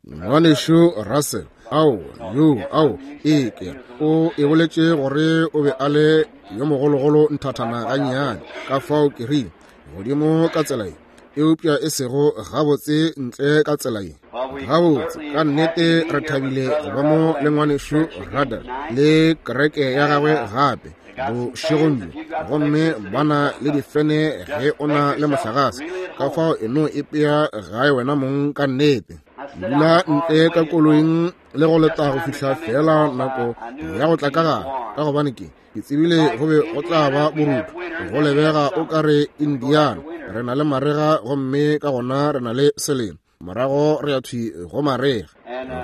Ngwanešu Russell, ao, yo, ao, ee, ke o e boletše gore o be a le yo mogologolo nthathana gannyane, ka fao ke rile, godimo ka tsela ye, eupša e sego gabotse ntle ka tsela ye. Gabotse, ka nnete re thabile go ba mo le ngwanešu Ruddell le kereke ya gagwe gape bošegong bjo, gomme ba na le difene ge o na le mohlagase, ka fao e no ipea gae wena mong ka nnete. Dula ntle ka koloing le go leta go fihla feela nako ya go tla ka gare, ka gobane ke tsebile go be go tla ba borutho, go lebega o ka re Indiana re na le marega, gomme ka gona re na le selemo, morago re ya thwi go marega.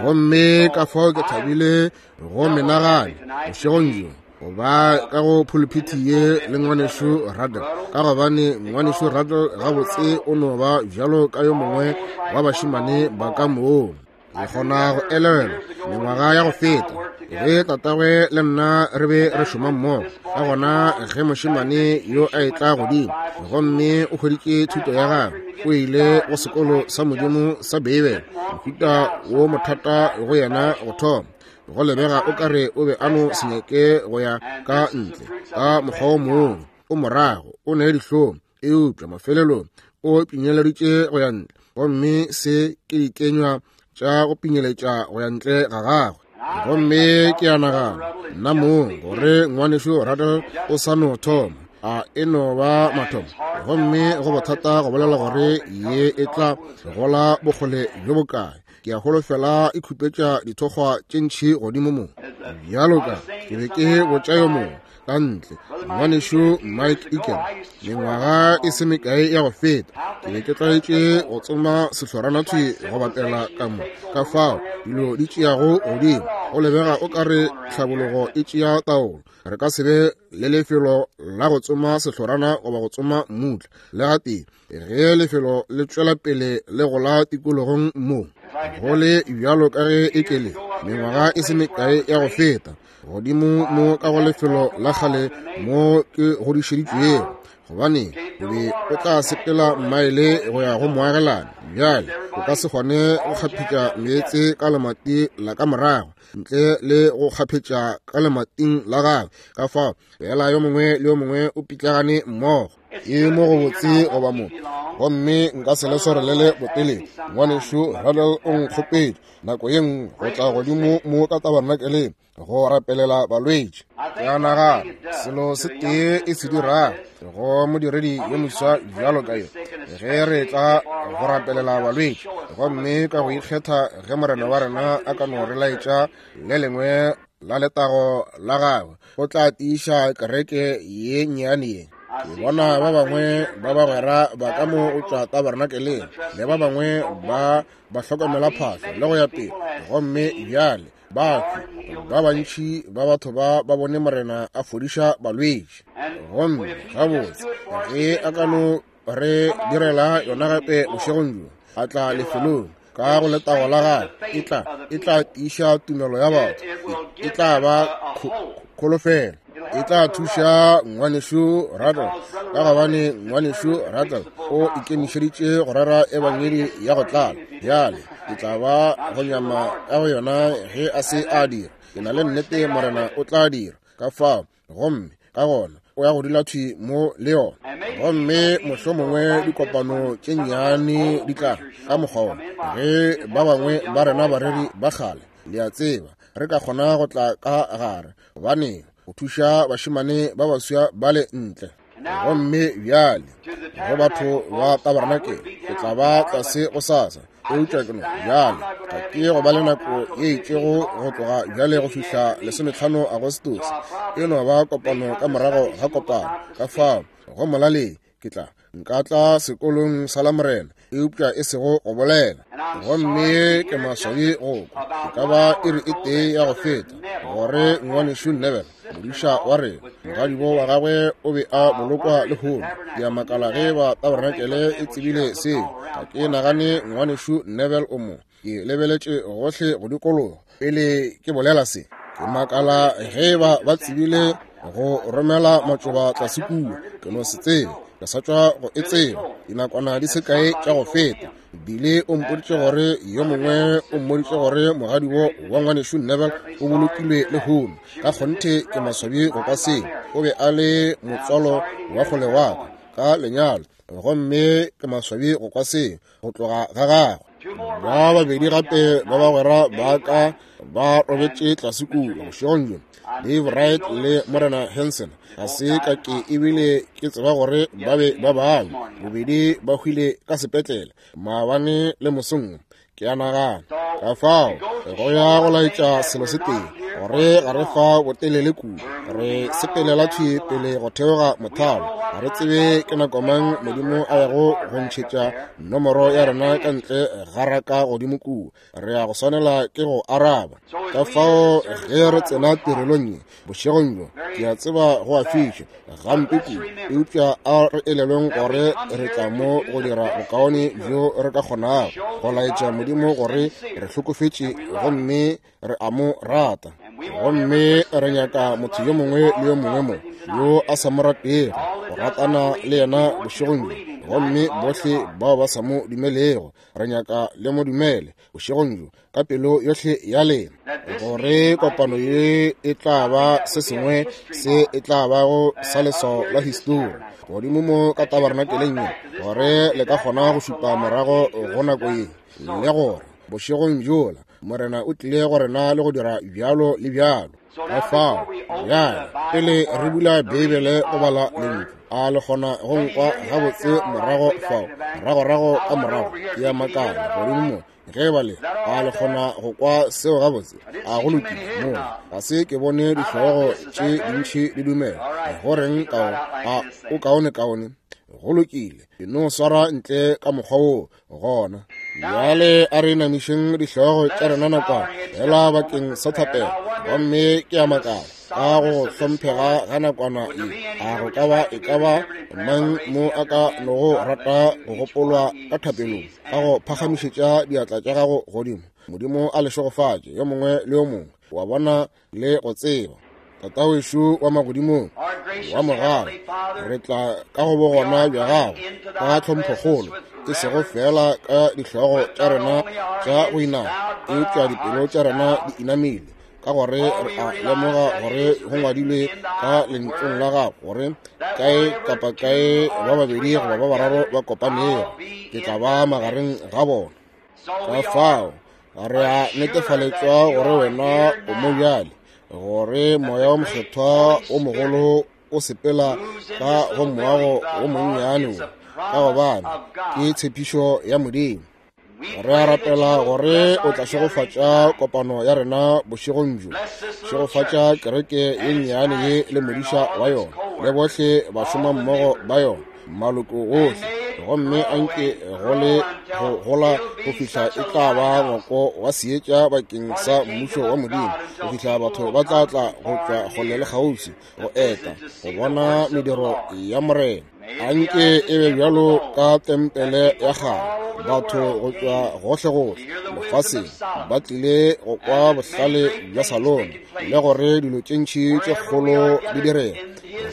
Gomme ka fao ke thabile go menagane bošegong bjo go ba ka go phuluphithi ye le ngwanešu Ruddell, ka gobane ngwanešu Ruddell gabotse o no ba bjalo ka yo mongwe wa bašemane ba ka moo. Ke kgona go elelwa mengwaga ya go feta ge tatagwe le nna re be re šoma mmogo, ka gona ge mošemane yo a etla godimo gomme o hweditše thuto ya gagwe, o ile go sekolo sa Modimo sa Beibele, mohuta wo mothata go yena go thoma, go lebega o ka re o be a no se nyake go ya ka ntle ka mokgwa o mongwe, o morago o ne dihlong, eupša mafelelong o pinyeleditše go ya ntle, gomme se ke dikenywa tša go pinyeletša go ya ntle ga gagwe. Gomme ke a nagana nna mong gore ngwanešu Ruddell o sa no thoma, a e no ba mathomo, gomme go bothata go bolela gore ye e tla gola bokgole bjo bokae. Ke a holofela e khupetša dithokgwa tše ntši godimo mo, bjalo ka ke be ke botša yo mongwe ka ntle, ngwanešu Mike Eagle, mengwaga e se mekae ya go feta, ke be ke tlwaetše go tsoma sehlorana thwi go bapela ka mo, ka fao dilo di tšeago godimo, go lebega o ka re tlhabologo e tšea taolo. Re ka se be le lefelo la go tsoma sehlorana goba go tsoma mmutla le gatee ge lefelo le tšwela pele le gola tikologong mo. Go le bjalo ka ge e kele mengwaga e se mekae ya go feta, godimo mo ka go lefelo la kgale mo ke godišeditšwego, gobane o be o tla sepela mmaele go ya go moagelane. Bjale o ka se kgone go kgaphetša meetse ka lemati la ka morago ntle le go kgaphetša ka lemating la gagwe, ka fao fela yo mongwe le yo mongwe o pitlagane mmogo. Ke mo go botse goba mo, gomme nka se le swarelele botelele. Ngwanešu Ruddell o nkgopetše nako ye nngwe go tla godimo mo ka tabernakeleng go rapelela balwetši. Ke a nagana selo se tee e se dirago go modiredi yo moswa bjalo ka yo, ge re tla go rapelela balwetši, gomme ka go ikgetha ge Morena wa rena a ka no re laetša le lengwe la letago la gagwe, o tla tiiša kereke ye nnyane ye. Ke bona ba bangwe ba bagwera ba ka mo o tšwa tabernakeleng, le ba bangwe ba ba hlokomela phahlo le go ya pele, gomme bjale batho ba bantši ba batho ba ba bone Morena a fodiša balwetši. Gomme gabotse ge a ka no re direla yona gape bošegong bjo, a tla lefelong ka go letago la gagwe, e tla tiiša tumelo ya batho, e tla ba kholofelo, e tla thuša ngwanešu Ruddell, ka gobane ngwanešu Ruddell o ikemišeditše go rera ebangedi ya go tlala. Bjale ke tla ba go nyama ka go yona ge a se a dira. Ke na le nnete Morena o tla dira ka fao, gomme ka gona o ya go dula thwi mo le yona. Gomme mohlomongwe dikopano tše nnyane di tla ka mokgwa wona, ge ba bangwe ba rena bareri ba kgale, le a tseba, re ka kgona go tla ka gare, gobane go thuša bašemane ba baswa bale ntle. Gomme bjale go batho ba tabernakel, ke tla ba tlase go sasa, eupša ke no bjale ga ke go ba le nako ye itšego go tloga bjale go fihla 15 Agostose, e no ba kopano ka morago ga kopano. Ka fao go molaleng ke tla nka tla sekolong sa Lamorena, eupša e sego go bolela. Gomme ke maswabi go kwa e ka ba iri e tee ya go feta gore ngwanešu Neville, modiša wa rena, mogadibo wa gagwe o be a bolokwa lehono. Ke a makala ge ba tabernakel e tsebile seo. Ga ke nagane ngwanešu Neville o mo. Ke lebeletše gohle go dikologa pele ke bolela se. Ke makala ge ba ba tsebile go romela matšoba tlase kua. Ke no se tsebe, ke sa tšwa go e tseba dinakwana di se kae tša go feta. Bile o mpoditše gore yo mongwe o mmoditše gore mogadibo wa ngwanešu Neville o bolokilwe lehono. Ka kgonthe ke maswabi go kwa seo. O be a le motswalo wa kgole wa ka ka lenyalo, gomme ke maswabi go kwa seo go tloga ga gagwe. Ba babedi gape ba bagwera ba ka ba robetše tlase kua bošegong bjo, Dave Wright le Morena Hansen. Ga se ka ke ebile ke tseba gore ba be ba bangwe bobedi ba hwile ka sepetlele maabane le mosong, ke a nagana. Ka fao go ya go laetša selo se tee, gore ga re fa botelele kudu, re sepelela thwi pele go theoga mothalo. Ga re tsebe ke nako mang Modimo a yago go ntšhetša nomoro ya rena ka ntle ga raka godimo kua. Re ya go swanela ke go araba. Ka fao ge re tsena tirelong ye bošegong bjo, ke a tseba go a fiša gampe kudu, eupša a re elelweng gore re tla mo go dira bokaone bjo re ka kgonago go laetša Modimo gore re hlokofetše gomme re a mo rata. Gomme re nyaka motho yo mongwe le yo mongwe mo yo a sa mo ratego go ratana le yena bošegong bjo, gomme bohle bao ba sa mo dumelego re nyaka le mo dumele bošegong bjo ka pelo yohle ya lena, gore kopano ye e tla ba se sengwe se e tla bago sa leswao la histori godimo mo ka tabernakeleng ye, gore le ka kgona go šupa morago go nako ye, le gore bošegong bjola Morena o tlile go rena le go dira bjalo le bjalo. Ka fao bjale pele re bula Beibele go bala lentšu, a le kgona go nkwa gabotse morago fao, moragorago ka morago? Ke a makala godimo mo ge ba le, a le kgona go kwa seo gabotse? A go lokile mola? Ga se ke bone dihlogo tše dintši di dumela. Go reng kao? A o kaone-kaone? Go lokile, ke no swara ntle ka mokgwa woo gona. Bjale a re namišeng dihlogo tša rena nakwana fela bakeng sa thapelo. Gomme ke a makala ka go hlomphega ga nakwana ye, a go ka ba e ka ba mang mo a ka nogo rata go gopolwa ka thapelong ka go phagamišetša diatla tša gago godimo? Modimo a le šegofatše yo mongwe le yo mongwe wa bona le go tseba. Tatawešo wa magodimong wa mogala, re tla ka go bogona bja gago ka tlhomphokgolo, e sego fela ka dihlogo tša rena tša go inama, eupša dipelo tša rena di inamile, ka gore re a lemoga gore go ngwadilwe ka lentšung la gago gore kae kapa kae ba babedi goba ba bararo ba kopanego, ke tla ba magareng ga bona. Ka fao re a netefaletšwa gore wena o mo bjale, gore moya wa mokgethwa o mogolo o sepela ka go moago o monnyane wo, ka gobane ke tshepišo ya Modimo. Re a rapela gore o tla šegofatša kopano ya rena bošegong bjo, šegofatša kereke ye nnyane ye le modiša wa yona le bohle bašomammogo ba yona, maloko ohle, gomme anke go le go gola go fihla e tla ba ngwako wa seetša bakeng sa mmušo wa Modimo, go fihla batho ba tla tla go tšwa kgole le kgaufsi go eta go bona mediro ya Morena. Anke e be bjalo ka tempele ya kgale, batho go tšwa gohlegohle lefaseng ba tlile go kwa bohlale bja Salomo le gore dilo tše ntši tše kgolo di direga,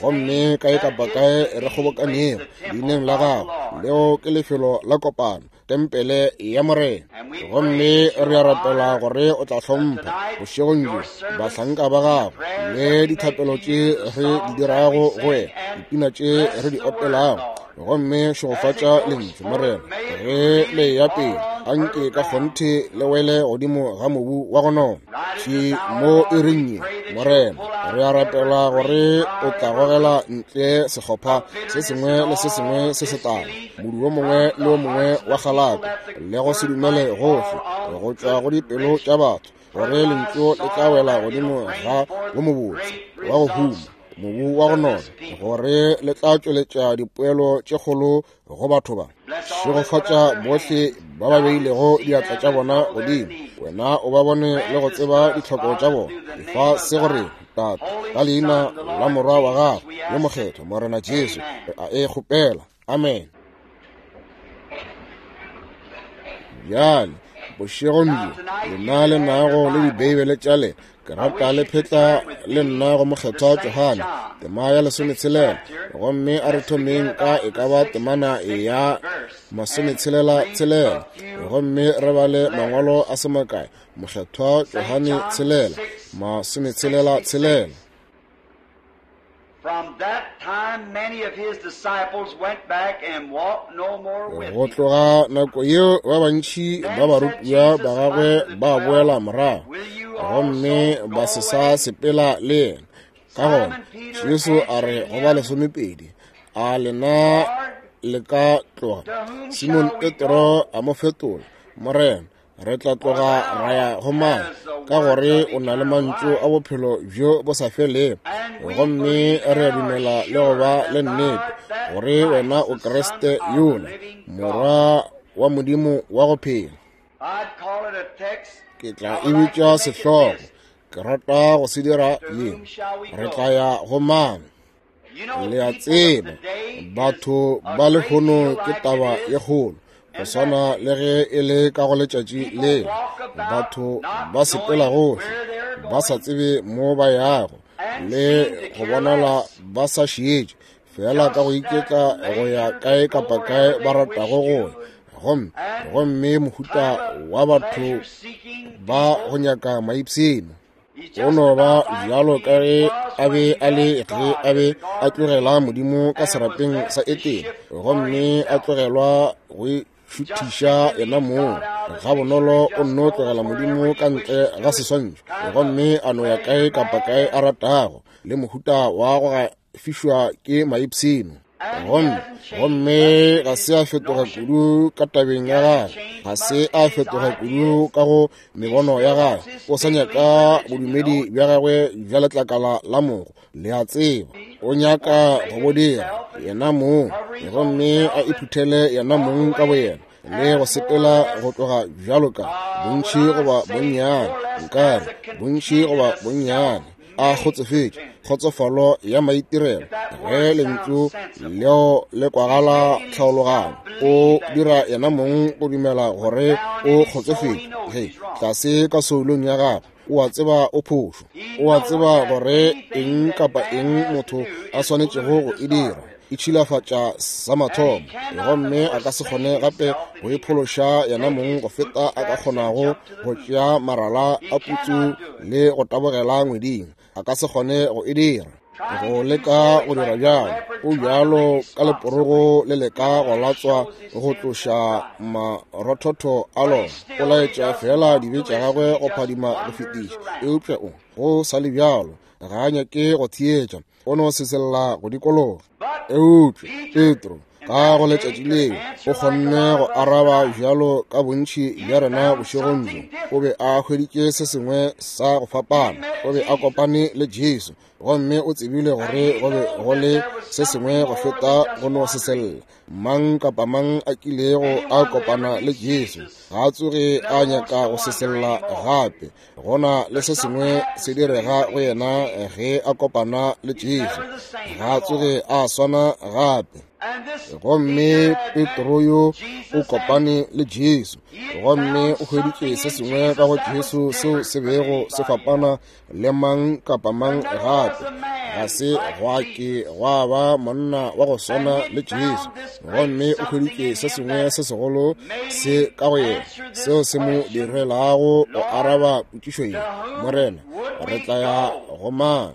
gomme kae kapa kae re kgobokanego leineng la gago, leo ke lefelo la kopano, tempele ya Morena. Gomme re a rapela gore o tla hlompha bošegong bjo bahlanka ba gago le dithapelo tše re di dirago go wena, dipina tše re di opelago, gomme šegofatša lentšu Morena ge le ya pele. Anke ka kgonthe le wele godimo ga mobu wa go nona thwi mo iring ye Morena. Re a rapela gore o tla gogela ntle sehlopha se sengwe le se sengwe se setala, modu wo mongwe le wo mongwe wa kgalako le go se dumele gohle go tšwa go dipelo tša batho, gore lentšu le tla wela godimo ga wo mobotse wa go huma, mobu wa go nona, gore le tla tšweletša dipoelo tše kgolo go batho ba. Šegofatša bohle ba ba beilego diatla tša bona godimo, wena o ba bone le go tseba ditlhoko tša bona. Efa se go rena, Tate, ka leina la Morwa wa gago yo mokgethwa, Morena Jesu, re a e kgopela. Amen. Bjale Bošegong bjo, lena le nago le Dibeibele tša lena, ke rata le phetla le nna go Mokgethwa Johane, tema ya lesometshela, gomme a re thomeng ka e ka ba temana ya masometshela-tshelela, gomme re bale mangwalo a se makae. Mokgethwa Johane tshelela, masometshela-tshelela. Go tloga nako yeo ba bantši ba barutiwa ba gagwe ba boela morago gomme ba se sa sepela le yena. Ka gona Jesu a re go ba lesomepedi, A lena le ka tloga? Simon Petro a mo fetola, Morena, re tla tloga ra ya go mang? Ka gore o na le mantšu a bophelo bjo bo sa felego, gomme re a dumela le go ba le nnete gore wena o Kriste yola, Morwa wa Modimo wa go phela. Ke tla e bitša sehlogo, ke rata go se dira ye, Re tla ya go mang? Le a tseba, batho ba lehono ke taba ye kgolo, go swana le ge e le ka go letšatši le. Batho ba sepela gohle, ba sa tsebe mo ba yago, le go bonala ba sa šietše, fela ka go iketla go ya kae kapa kae ba ratago go ya. Gomme, gomme mohuta wa batho ba go nyaka maipshino. O no ba bjalo ka ge a be a le ge a be a tlogela Modimo ka serapeng sa Etene, gomme a tlogelwa go šuthiša yena mong. Gabonolo o nno tlogela Modimo ka ntle ga seswantšho, gomme a no ya kae kapa kae a ratago, le mohuta wa go fišwa ke maipshino. Gomme, gomme ga se a fetoga kudu ka tabeng ya gagwe, ga se a fetoga kudu ka go mebono ya gagwe. O sa nyaka bodumedi bja gagwe bja letlakala la mogo, le a tseba. O nyaka go bo dira yena mong, gomme a iphuthele yena mong ka boyena, le go sepela go tloga bjalo ka bontši goba bonnyane, nkare bontši goba bonnyane, a kgotsofetše, kgotsofalo ya maitirelo. Ge lentšu leo le kwagala tlhaologanyo, o dira yena mong go dumela gore o kgotsofetše. Ge tlase ka soulong ya gagwe, o a tseba o phošo, o a tseba gore eng kapa eng motho a swanetšego go e dira e tšhilafatša sa mathomo, gomme a ka se kgone gape go iphološa yena mong go feta a ka kgonago go tšea marala a putsu le go tabogela ngweding. A ka se kgone go e dira, go leka go dira bjalo. O bjalo ka leporogo le leka go latswa go tloša marothotho a lona. O laetša fela dibe tša gagwe go phadima go fetiša, eupša o go sa le bjalo ga a nyake go theetša, o no sesella go dikologa. Eupša Petro ka go letšatši leo o kgonne go araba bjalo ka bontši bja rena bošegong bjo. O be a hweditše se sengwe sa go fapana. O be a kopane le Jesu, gomme o tsebile gore go be go le se sengwe go feta go no sesella. Mang kapa mang a kilego a kopana le Jesu ga a tsoge a nyaka go sesella gape. Go na le se sengwe se direga go yena ge a kopana le Jesu, ga a tsoge a swana gape. Gomme Petro yo o kopane le Jesu, gomme o hweditše se sengwe ka go Jesu seo se bego se fapana le mang kapa mang gape. Ga se gwa ke gwa ba monna wa go swana le Jesu, gomme o hweditše se sengwe se segolo se ka go yena seo se mo direlago go araba potšišo ye, Morena, re tla ya go mang?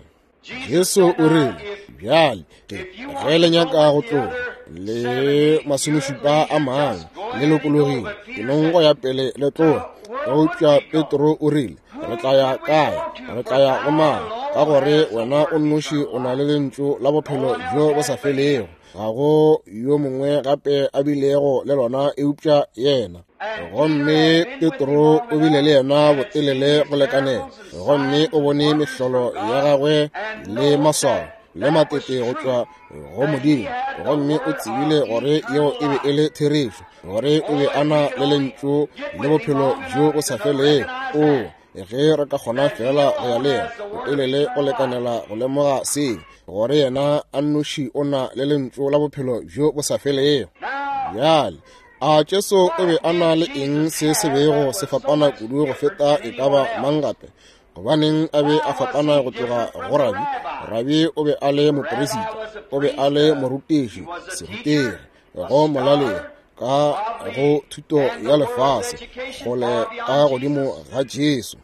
Jesu o rile, Bjale ge le nyaka go tloga le masomešupa a mangwe, le lokologile, ke nong go ya pele le tloga. Eupša Petro o rile, Re tla ya kae? Re tla ya go mang? Ka gore wena o nnoši o na le lentšu la bophelo bjo bo sa felego. Ga go yo mongwe gape a bilego le lona eupša yena. Gomme Petro o bile le yena botelele go lekanela, gomme o bone mehlolo ya gagwe le maswao le matete go tšwa go Modimo, gomme o tsebile gore yeo e be e le therešo, gore o be a na le lentšu le bophelo bjo bo sa felego. O ge re ka kgona fela go ya le yena botelele go lekanela go lemoga seo, gore yena a nnoši o na le lentšu la bophelo bjo bo sa felego. Bjale. A Jesu o be a na le eng se se bego se fapana kudu go feta e ka ba mang gape? Gobaneng a be a fapana go tloga go rabi? Rabi o be a le moperisita, o be a le morutiši, serutegi, go molaleng ka go thuto ya lefase, kgole ka godimo ga Jesu.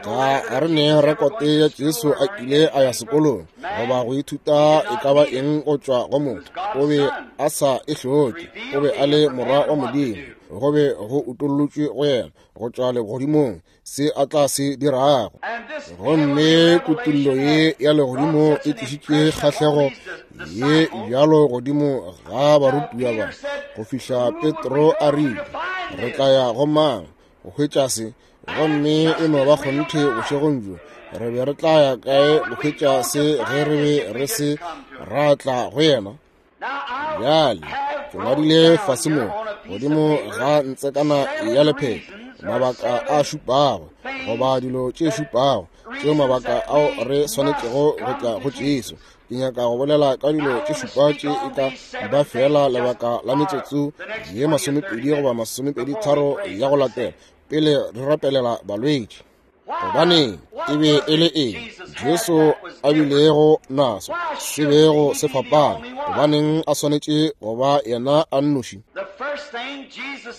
Ga re ne rekote ya Jesu a kile a ya sekolong goba go ithuta e ka ba eng go tšwa go motho. O be a sa e hloke. O be a le morwa wa Modimo. Go be go utollotšwe go yena go tšwa legodimong se a tla se dirago. Gomme kutollo ye ya legodimo e tlišitše kgahlego ye bjalo godimo ga barutiwa ba go fihla Petro a rile, re tla ya go mang go hwetša se? Gomme e no ba kgonthe bošegong bjo, re be re tla ya kae go hwetša se ge re be re se ra tla go yena? Bjale ke ngwadile fase mo godimo ga ntsekana ya lepheto mabaka a šupago goba dilo tše šupago tšeo mabaka ao re swanetšego go tla go Jesu. Ke nyaka go bolela ka dilo tše šupa tše e ka ba feela lebaka la metsotso ye 20 goba 23 ya go latela pele re rapelela balwetši. Gobaneng e be e le eng Jesu a bilego naso se bego se fapana? Gobaneng a swanetše go ba yena a nnoši?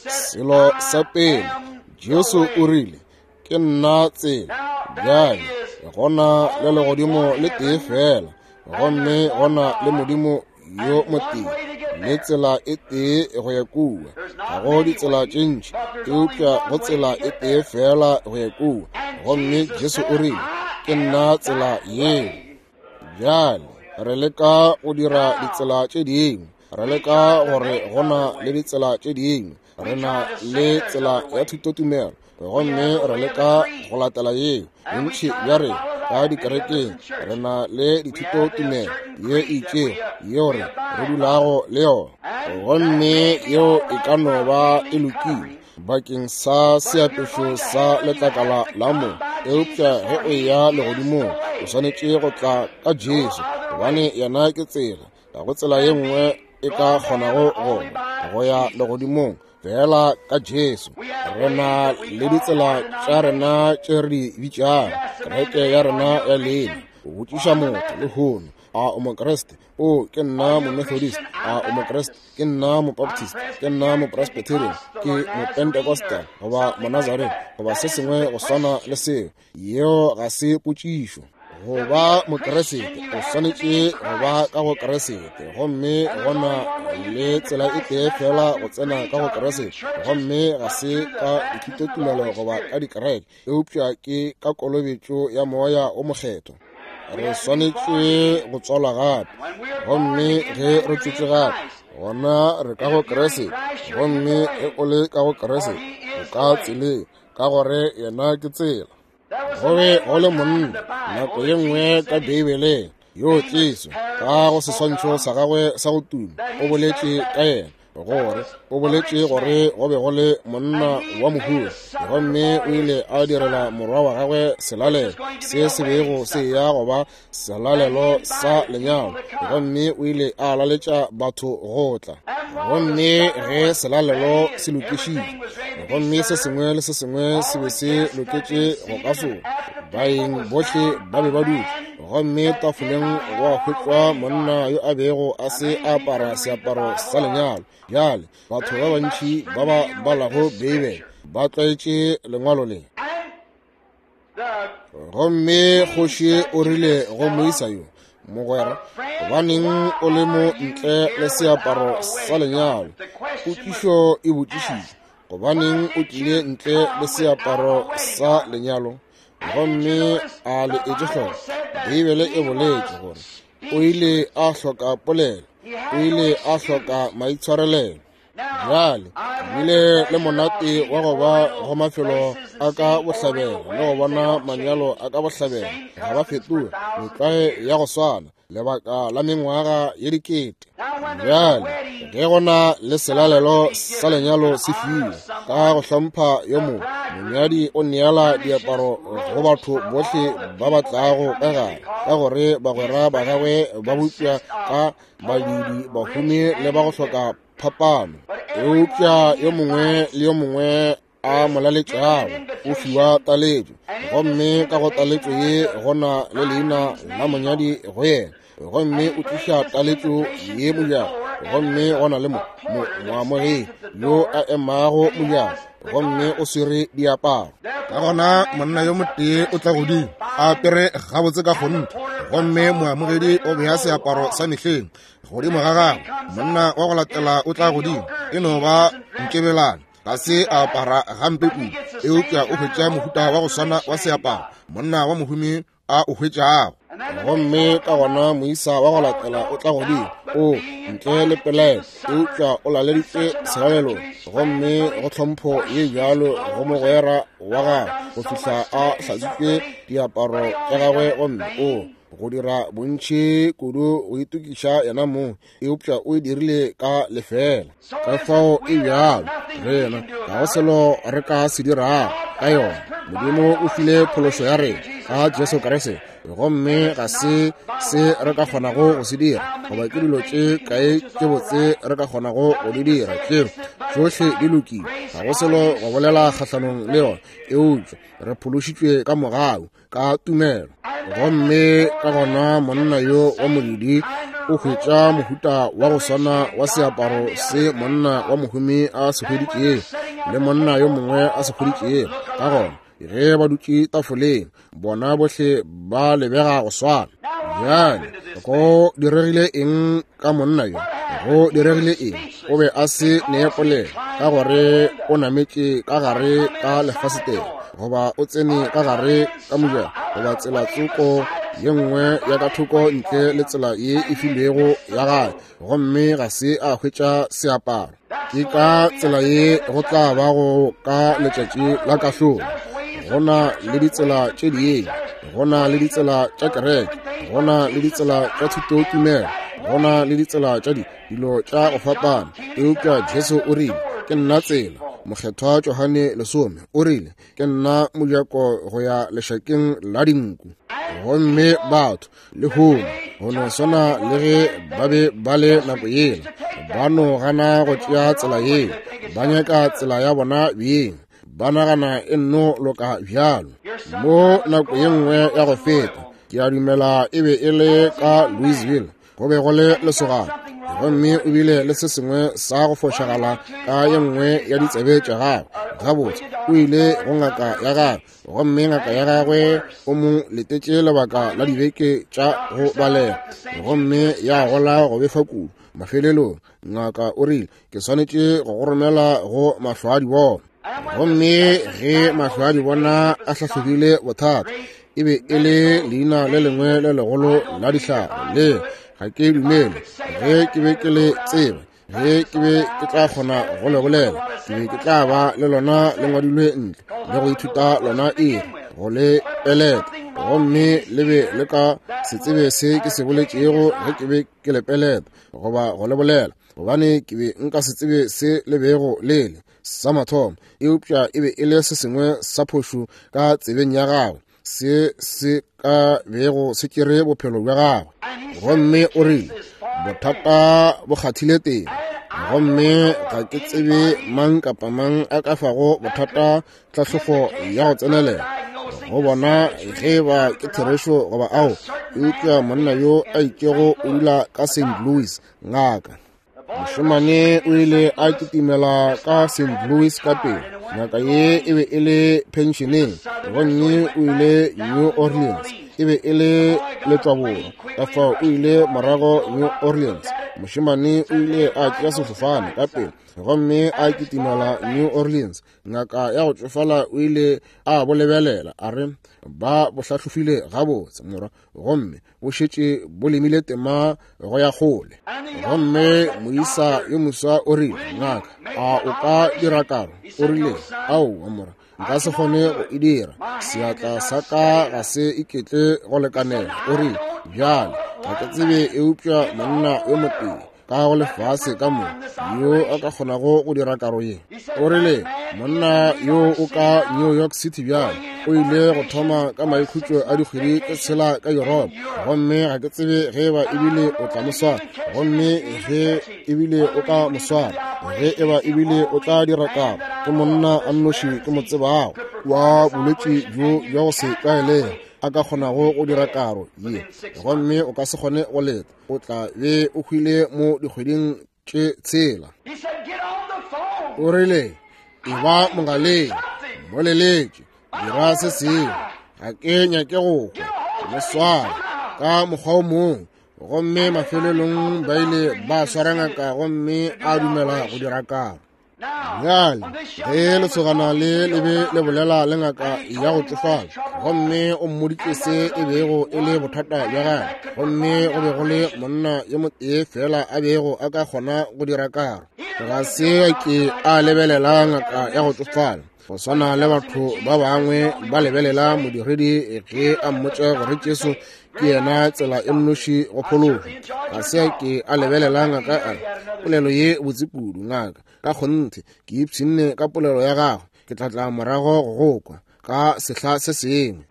Selo sa pele, Jesu o rile, ke nna tsela. Bjale gona le legodimo le tee fela, gomme gona le Modimo yo motee, le tsela e tee go ya kua. Ga go ditsela tše ntši, eupša go tsela e tee fela go ya kua. Gomme Jesu o rile, ke nna tsela yeo. Bjale re leka go dira ditsela tše dingwe, re leka gore go na le ditsela tše dingwe. Re na le tsela ya thutotumelo, gomme re leka go latela yeo. Bontši bja rena ka dikerekeng re na le dithutotumelo ye e itšego yeo re dulago le yona, gomme yeo e ka no ba e lokile bakeng sa seapešo sa letlakala la mo, eupša ge o eya legodimong o swanetše go tla ka Jesu, gobane yena ke tsela. Ga go tsela ye nngwe e ka kgonago go go ya legodimong fela ka Jesu. Re na le ditsela tša rena tše re di bitšago kereke ya rena ya leina. O botšiša motho lehono, a o Mokriste? O, ke nna Momethodist. A o Mokriste? Ke nna Mobaptist. Ke nna Mopresbyterian. Ke Mopentecostal goba Monazarene goba se sengwe go swana le seo. Yeo ga se potšišo. Go ba Mokriste o swanetše go ba ka go Kriste, gomme gona le tsela e tee fela go tsena ka go Kriste, gomme ga se ka dithutotumelo goba ka dikereke, eupša ke ka kolobetšo ya Moya o Mokgethwa. Re swanetše go tswalwa gape, gomme ge re tswetšwe gape, gona re ka go Kriste, gomme ge o le ka go Kriste, o ka tseleng, ka gore yena ke tsela. Go be go le monna nako ye nngwe ka Beibeleng yo Jesu ka go seswantšho sa gagwe sa go tuma o boletše ka yena, gore o boletše gore go be go le monna wa mohumi, gomme o ile a direla morwa wa gagwe selalelo se se bego se ya go ba selalelo sa lenyalo, gomme o ile a laletša batho go tla. Gomme ge selalelo se lokišitšwe, gomme se sengwe le se sengwe se be se loketše go ka sona, baeng bohle ba be ba dutše, gomme tafoleng gwa hwetšwa monna yo a bego a se a apara seaparo sa lenyalo. Bjale batho ba bantši ba ba balago Beibele ba tlwaetše lengwalo le. Gomme kgoši o rile go moisa yo, mogwera, gobaneng o le mo ntle le seaparo sa lenyalo? Potšišo e botšišitšwe, gobaneng o tlile ntle le seaparo sa lenyalo? Gomme a le etše hloko, Beibele e boletše gore o ile a hloka polelo, o ile a hloka maitshwarelelo. Bjale bile le monate wa go ba go mafelo a ka bohlabela le go bona manyalo a ka bohlabela ga ba fetoge metlwae ya go swana lebaka la mengwaga ye dikete. Bjale ge go na le selalelo sa lenyalo se fiwe ka go hlompha yo mongwe, monyadi o neela diaparo go batho bohle ba ba tlago ka gare, ka gore bagwera ba gagwe ba bopša ka badudi, bahumi le ba go hloka. phapano. Eupša yo mongwe le yo mongwe a mo laletšago o fiwa taletšo, gomme ka go taletšo ye go na le leina la monyadi go yena, gomme o tliša taletšo ye mojako, gomme go na le moamogedi yo a emago mojako, gomme o swere diaparo. Ka gona monna yo motee o tla godimo a apere gabotse ka kgonthe, gomme moamogedi o bea seaparo sa mehleng godimo ga gagwe. Monna wa go latela o tla godimo, e no ba nkebelane, ga se a apara gampe kudu, eupša o hwetša mohuta wa go swana wa seaparo monna wa mohumi a o hwetšago. Gomme ka gona moisa wa go latela o tla godimo, o ntle le pelaelo, eupša o laleditše selalelo, gomme go tlhompho ye bjalo go mogwera wa gagwe go fihla a hlatswitše diaparo tša gagwe, gomme o go dira bontši kudu go itokiša yena mong, eupša o e dirile ka lefela. Ka fao e bjalo rena ga go selo re ka se dirago ka yona. Modimo o file phološo ya rena ka Jesu Kriste, gomme ga se se re ka kgonago go se dira, goba ke dilo tše kae tše botse re ka kgonago go di dira, tše tšohle di lokile, ga go selo go bolela kgahlanong le yona, eupša re phološitšwe ka mogau ka tumelo. Gomme ka gona monna yo wa modidi o hwetša mohuta wa go swana wa seaparo se monna wa mohumi a se hweditšego le monna yo mongwe a se hweditšego. Ka gona ge ba dutše tafoleng, bona bohle ba lebega go swana. Bjale go diregile eng ka monna yo? Go diregile eng? O be a se ne polelo, ka gore o nametše ka gare ka lefasetele, goba o tsene ka gare ka mojako, goba tsela tsoko ye nngwe ya ka thoko ntle le tsela ye e filwego ya gae, gomme ga se a hwetša seaparo. Ke ka tsela ye go tla ba go ka letšatši la kahlolo. Go na le ditsela tše dingwe, go na le ditsela tša kereke, go na le ditsela tša thutotumelo, go na le ditsela tša dilo tša go fapana, eupša Jesu o rile, Ke nna tsela. Mokgethwa Johane lesome o rile, Ke nna mojako go ya lešakeng la dinku. Gomme batho lehono go no swana le ge ba be ba le nako yela, ba no gana go tšea tsela yeo, ba nyaka tsela ya bona beng, ba nagana e nno loka bjalo. Mo nako ye nngwe ya go feta, ke a dumela e be e le ka Louisville, go be go le lesogana, gomme o bile le se sengwe sa go fošagala ka ye nngwe ya ditsebe tša gagwe. Gabotse, o ile go ngaka ya gagwe, gomme ngaka ya gagwe o mo letetše lebaka la dibeke tša go balega, gomme ya gola go befa kudu. Mafelelong ngaka o rile, Ke swanetše go go romela go mahlo a dibona. Gomme ge mahlo a dibona a hlahlobile bothata, e be e le leina le lengwe le legolo la dihlare le ga ke dumele ge ke be ke le tseba, ge ke be ke tla kgona go le bolela, ke be ke tla ba le lona le ngwadilwe ntle le go ithuta lona iri go le peleta, gomme le be le ka se tsebe se ke se boletšego ge ke be ke le peleta goba go le bolela, gobane ke be nka se tsebe se le bego le le sa mathomo, eupša e be e le se sengwe sa phošo ka tsebeng ya gagwe se se ka bego se tšere bophelo bja gagwe. Gomme o rile, Bothata bo kgathile teng, gomme ga ke tsebe mang kapa mang a ka fago bothata tlhahlogo ya go tsenelela go bona ge ba ke therešo goba ao, eupša monna yo a itšego o dula ka St. Louis, ngaka. Mošemane o ile a kitimela ka St. Louis ka pele. Ngaka ye e be e le penšeneng, gomme o ile New Orleans. E be e le letšwaborwa, ka fao o ile morago New Orleans. Mošemane o ile a tšea sefofane ka pele gomme a kitimela New Orleans. Ngaka ya go tšofala o ile a bo lebelela, a re, Ba bo hlahlofile gabotse, morwa, gomme bo šetše bo lemile tema go ya kgole. Gomme moisa yo moswa o rile, Ngaka, a o ka dira karo? O rile, Aowa, morwa, nka se kgone go e dira. Seatla sa ka ga se iketle go lekanela. O rile, Bjale, ga ke tsebe eupša monna yo motee. ka go lefase ka mo yo a ka kgonago go dira karo ye. O rile, Monna yo o ka New York City bjale, o ile go thoma ka maikhutšo a dikgwedi tše tshela ka Yuropa, gomme ga ke tsebe ge eba ebile o tla mo swara, gomme ge ebile o ka mo swara, ge eba ebile o tla dira karo. Ke monna a nnoši ke mo tsebago wa bolwetši bjo bja go se tlwaelege a ka kgonago go dira karo ye, gomme o ka se kgone go leta, o tla be o hwile mo dikgweding tše tshela. O rile, Eba mogaleng, mo leletše, dira se sengwe, ga ke nyake go hwa, mo sware ka mokgwa o mongwe. Gomme mafelelong ba ile ba swara ngaka gomme a dumela go dira karo. Bjale ge lesogana le le be le bolela le ngaka ya go tšofala, gomme o mmoditše se e bego e le bothata bja gagwe, gomme go be go le monna yo motee fela a bego a ka kgona go dira karo. Ga se a ke a lebelela ngaka ya go tšofala go swana le batho ba bangwe ba lebelela modiredi ge a mmotša gore Jesu ke yena tsela e nnoši go phologo. Ga se a ke a lebelela ngaka a re, Polelo ye botse kudu, ngaka, ka kgonthe ke ipshinne ka polelo ya gago, ke tla tla morago go go kwa ka sehla se sengwe.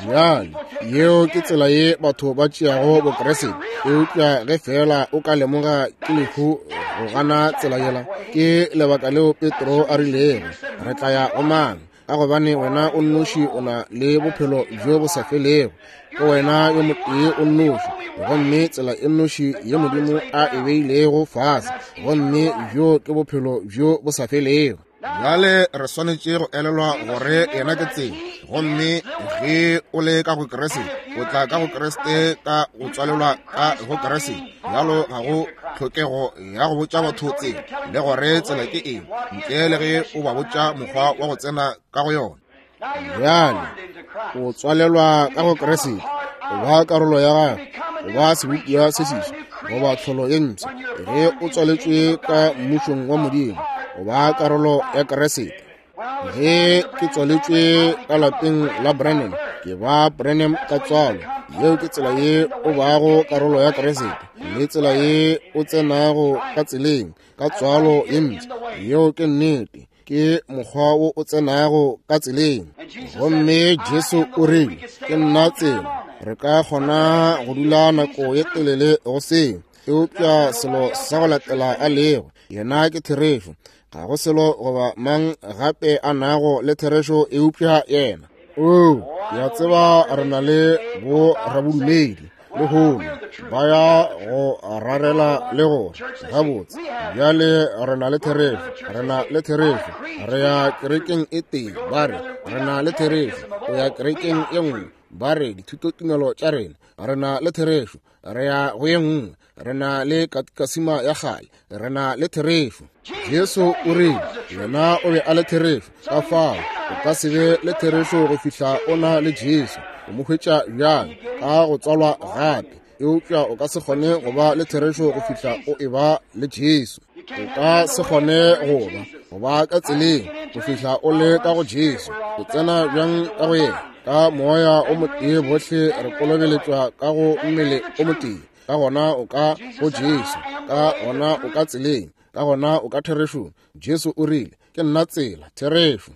Bjale yeo ke tsela ye batho ba tšeago Bokriste, eupša ge feela o ka lemoga ke lehu go gana tsela yela. Ke lebaka leo Petro a rilego, Re tla ya go mang? Ka gobane wena o nnoši o na le bophelo bjo bo sa felego, ke wena yo motee o nnoši, gomme tsela e nnoši ye Modimo a e beilego fase, gomme bjo ke bophelo bjo bo sa felego. Bjale re swanetše go elelwa gore yena ke tsela, gomme ge o le ka go Kriste, o tla ka go Kriste ka go tswalelwa ka go Kriste. Bjalo ga go tlhokego ya go botša batho tsela le gore tsela ke eng, ntle le ge o ba botša mokgwa wa go tsena ka go yona. Bjale o tswalelwa ka go Kriste, o ba karolo ya gagwe, o ba sebopiwa se seswa goba tlholo ye mpsha. Ge o tswaletšwe ka mmušong wa Modimo, o ba karolo ya Kriste. Ge ke tswaletšwe ka lapeng la Branham, ke ba Branham ka tswalo. Yeo ke tsela ye o bago karolo ya Kriste, le tsela ye o tsenago ka tseleng ka tswalo ye mpsha. Yeo ke nnete, ke mokgwa wo o tsenago ka tseleng. Gomme Jesu o rile, Ke nna tsela. Re ka kgona go dula nako ye telele go seo, eupša selo sa go latela a lego, yena ke therešo. Ga go selo goba mang gape a nago le therešo eupša yena. Oo, ke a tseba re na le bo rabodumedi lehono ba ya go rarela le gore gabotse bjale re na le therešo, re na le therešo, re ya kerekeng e tee, ba re re na le therešo, o ya kerekeng e nngwe, ba re dithutotumelo tša rena, re na le therešo, re ya go ye nngwe, re na le katikasima ya kgale, re na le therešo. Jesu o rile yena o be a le therešo, ka fao o ka se be le therešo go fihla o na le Jesu. O mo hwetša bjang? Ka go tswalwa gape. Eupša o ka se kgone go ba le therešo go fihla o eba le Jesu. O ka se kgone go ba ka tseleng go fihla o le ka go Jesu. O tsena bjang ka go yena? Ka moya o motee bohle re kolobeletšwa ka go mmele o motee. Ka gona o ka go Jesu, ka gona o ka tseleng, ka gona o ka therešong. Jesu o rile, Ke nna tsela, therešo.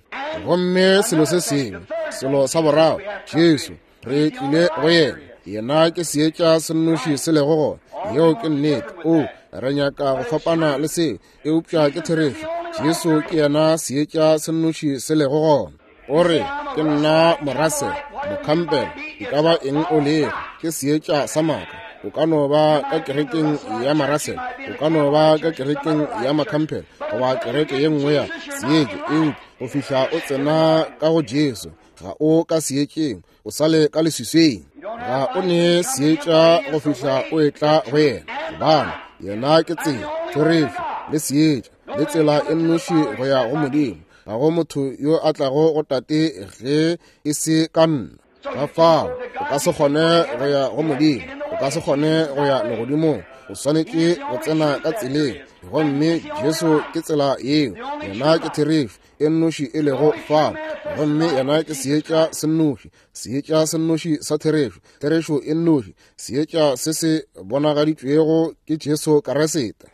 Gomme selo se sengwe, selo sa boraro, Jesu, re tlile go yena. Yena ke seetša se nnoši se lego gona. Yeo ke nnete. O, re nyaka go fapana le seo, eupša ke therešo. Jesu ke yena seetša se nnoši se lego gona. O re, Ke nna Morasel, Mocampbell, e ka ba eng o lego, ke seetša sa maaka. O ka no ba ka kerekeng ya Marasel, o ka no ba ka kerekeng ya Macampbell, goba kereke ye nngwe ya seetša, eupša go fihla o tsena ka go Jesu, ga o ka seetšeng, o sa le ka leswiswing. Ga o ne seetša go fihla o etla go yena, gobane yena ke tsela, therešo, le seetša, le tsela e nnoši go ya go Modimo. Ga go motho yo a tlago go Tate ge e se ka nna. Ka fao o ka se kgone go ya go Modimo, o ka se kgone go ya legodimong. O swanetše go tsena ka tseleng, gomme Jesu ke tsela yeo. Yena ke therešo e nnoši e lego fao, gomme yena ke seetša se nnoši, seetša se nnoši sa therešo, therešo e nnoši, seetša se se bonagaditšwego ke Jesu Kriste.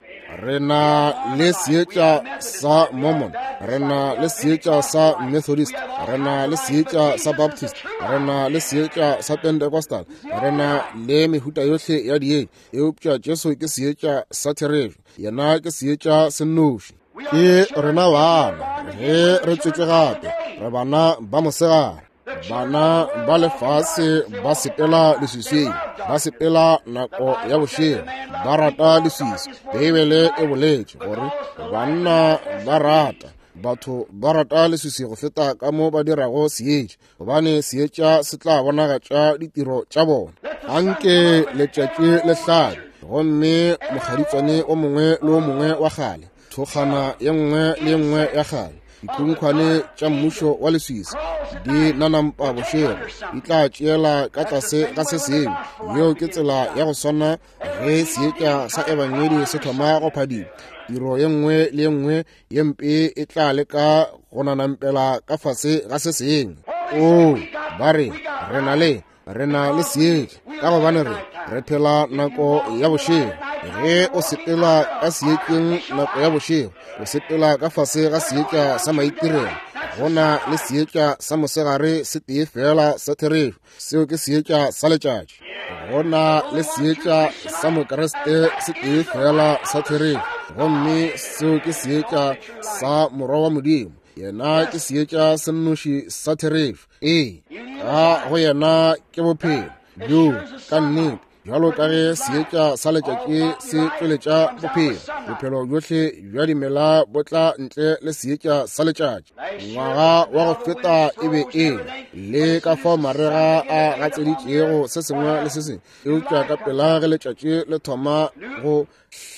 Re na le seetša sa Mormon, re na le seetša sa Methodist, re na le seetša sa Baptist, re na le seetša sa Pentecostal, re na le mehuta yohle ya dietša, eupša Jesu ke seetša sa therešo, yena ke seetša se nnoši. Ke rena bana ge re tswetšwe gape, re bana ba mosegare. Bana ba lefase ba sepela leswiswing, ba sepela nako ya bošego, ba rata leswiswi. Beibele e boletše gore banna ba rata, batho ba rata leswiswi go feta ka mo ba dirago seetša, gobane seetša se tla bonagatša ditiro tša bona. Anke letšatši le hlabe, gomme mokgaditswane o mongwe le o mongwe wa kgale, thokgana ye nngwe le ye nngwe ya kgale, dikhunkhwane tša mmušo wa leswiswi di nanampa bošego, di tla tšeela ka tlase ga se sengwe. Yeo ke tsela ya go swana ge seetša sa ebangedi se thoma go phadima. Tiro ye nngwe le ye nngwe ye mpe e tla leka go nanampela ka fase ga se sengwe. Oo, ba re, re na le re na le seetša, ka gobane re phela nako ya bošego. Ge o sepela ka seetšeng nako ya bošego, o sepela ka fase ga seetša sa maitirelo. Go na le seetša sa mosegare se tee fela sa therešo, seo ke seetša sa letšatši. Go na le seetša sa Mokriste se tee fela sa therešo, gomme seo ke seetša sa Morwa wa Modimo. Yena ke seetša se nnoši sa therešo. Ee, ka go yena ke bophelo bjo ka nnete, bjalo ka ge seetša sa letšatši se tšweletša bophelo. Bophelo bjohle bja dimela bo tla ntle le seetša sa letšatši. Ngwaga wa go feta e be e le ka fao marega a gatseditšego se sengwe le se sengwe, eupša ka pela ge letšatši le thoma go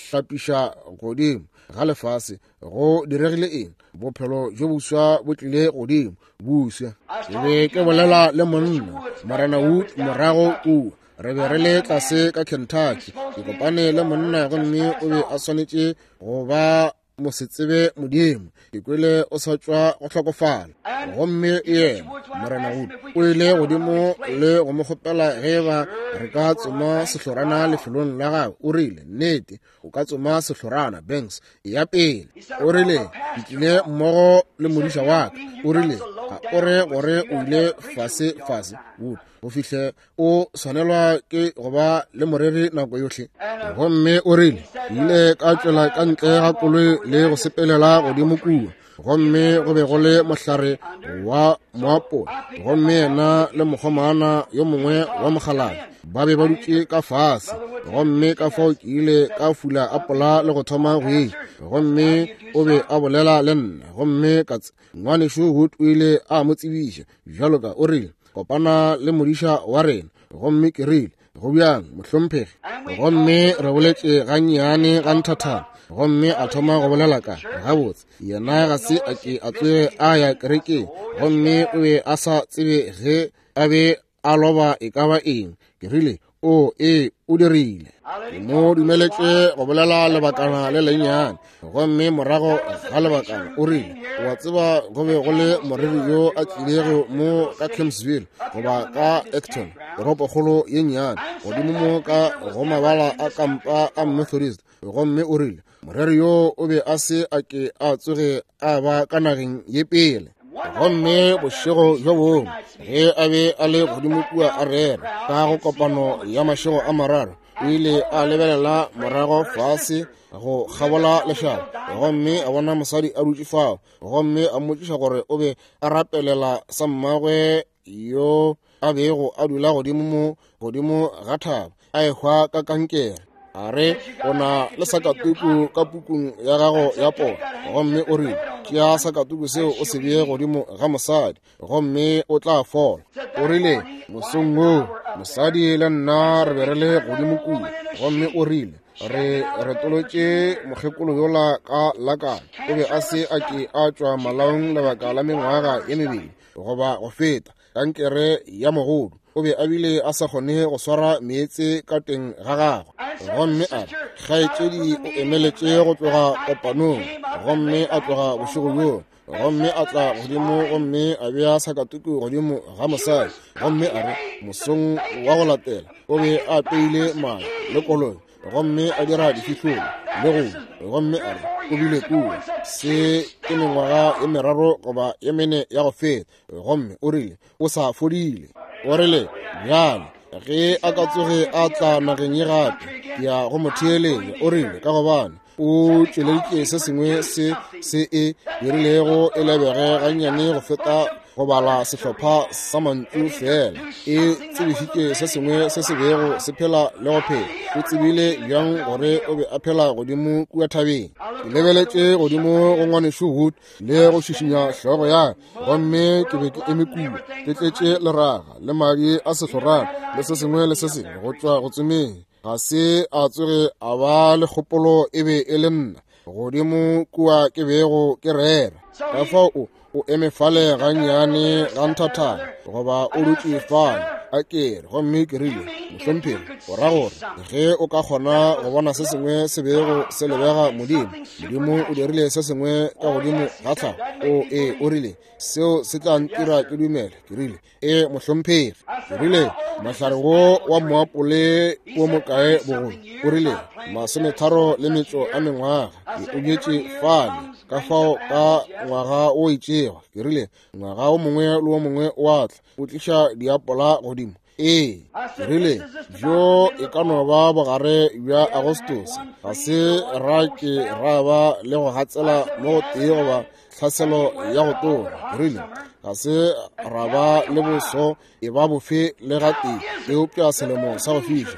hlapiša godimo ga lefase, go diregile eng? Bophelo bjo boswa bo tlile godimo buswa. Ke be ke bolela le monna Morena Wood morago kua, re be re le tlase ka Kentucky. Ke kopane le monna gomme o be a swanetše go ba mosetsebe Modimo. Ke kwele o sa tšwa go hlokofala, gomme yena Morena Wood o ile godimo le go mo kgopela ge ba re ka tsoma sehlorana lefelong la gagwe. O rile, nnete o ka tsoma sehlorana, Banks, ya pele. O rile, ke tlile mmogo le modiša wa ka. O rile, ga o re gore o ile fase fase, Wood, go fihle o swanelwa ke go ba le moreri nako yohle. Gomme o rile, ke ile ka tšwela ka ntle ga koloi le go sepelela godimo kua, gomme go be go le mohlare wa moapola, gomme yena le mokgomana yo mongwe wa mokgalabje ba be ba dutše ka fase, gomme ka fao ke ile ka fula apola le go thoma go eja, gomme o be a bolela le nna, gomme ka ngwanešu Wood o ile a mo tsebiša bjalo ka, o rile, kopana le modiša wa rena. Gomme ke rile, go bjang mohlomphegi? Gomme re boletše gannyane ga nthathana, gomme a thoma go bolela ka gabotse yena ga se a ke a tsoge a ya kerekeng, gomme o be a sa tsebe ge a be a loba e ka ba eng. Ke rile, o ee, o dirile. Ke mo dumeletše go bolela lebakana le lennyane, gomme morago ga lebakana o rile, wa tseba go be go le moreri yo a tlilego mo ka Kempsville goba ka Acton, toropokgolo ye nnyane godimo mo ka go mabala a kampa a Methodist, gomme o rile moreri yo o be a se a ke a tsoge a ba ka nageng ye pele. Gomme bošego bjo bongwe ge a be a le godimo kua a rera ka go kopano ya mašego a mararo, o ile a lebelela morago fase go kgabola lešaba, gomme a bona mosadi a dutše fao, gomme a mmotšiša gore o be a rapelela sa mmagwe yo a bego a dula godimo mo godimo ga thaba a ehwa ka kankere. A re, o na le sakatuku ka pukung ya gago ya pono, gomme o rile, tšea sakatuku seo o se bee godimo ga mosadi, gomme o tla fola. O rile, mosong woo mosadi le nna re be re le godimo kua, gomme o rile, re retolotše mokgekolo yola ka lakana. O be a se a ke a tšwa malaong lebaka la mengwaga ye mebedi goba go feta, kankere ya mogodu. O be a bile a sa kgone go swara meetse ka teng ga gagwe. Gomme a re, Kgaetšedi o emeletše go tloga kopanong, gomme a tloga bošego bjoo, gomme a tla godimo gomme a bea sakatuku godimo ga mosadi. Gomme a re, mosong wa go latela o be a apeile mae le koloi, gomme a dira difihlolo le go, gomme a re o bile kua. Se ke mengwaga e meraro goba e mene ya go feta, gomme o rile o sa fodile. O rile, bjale ge a ka tsoge a tla nageng ye gape, ke ya go mo theeletša. O rile, ka gobane o tšweleditše se sengwe se se e dirilego e lebege gannyane go feta go bala sehlopha sa mantšu fela. E tsebišitše se sengwe se se bego se phela le go phela. O tsebile bjang gore o be a phela godimo kua thabeng? Ke lebeletše godimo go Ngwanešu Wood le go šišinya hlogo ya ka, gomme ke be ke eme kua ke tletše leraga le madi a sehlorana le se sengwe le se sengwe go tšwa go tsomeng. Ga se a tsoge a ba le kgopolo e be e le nna godimo kua ke bego ke rera. Ka fao o eme fale gannyane ga nthathana, goba o dutše fale a kere. Gomme ke rile, Mohlomphegi, o ra gore ge o ka kgona go bona se sengwe se bego se lebega Modimo, Modimo o dirile se sengwe ka godimo ga tlhago. O e, o rile, seo se tla ntira ke dumele. Ke rile, E, mohlomphegi. Ke rile, mohlare wo wa moapole o mokae bogolo? O rile, 33 le metšo a mengwaga. Ke o bjetše fale, ka fao ka ngwaga o itšego. Ke rile, ngwaga o mongwe le o mongwe o a tla, o tliša diapola godimo. Ee, ke rile, bjo e ka no ba bogare bja Agostose. Ga se ra ke ra ba le go gatsela mo go tee goba tlhaselo ya go tona. Ke rile, ga se ra ba le boso e ba bofe le gatee, eupša selemo sa go fiša.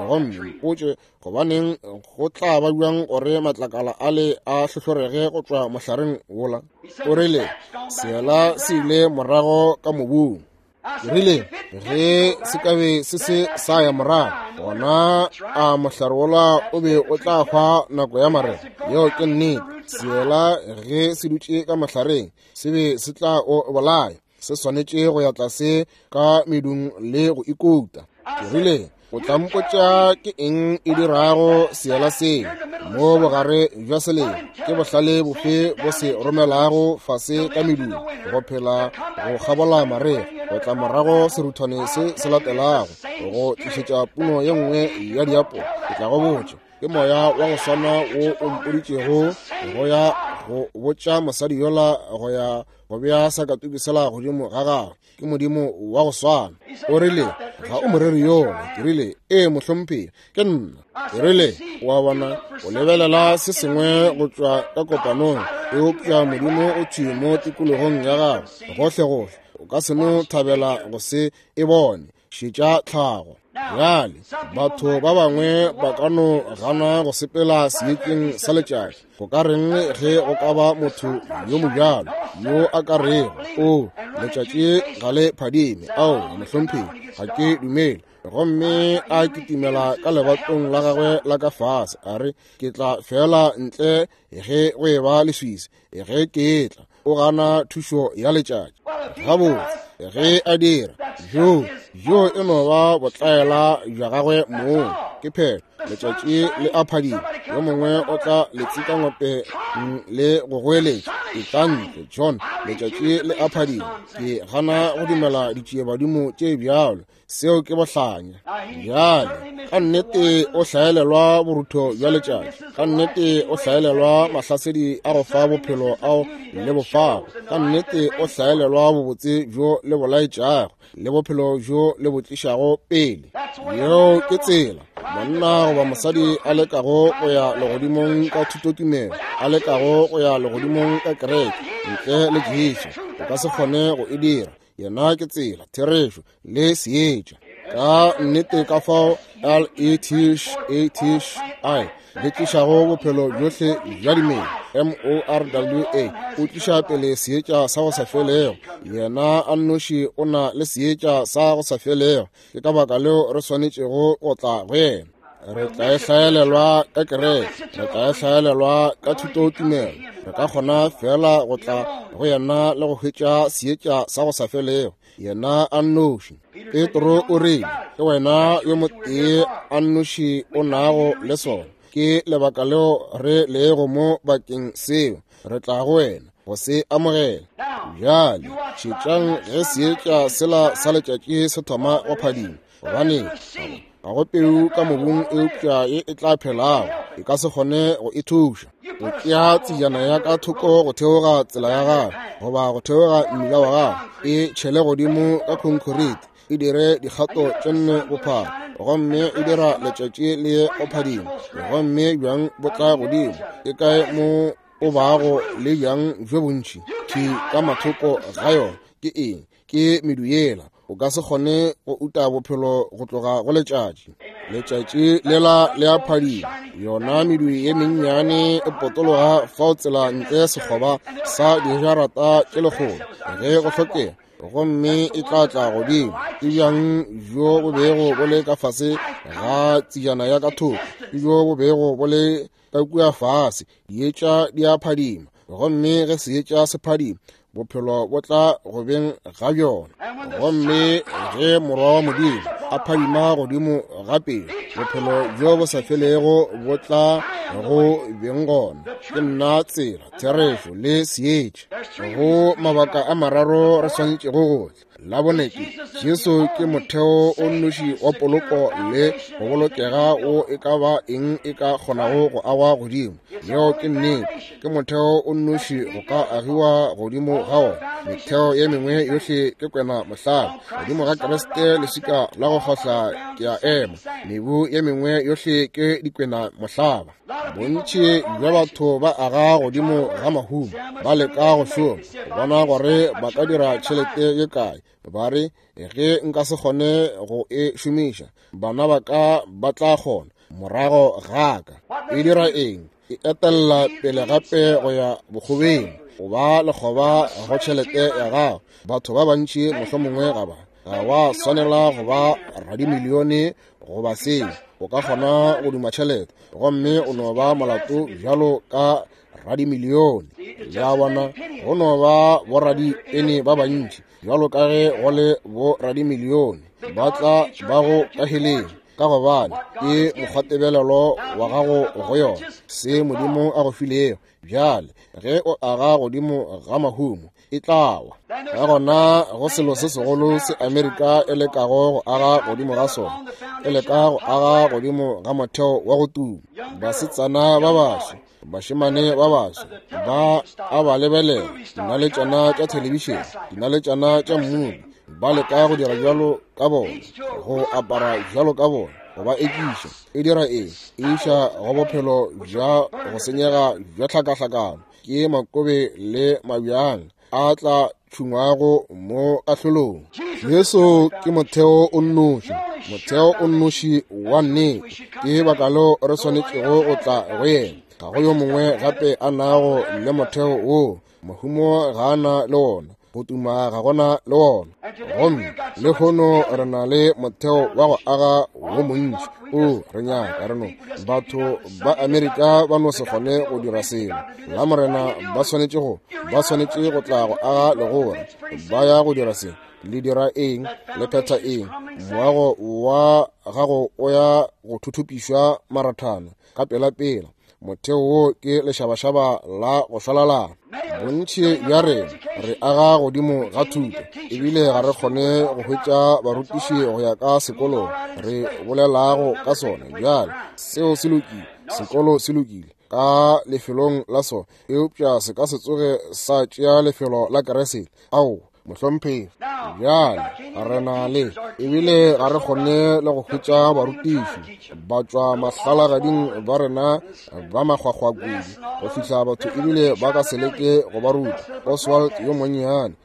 Gomme mpotše gobaneng go tla ba bjang gore matlakala ale a hlohlorege go tšwa mohlareng wola. O rile, seela se ile morago ka mobung. Ke rile, ge se ka be se se sa ya morago, gona a mohlare wola o be o tla hwa nako ya marega. Yeo ke nnete. Seela ge se dutše ka mohlareng, se be se tla o bolaya. Se swanetše go ya tlase ka medung le go ikuta. Ke rile, o tla mpotša ke eng e dirago seela seo mo bogare bja selemo? Ke bohlale bofe bo se romelago fase ka medung go phela go kgabola marega, go tla morago seruthwane se se latelago go tlišetša puno ye nngwe ya diapo? Ke tla go botša, ke moya wa go swana wo o mpoditšego go ya go botša mosadi yola go ya go bea sakatuku sela godimo ga gagwe. Ke Modimo wa go swana. O rile, ga o moreri yola. Ke rile, ee, mohlomphegi, ke nna. Ke rile, wa bona, o lebelela se sengwe go tšwa ka kopanong, eupša Modimo o thwi mo tikologong ya gago gohlegohle. O ka se no thabela go se e bone. Šetša tlhago. Bjale, batho ba bangwe ba ka no gana go sepela seetšeng sa letšatši. Go ka reng ge go ka ba motho yo mobjalo yo a ka rego, O, letšatši ga le phadime? Ao, mohlomphegi, ga ke dumele. Gomme a kitimela ka lebatong la gagwe la ka fase, a re, Ke tla fela ntle ge go e ba leswiswi, ge ke tla. O gana thušo ya letšatši. Gabotse, ge a dira, jo, jo e no ba botlaela bja gagwe mong. Ke phetho, letšatši le a phadima. Yo mongwe o tla letsikangope le go goeletša, Etla ntle, John, letšatši le a phadima. Ke gana go dumela ditšiebadimo tše bjalo. Seo ke bohlanya. Bjale, ka nnete o hlaelelwa borutho bja letšatši. Ka nnete o hlaelelwa mahlasedi a go fa bophelo ao le bofago. Ka nnete o hlaelelwa bobotse bjo le bolaetšago le bophelo bjo le bo tlišago pele. Yeo ke tsela monna goba mosadi a lekago go ya legodimong ka thutotumelo, a lekago go ya legodimong ka kereke ntle le Jesu. O ka se kgone go e dira. Yena ke tsela, therešo le seetša. Ka nnete ka fao L-E-T-H-A-T-H-I le tlišago bophelo bjohle bja dimela. M-O-R-W-A o tliša pele seetša sa go sa felego. Yena a nnoši o na le seetša sa go sa felego. Ke ka baka leo re swanetšego go tla go yena. Re tla e hlaelelwa ka kereke, re tla e hlaelelwa ka thutotumelo. Re ka kgona fela go tla go yena le go hwetša seetša sa go sa felego, yena a nnoši. Petro o rile, ke wena yo motee a nnoši o nago le sona. Ke lebaka leo re lego mo bakeng seo, re tla go wena go se amogela. Bjale šetšang ge seetša sela sa letšatši se thoma go phadima, gobane ga go peu ka mobung eupša ye e tla phelago, e ka se kgone go e thuša. O tšea tsejana ya ka thoko go theoga tsela ya gago goba go theoga mmila wa gago, e tšhele godimo ka khonkhorite, e dire dikgato tše nne bophara, gomme e dira letšatši le go phadima, gomme bjang bo tla godimo. E kae mo o bago le bjang bjo bontši thwi ka mathoko ga yona? Ke eng? Ke medu yela. O ka se kgone go uta bophelo go tloga go letšatši. Letšatši lela le a phadima, yona medu ye mennyane e potologa fao tsela ntle sekgoba sa dijarata tše lekgolo ge go hlokega, gomme e tla tla godimo. Ke bjang bjo bo bego bo le ka fase ga tsejana ya ka thoko, ke bjo bo bego bo le ka kua fase. Dietša di a phadima, gomme ge seetša se phadima, bophelo bo tla go beng ga bjona. Gomme ge Morwa wa Modimo a phadima godimo ga pele, bophelo bjo bo sa felego bo tla go beng gona. Ke nna tsela, therešo le seetša. Go mabaka a mararo re swanetšego go tla. La bone ke Jesu ke motheo o nnoši wa poloko le go bolokega o e ka ba eng e ka kgonago go agwa godimo. Yeo ke nnete. Ke motheo o nnoši go ka agiwa godimo ga ona. Metheo ye mengwe yohle ke kwena mohlala. Godimo ga Kriste leswika la go kgohla ke a ema. Mebu ye mengwe yohle ke dikwena mohlaba. Bontši bja batho ba aga godimo ga mahumo, ba leka go šoma go bona gore ba ka dira tšhelete ye kae. Ba re, ge nka se kgone go e šomiša, bana ba ka ba tla kgona morago ga ka. E dira eng? E etella pele gape go ya bokgobeng, o ba lekgoba go tšhelete ya gago. Batho ba bantši mohlomongwe ga ba ga wa swanela go ba radimilione goba seo. O ka kgona go duma tšhelete gomme o no ba molato bjalo ka radimilione. Le a bona, go no ba boradipene ba bantši bjalo ka ge go le boradimilione ba tla ba go ka heleng, ka gobane ke mokgwatebelelo wa gago go yona, se Modimo a go filego. Bjale ge o aga godimo ga mahumo, e tla wa. Ka gona go selo se segolo se Amerika e lekago go aga godimo ga sona, e leka go aga godimo ga motheo wa go tuma. Basetsana ba baso, bašemane ba baso, ba a ba lebelela, dinaletšana tša thelebišene, dinaletšana tša mmubi, ba leka go dira bjalo ka bona, go apara bjalo ka bona, go ba ekiša. E dira eng? E iša go bophelo bja go senyega bja tlhakahlakano. Ke makobe le mabjang a tla tšhungwago mo kahlolong. Jesu ke motheo o nnoši, motheo o nnoši wa nnete. Ke baka leo re swanetšego go tla go yena. Ga go yo mongwe gape a nago le motheo wo. Mahumo ga a na le wona, go tuma ga gona le wona. Gomme lehono re na le motheo wa go aga wo montši. O re nyaka re no batho ba Amerika ba no se kgone go dira selo. La Morena ba swanetše go ba swanetše go tla go aga legora. Ba ya go dira se. Le dira eng? Le phetha eng? Moago wa gago o ya go thuthupišwa marathana ka pela-pela. Motheo wo ke lešabašaba la go šwalalana. Bontši bja rena re aga godimo ga thuto, ebile ga re kgone go hwetša barutiši go ya ka sekolong re bolelago ka sona. Bjale seo se lokile, sekolo se lokile ka lefelong la sona, eupša se ka se tsoge sa tšea lefelo la Keresete. Ao, mohlomphegi. Bjale re na le, ebile ga re kgone le go hwetša barutiši ba tšwa mahlalagading ba rena ba makgwakgwa kudu go fihla batho ebile ba ka se leke go ba ruta. Oswald yo monnyane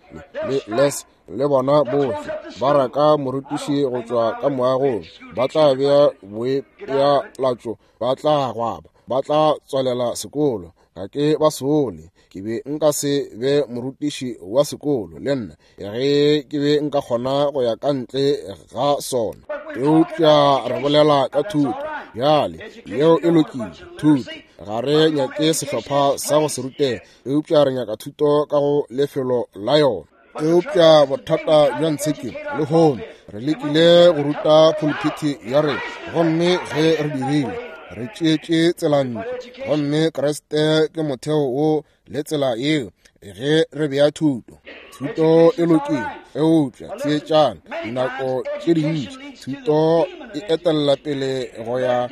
le Les le bona bohle ba raka morutiši go tšwa ka moagong, ba tla bea boepealatšo, ba tla gwaba, ba tla tswalela sekolo. Ga ke ba sole, ke be nka se be morutiši wa sekolo le nna ge ke be nka kgona go ya ka ntle ga sona. Eupša re bolela ka thuto. Bjale, yeo e lokile, thuto. Ga re nyake sehlopha sa go se rutega, eupša re nyaka thuto ka go lefelo la yona. Eupša bothata bja ntsheke lehono, re lekile go ruta phuluphithi ya rena, gomme ge re dirile, re tšeetše tselantlo, gomme Kriste ke motheo wo le tsela yeo ge re bea thuto. Thuto e lokile, eupša theetšang, dinako tše dintši thuto e etella pele go ya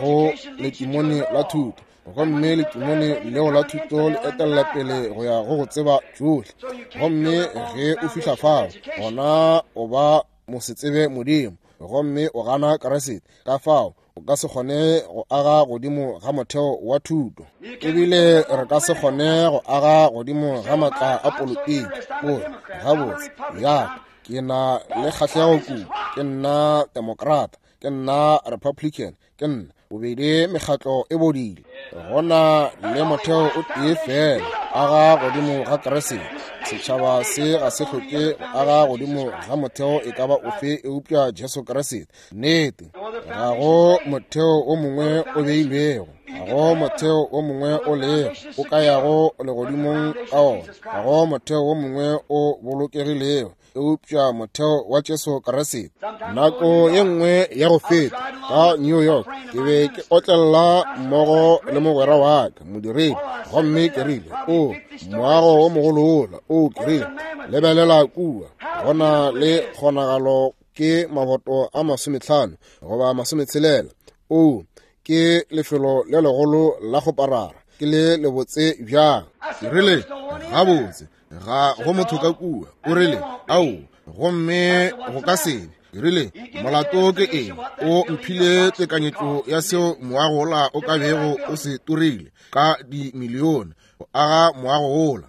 go letimone la thuto, gomme letimone leo la thuto le etella pele go ya go go tseba tšohle. Gomme ge o fihla fao, gona o ba mosetsebe Modimo, gomme o gana Kriste. Ka fao o ka se kgone go aga godimo ga motheo wa thuto, ebile re ka se kgone go aga godimo ga matla a politiki. O re, gabotse, ya ke na le kgahlego kudu, ke nna Democrat, ke nna Republican, ke nna bobedi mekgatlo e bodile. Gona le motheo o tee fela, aga godimo ga Kriste. Setšhaba se ga se hloke go aga godimo ga motheo e ka ba ofe eupša Jesu Kriste. Nnete, ga go motheo o mongwe o beilwego, ga go motheo o mongwe o lego o ka yago legodimong ka ona, ga go motheo o mongwe o bolokegilego eupša motheo wa Jesu Kriste. Nako ye nngwe ya go feta ka New York, ke be ke otlella mmogo le mogwera wa ka modiredi, gomme ke rile, o moago o mogolo wola, o ke rile, lebelela kua, go na le kgonagalo ke maboto a 50 goba 60. O ke lefelo le legolo la go parara, ke le lebotse bjang. Ke rile, gabotse, ga go motho ka kua. O rile, ao, gomme go ka se be. Ke rile, molato ke eng? O mphile tekanyetšo ya seo moago wola o ka bego o se turile ka dimilione go aga moago wola.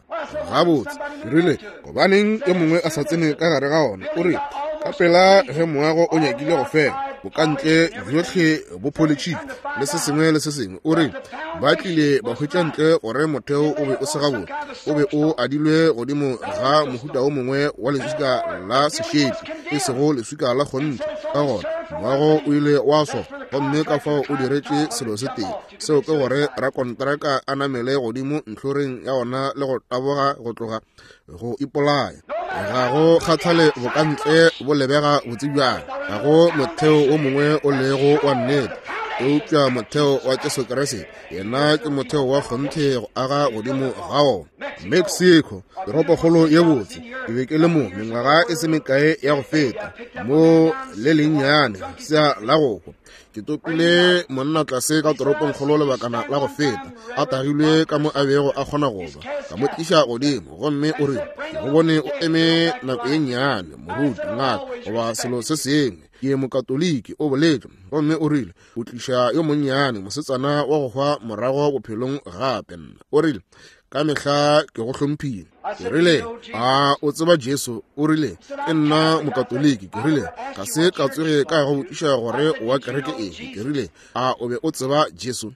Gabotse, ke rile, gobaneng yo mongwe a sa tsene ka gare ga ona? O re, ka pela ge moago o nyakile go fela, bokantle bjohle bo pholetšhile le se sengwe le se sengwe. O re, ba tlile ba hwetša ntle gore motheo o be o se gabotse, o be o adilwe godimo ga mohuta o mongwe wa leswika la sešepi, e sego leswika la kgonthe. Ka gona moago o ile wa swa, gomme ka fao o diretše selo se tee, seo ke gore rakontraka a namele godimo ntlhoreng ya ona le go taboga go tloga go ipolaya. Ga go kgathale bokantle bo lebega botse bjang, ga go motheo o mongwe o lego wa nnete eupša motheo wa Jesu Kriste. Yena ke motheo wa kgonthe go aga godimo ga ona. Mexico, toropokgolo ye botse, ke be ke le mo mengwaga e se mekae ya go feta, mo le lennyane sea la go hwa. Ke topile monna tlase ka toropongkgolo lebakana la go feta, a tagilwe ka mo a bego a kgona go ba, ka mo tliša godimo, gomme o re, ke go bone o eme nako ye nnyane, moruti, ngaka, goba selo se sengwe. Ke mokatoliki, o boletše, gomme o rile, o tliša yo monnyane mosetsana wa go hwa morago bophelong gape. O rile, ka mehla ke go hlomphile. Ke rile, a o tseba Jesu? O rile, ke nna mokatoliki. Ke rile, ga se ka tsoge ka go botšiša gore o wa kereke efe. Ke rile, a o be o tseba Jesu?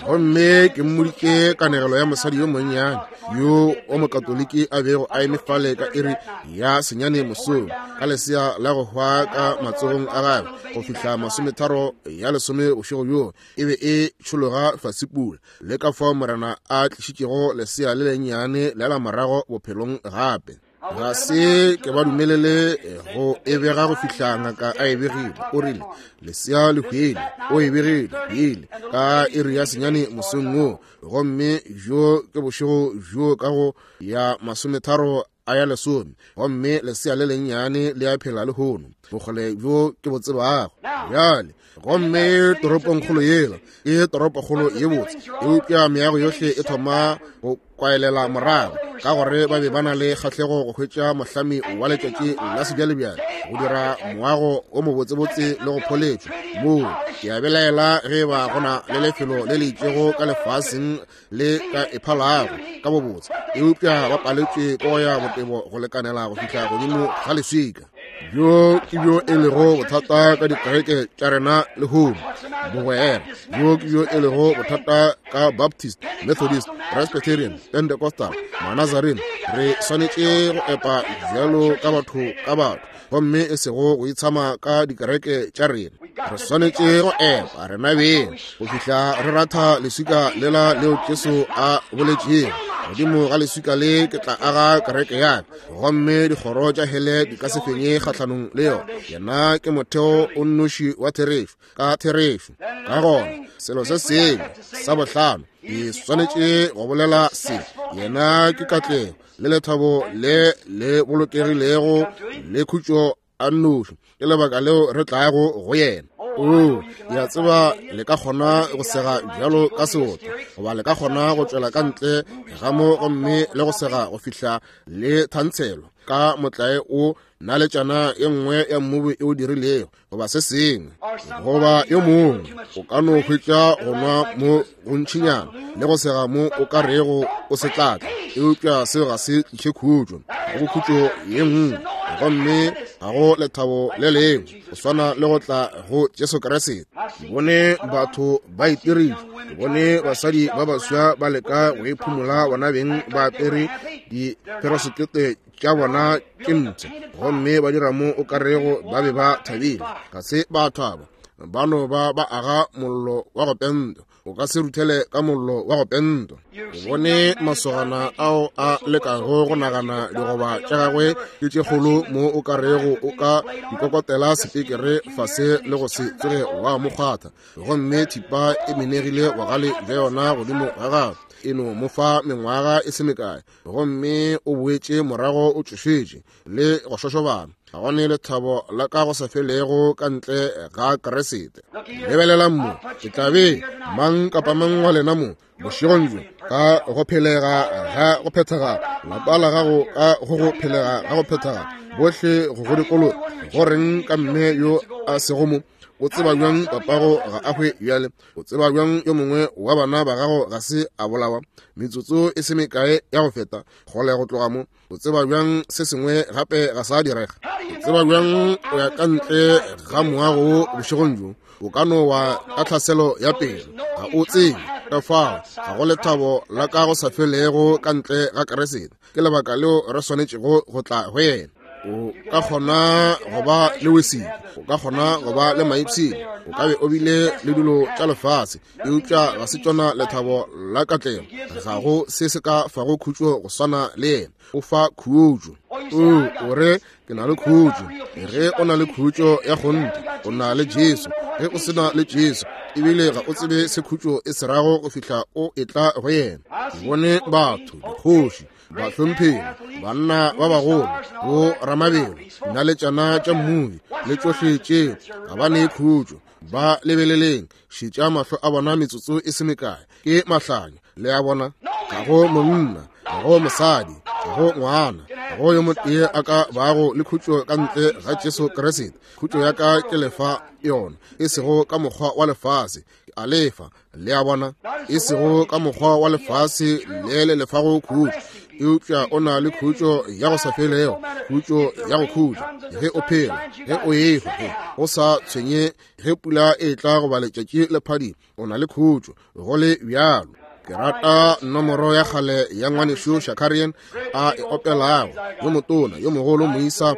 Gomme ke mmoditše kanegelo ya mosadi yo monnyane yo wa mokatoliki a bego a eme fale ka iri ya 9 mosong ka lesea la go hwa ka matsogong a gagwe go fihla 9:30 bošego bjoo e be e tšhologa fase pula, le ka fao Morena a tlišitšego lesea le lennyane le la morago bophelong gape. Ga se ke ba dumelele go e bega go fihla ngaka a e begile. O rile, lesea le hwele, o e begile, hwele ka iri ya 9 mosong wo, gomme bjo ke bošego bjo ka go ya 30 a ya 10, gomme lesea le lennyane le a phela lehono, bokgole bjo ke bo tsebago bjale. Gomme toropongkgolo yela ke toropokgolo ye botse, eupša meago yohle e thoma go kwaelela morago, ka gore ba be ba na le kgahlego go hwetša mohlami wa letšatši la sebjalebjale go dira moago o mobotsebotse le go pholetšwa moo. Ke a belaela ge ba go na le lefelo le le itšego ka lefaseng le ka e phalago ka bobotse, eupša ba paletšwe ke go ya botebo go lekanela go fihla godimo ga leswika. Bjo ke bjo e lego bothata ka dikereke tša rena lehono, bogwera. Bjo ke bjo e lego bothata ka Baptist, Methodist, Presbyterian, Pentecostal, Manazarene. Re swanetše go epa bjalo ka batho ka batho, gomme e sego go itshama ka dikereke tša rena. Re swanetše go epa rena beng go fihla re ratha leswika lela leo Jesu a boletšego, godimo ga leswika le ke tla aga kereke ya ka, gomme dikgoro tša hele di ka se fenye kgahlanong le yona. Yena ke motheo o nnoši wa therešo, ka therešo. Ka gona selo se sengwe sa bohlano ke swanetše go bolela se, yena ke katlego le lethabo le le bolokegilego le khutšo a nnoši. Ke lebaka leo re tlago go yena. O ya tseba, le ka kgona go sega bjalo ka seoto, goba le ka kgona go tšwela ka ntle ga mo gomme le go sega go fihla le thantshelwa ka motlae o naletšana e nngwe ya mmubu e o dirilego, goba se sengwe, goba yo mongwe o ka no hwetša go nwa mo gontšinyana le go sega mo o ka rego o se tlatla, eupša seo ga se tliše khutšo. Ga go khutšo ye nngwe, gomme ga go lethabo le lengwe go swana le go tla go Jesu Kriste. Ke bone batho ba itirile, ke bone basadi ba baswa ba leka go iphumola bona beng ba apere diperosekete tša bona tše ntsho, gomme ba dira mo o ka rego ba be ba thabile. Ga se ba thaba, ba no ba ba aga mollo wa go pentwa. O ka se ruthele ka mollo wa go pentwa. O bone masogana ao a lekago go nagana digoba tša gagwe ke tše kgolo mo o ka rego o ka dikokotela sepekere fase le go se tsoge wa mo kgwatha, gomme thipa e menegile bogale bja yona godimo ga gagwe. E no mo fa mengwaga e se mekae, gomme o boetše morago o tšošetše le go šošobana. Ga go ne lethabo la ka go sa felego ka ntle ga Kriste. Lebelelang mo, ke tla be mang kapa mang wa lena mo bošegong bjo ka go phelega ga go phethagala, lapa la gago ka go go phelega ga go phethagala, bohle go go dikolo. Go reng ka mme yo a sego mo? O tseba bjang papago ga a hwe bjale? O tseba bjang yo mongwe wa bana ba gago ga se a bolawa metsotso e se mekae ya go feta kgole go tloga mo? O tseba bjang se sengwe gape ga sa direga? O tseba bjang o ya ka ntle ga moago wo bošegong bjo o ka no wa ka tlhaselo ya pelo? Ga o tsebe. Ka fao ga go lethabo la ka go sa felego ka ntle ga Kriste. Ke lebaka leo re swanetšego go tla go yena. O ka kgona go ba le wesile, o ka kgona go ba le maipshino, o ka be o bile le dilo tša lefase, eupša ga se tšona lethabo la katlego. Ga go se se ka fago khutšo go swana le yena. O fa khutšo. O re, ke na le khutšo. Ge o na le khutšo ya kgonthe, o na le Jesu. Ge o se na le Jesu, ebile ga o tsebe se khutšo e se rago go fihla o etla go yena. Ke bone batho, dikgoši, bahlomphegi, banna ba bagolo, bo ramabelo, dinaletšana tša mmubi le tšohle tšeo, ga ba ne khutšo. Ba lebeleleng, šetša mahlo a bona metsotso e se mekae, ke mahlanya. Le a bona? Ga go monna, ga go mosadi, ga go ngwana, ga go yo motee a ka bago le khutšo ka ntle ga Jesu Kriste. Khutšo ya ka ke lefa yona, e sego ka mokgwa wa lefase, ke a lefa. Le a bona? E sego ka mokgwa wa lefase le le lefago khutšo, eupša o na le khutšo ya go sa felego, khutšo ya go khutša ge o phela, ge o ehwa, ge go sa tshwenye ge pula e tla goba letšatši le phadima, o na le khutšo go le bjalo. Ke rata nomoro ya kgale ya ngwanešu Shakarian a e opelago, yo motona yo mogolo moisa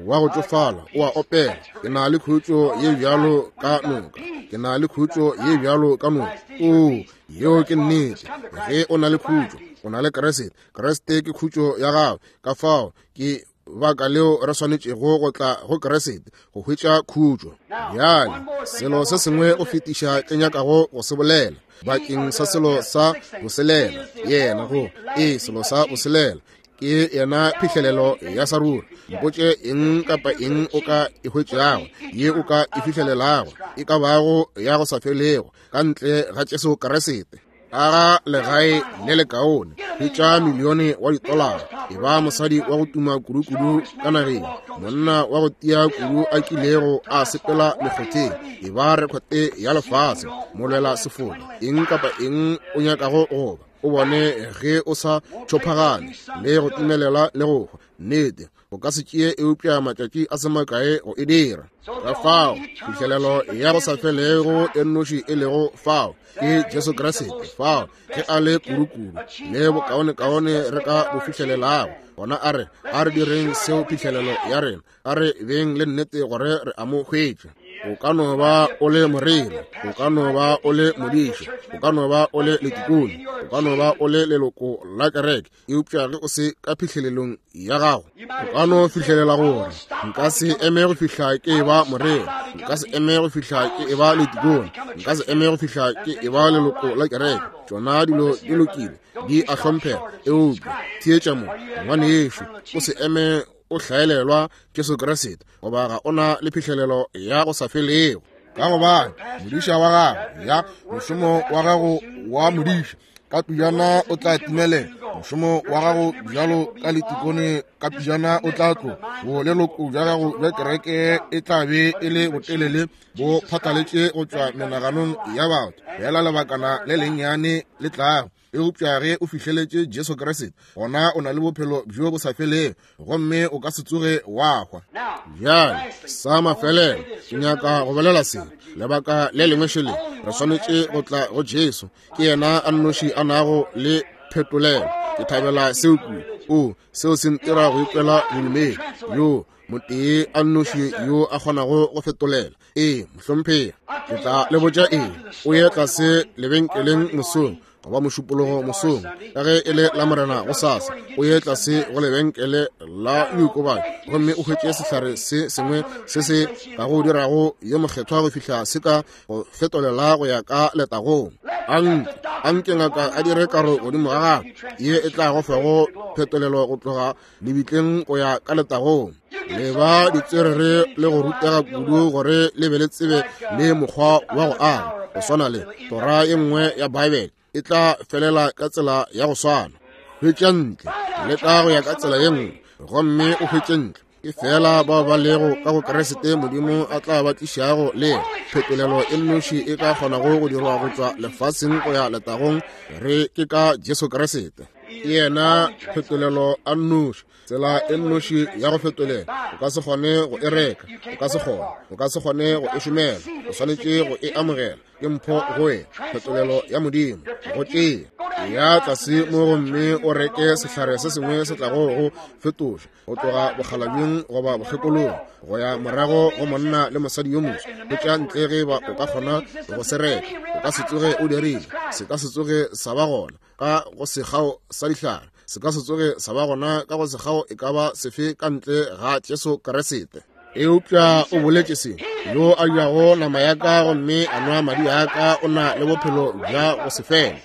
wa go tšofala o a opela, ke na le khutšo ye bjalo ka noka, ke na le khutšo ye bjalo ka noka. Oo, yeo ke nnete. Ge o na le khutšo, o na le Kriste. Kriste ke khutšo ya gago. Ka fao ke baka leo re swanetšego go tla go Kriste go hwetša khutšo. Bjale selo se sengwe go fetiša ke nyakago go se bolela bakeng sa selo sa boselela, yena go e selo sa boselela ke yena phihlelelo ya sa ruri. Mpotše eng kapa eng o ka e hwetšago, ye o ka e fihlelelago, e ka bago ya go sa felego ka ntle ga Jesu Kriste. Aga legae le lekaone, hwetša milione wa ditolara, e ba mosadi wa go tuma kudu-kudu ka nageng, monna wa go tia kudu a kilego a sepela mekgotheng, e ba rekhote ya lefase, molwela sefoka, eng kapa eng o nyakago go ba, o bone ge o sa tšhophagane le go timelela le go hwa. Nnete, o ka se tšee eupša matšatši a se makae go e dira. Ka fao phihlelelo ya go sa felego e nnoši e lego fao ke Jesu Kriste. Fao ge a le kudukudu le bokaonekaone re ka bo fihlelelago, gona a re direng seo phihlelelo ya rena, a re beng le nnete gore re a mo hwetša. O ka no ba o le moreri, o ka no ba o le modiši, o ka no ba o le letikone, o ka no ba o le leloko la kereke, eupša ge o se ka phihlelelong ya gago, o ka no fihlelela gore nka se eme go fihla ke eba moreri, nka se eme go fihla ke eba letikone, nka se eme go fihla ke eba leloko la kereke. Tšona dilo di lokile, di a hlomphega, eupša theetša mo, ngwanešu, o se eme o hlaelelwa Jesu Kriste, goba ga o na le phihlelelo ya go sa felego. Ka gobane modiša wa gago, ya mošomo wa gago wa modiša, ka pejana o tla timelela. Mošomo wa gago bjalo ka letikone, ka pejana o tla tloga. Boleloko bja gago bja kereke e tla be e le botelele bo phatlaletše go tšwa menaganong ya batho fela lebakana le lennyane le tlago. Eupša ge o fihleletše Jesu Kriste, gona o na le bophelo bjo bo sa felego, gomme o ka se tsoge wa hwa. Bjale, sa mafelelo, ke nyaka go bolela se. Lebaka le lengwe šele, re swanetše go tla go Jesu. Ke yena a nnoši a nago le phetolelo. Ke thabela seo kudu. O, seo se ntira go ikwela bodumedi. Yo motee a nnoši yo a kgonago go fetolela. Ee, mohlomphegi, ke tla le botša eng. O ye tlase lebenkeleng mosong, goba mošupologo mosong, ka ge e le la Morena gosasa, o ye tlase go lebenkele la diokobatši gomme o hwetše sehlare se sengwe se se ka go dirago yo mokgethwa go fihla se ka go fetolela go ya ka letagong. Anke ngaka a dire karo godimo ga gagwe ye e tla go fago phetolelo go tloga lebitleng go ya ka letagong. Le ba ditswerere le go rutega kudu gore le be le tsebe le mokgwa wa go aga, go swana le tora ye nngwe ya Bible e tla felela ka tsela ya go swana. Hwetša ntle, leka go ya ka tsela ye nngwe gomme o hwetše ntle. Ke fela bao ba lego ka go Kriste Modimo a tla ba tlišago le yena. Phetolelo e nnoši e ka kgonago go dirwa go tšwa lefaseng go ya letagong re ke ka Jesu Kriste. Ke yena phetolelo a nnoši, tsela e nnoši ya go fetolela. O ka se kgone go e reka, o ka se kgone, o ka se kgone go e šomela, o swanetše go e amogela. Ke mpho go wena, phetolelo ya Modimo go tšea. Ya tlase mo gomme o reke sehlare se sengwe se tlago go fetoša go tloga bokgalabjeng goba bokgekolong go ya morago go monna le mosadi yo moswa. Hwetša ntle ge ba o ka kgona go se reka. O ka se tsoge o dirile, se ka se tsoge sa ba gona ka go sekgao sa dihlare, se ka se tsoge sa ba gona ka go sekgao e ka ba sefe ka ntle ga Jesu Kriste. Eupša o boletše se, yo a jago nama ya ka gomme a nwa madi a ka o na le bophelo bja go se fele,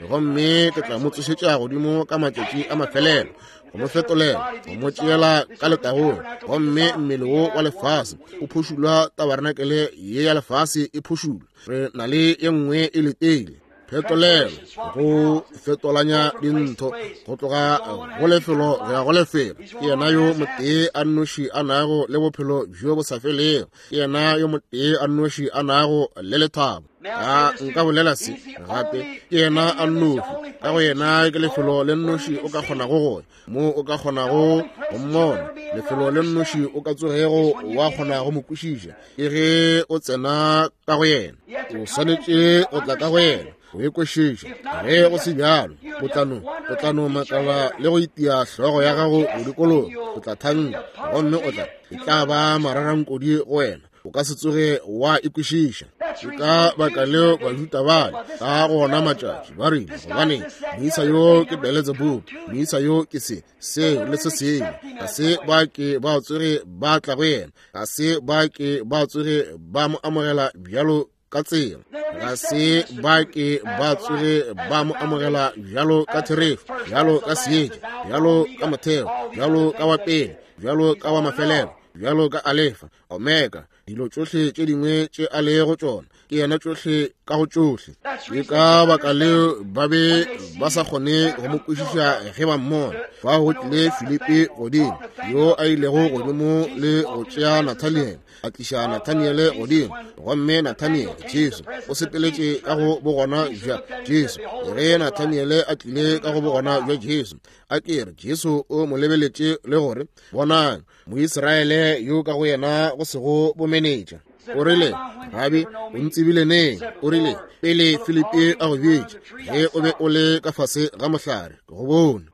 gomme ke tla mo tsošetša godimo ka matšatši a mafelelo, go mo fetolela, go mo tšeela ka letagong. Gomme mmele wo wa lefase o phošulwa, tabarenakele ye ya lefase e phošulwa, re na le ye nngwe e letile. Phetolelo, go fetolanya dintho go tloga go lefelo go ya go lefelo. Ke yena yo motee a nnoši a nago le bophelo bjo bo sa felego. Ke yena yo motee a nnoši a nago le lethabo. A nka bolela se gape, ke yena a nnoši. Ka go yena ke lefelo le nnoši o ka kgonago go ya, mo o ka kgonago go mmona, lefelo le nnoši o ka tsogego wa kgona go mo kwešiša, ke ge o tsena ka go yena. O swanetše go tla ka go yena o e kwešiša. Ge go se bjalo, o tla no makala le go itia hlogo ya gago go dikologa. O tla thanka gomme o tla, e tla ba mararankodi go wena. O ka se tsoge wa e kwešiša. Ke ka baka leo Bajuda bale ka go ona matšatši ba rile, gobane moisa yo ke Beelzebub, moisa yo ke se, seo le se sengwe. Ga se ba ke ba tsoge ba tla go yena, ga se ba ke ba tsoge ba mo amogela bjalo ka tsela, ga se ba ke ba tsoge ba mo amogela bjalo ka therešo, bjalo ka seetša, bjalo ka motheo, bjalo ka wa pele, bjalo ka wa mafelelo, bjalo ka Alefa, Omega, dilo tšohle tše dingwe tše a lego tšona, ke yena tšohle ka go tšohle. Ke ka baka leo ba be ba sa kgone go mo kwešiša ge ba mmona. Fao go tlile Filipi godimo, yo a ilego godimo le go tšea Nathaniele, a tliša Nathaniele godimo, gomme Nathaniele, Jesu o sepeletše ka go bogona bja Jesu. Ge Nathaniele a tlile ka go bogona bja Jesu, a ke re Jesu o mo lebeletše le gore, bonang, Moisraele yo ka go yena go sego bomenetša. O rile, Rabi, o ntsebile neng? O rile, pele Filipi a go bitša, ge o be o le ka fase ga mohlare, ke go bone.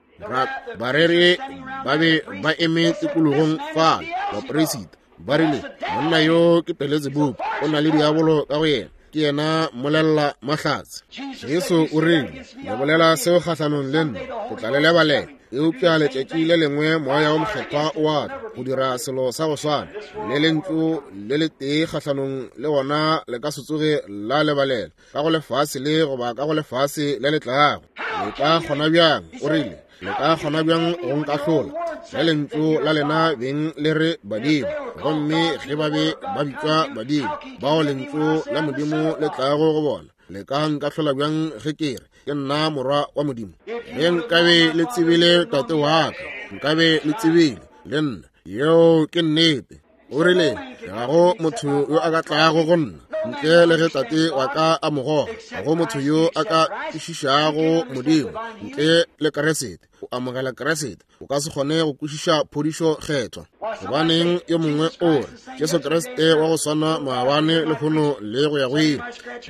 Bareri ba be ba eme tikologong fale, baperisita. Ba rile, Monna yo ke Beletsebubu, o na le diabolo ka go yena, ke yena mmolelela mahlatse. Jesu o rile, Le bolela seo kgahlanong le nna, ke tla le lebalela. Eupša letšatši le lengwe Moya wo Mokgethwa o a tla go dira selo sa go swana, le lentšu le letee kgahlanong le wona le ka se tsoge la lebalela ka go lefase le goba ka go lefase le le tlago. Le ka kgona bjang, o rile, le ka kgona bjang go nkahlola ge lentšu la lena beng le re badimo, gomme ge ba be ba bitšwa badimo bao lentšu la Modimo le tlago go bona, le ka nkahlola bjang ge ke re ke nna morwa wa Modimo? Ge nkabe le tsebile Tate wa ka, nkabe le tsebile le nna. Yeo ke nnete. O rile, Ga go motho yo a ka tlago go nna ntle le ge Tate wa ka a mo goga. Ga go motho yo a ka kwešišago Modimo ntle le Kriste. O amogela Kriste, o ka se kgone go kwešiša phodišo kgethwa. Gobaneng yo mongwe o re, Jesu Kriste wa go swana maabane, lehono le go ya go ile.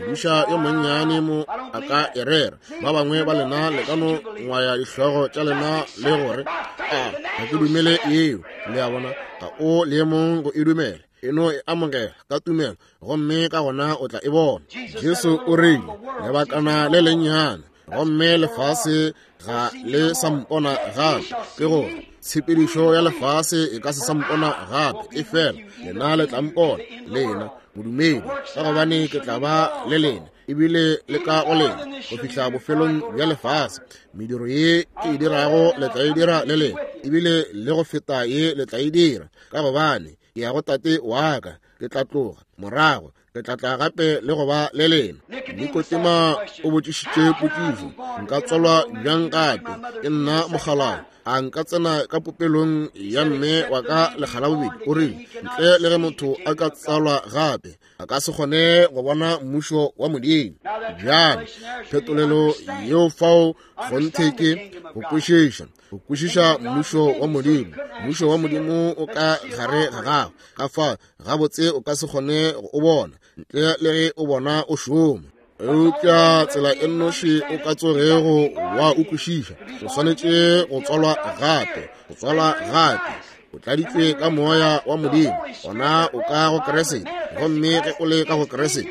Modiša yo monnyane mo a ka e rera. Ba bangwe ba lena le ka no ngwaya dihlogo tša lena le gore, A ga ke dumele yeo. Le a bona, ga o leemong go e dumela. E no e amogela ka tumelo, gomme ka gona o tla e bona. Jesu o rile, Lebakana le lennyane, gomme lefase ga le sa mpona gape. Ke gore tshepedišo ya lefase e ka se sa mpona gape, efela lena le tla mpona, lena modumedi, ka gobane ke tla ba le lena, ebile le ka go lena go fihla bofelong bja lefase. Mediro ye ke e dirago le tla e dira le lena, ebile le go feta ye le tla e dira, ka gobane ke ya go Tate wa ka. Ke tla tloga morago, ke tla tla gape le go ba le lena. Nikodema o botšišitše potšišo, Nka tswalwa bjang gape? Ke nna mokgalabje, a nka tsena ka popelong ya mme wa ka lekga la bobedi? O rile, Ntle le ge motho a ka tsalwa gape, a ka se kgone go bona mmušo wa Modimo. Bjale phetolelo yeo fao kgonthe ke go kwešiša, go kwešiša mmušo wa Modimo. Mmušo wa Modimo o ka gare ga gago, ka fa gabotse o ka se kgone go o bona ntle le ge o bona o šoma. Eupša tsela e nnoši o ka tsogego wa o kwešiša, o swanetše go tswalwa gape, go tswalwa gape, o tladitšwe ka Moya wa Modimo, gona o ka go Kriste. Gomme ge o le ka go Kriste,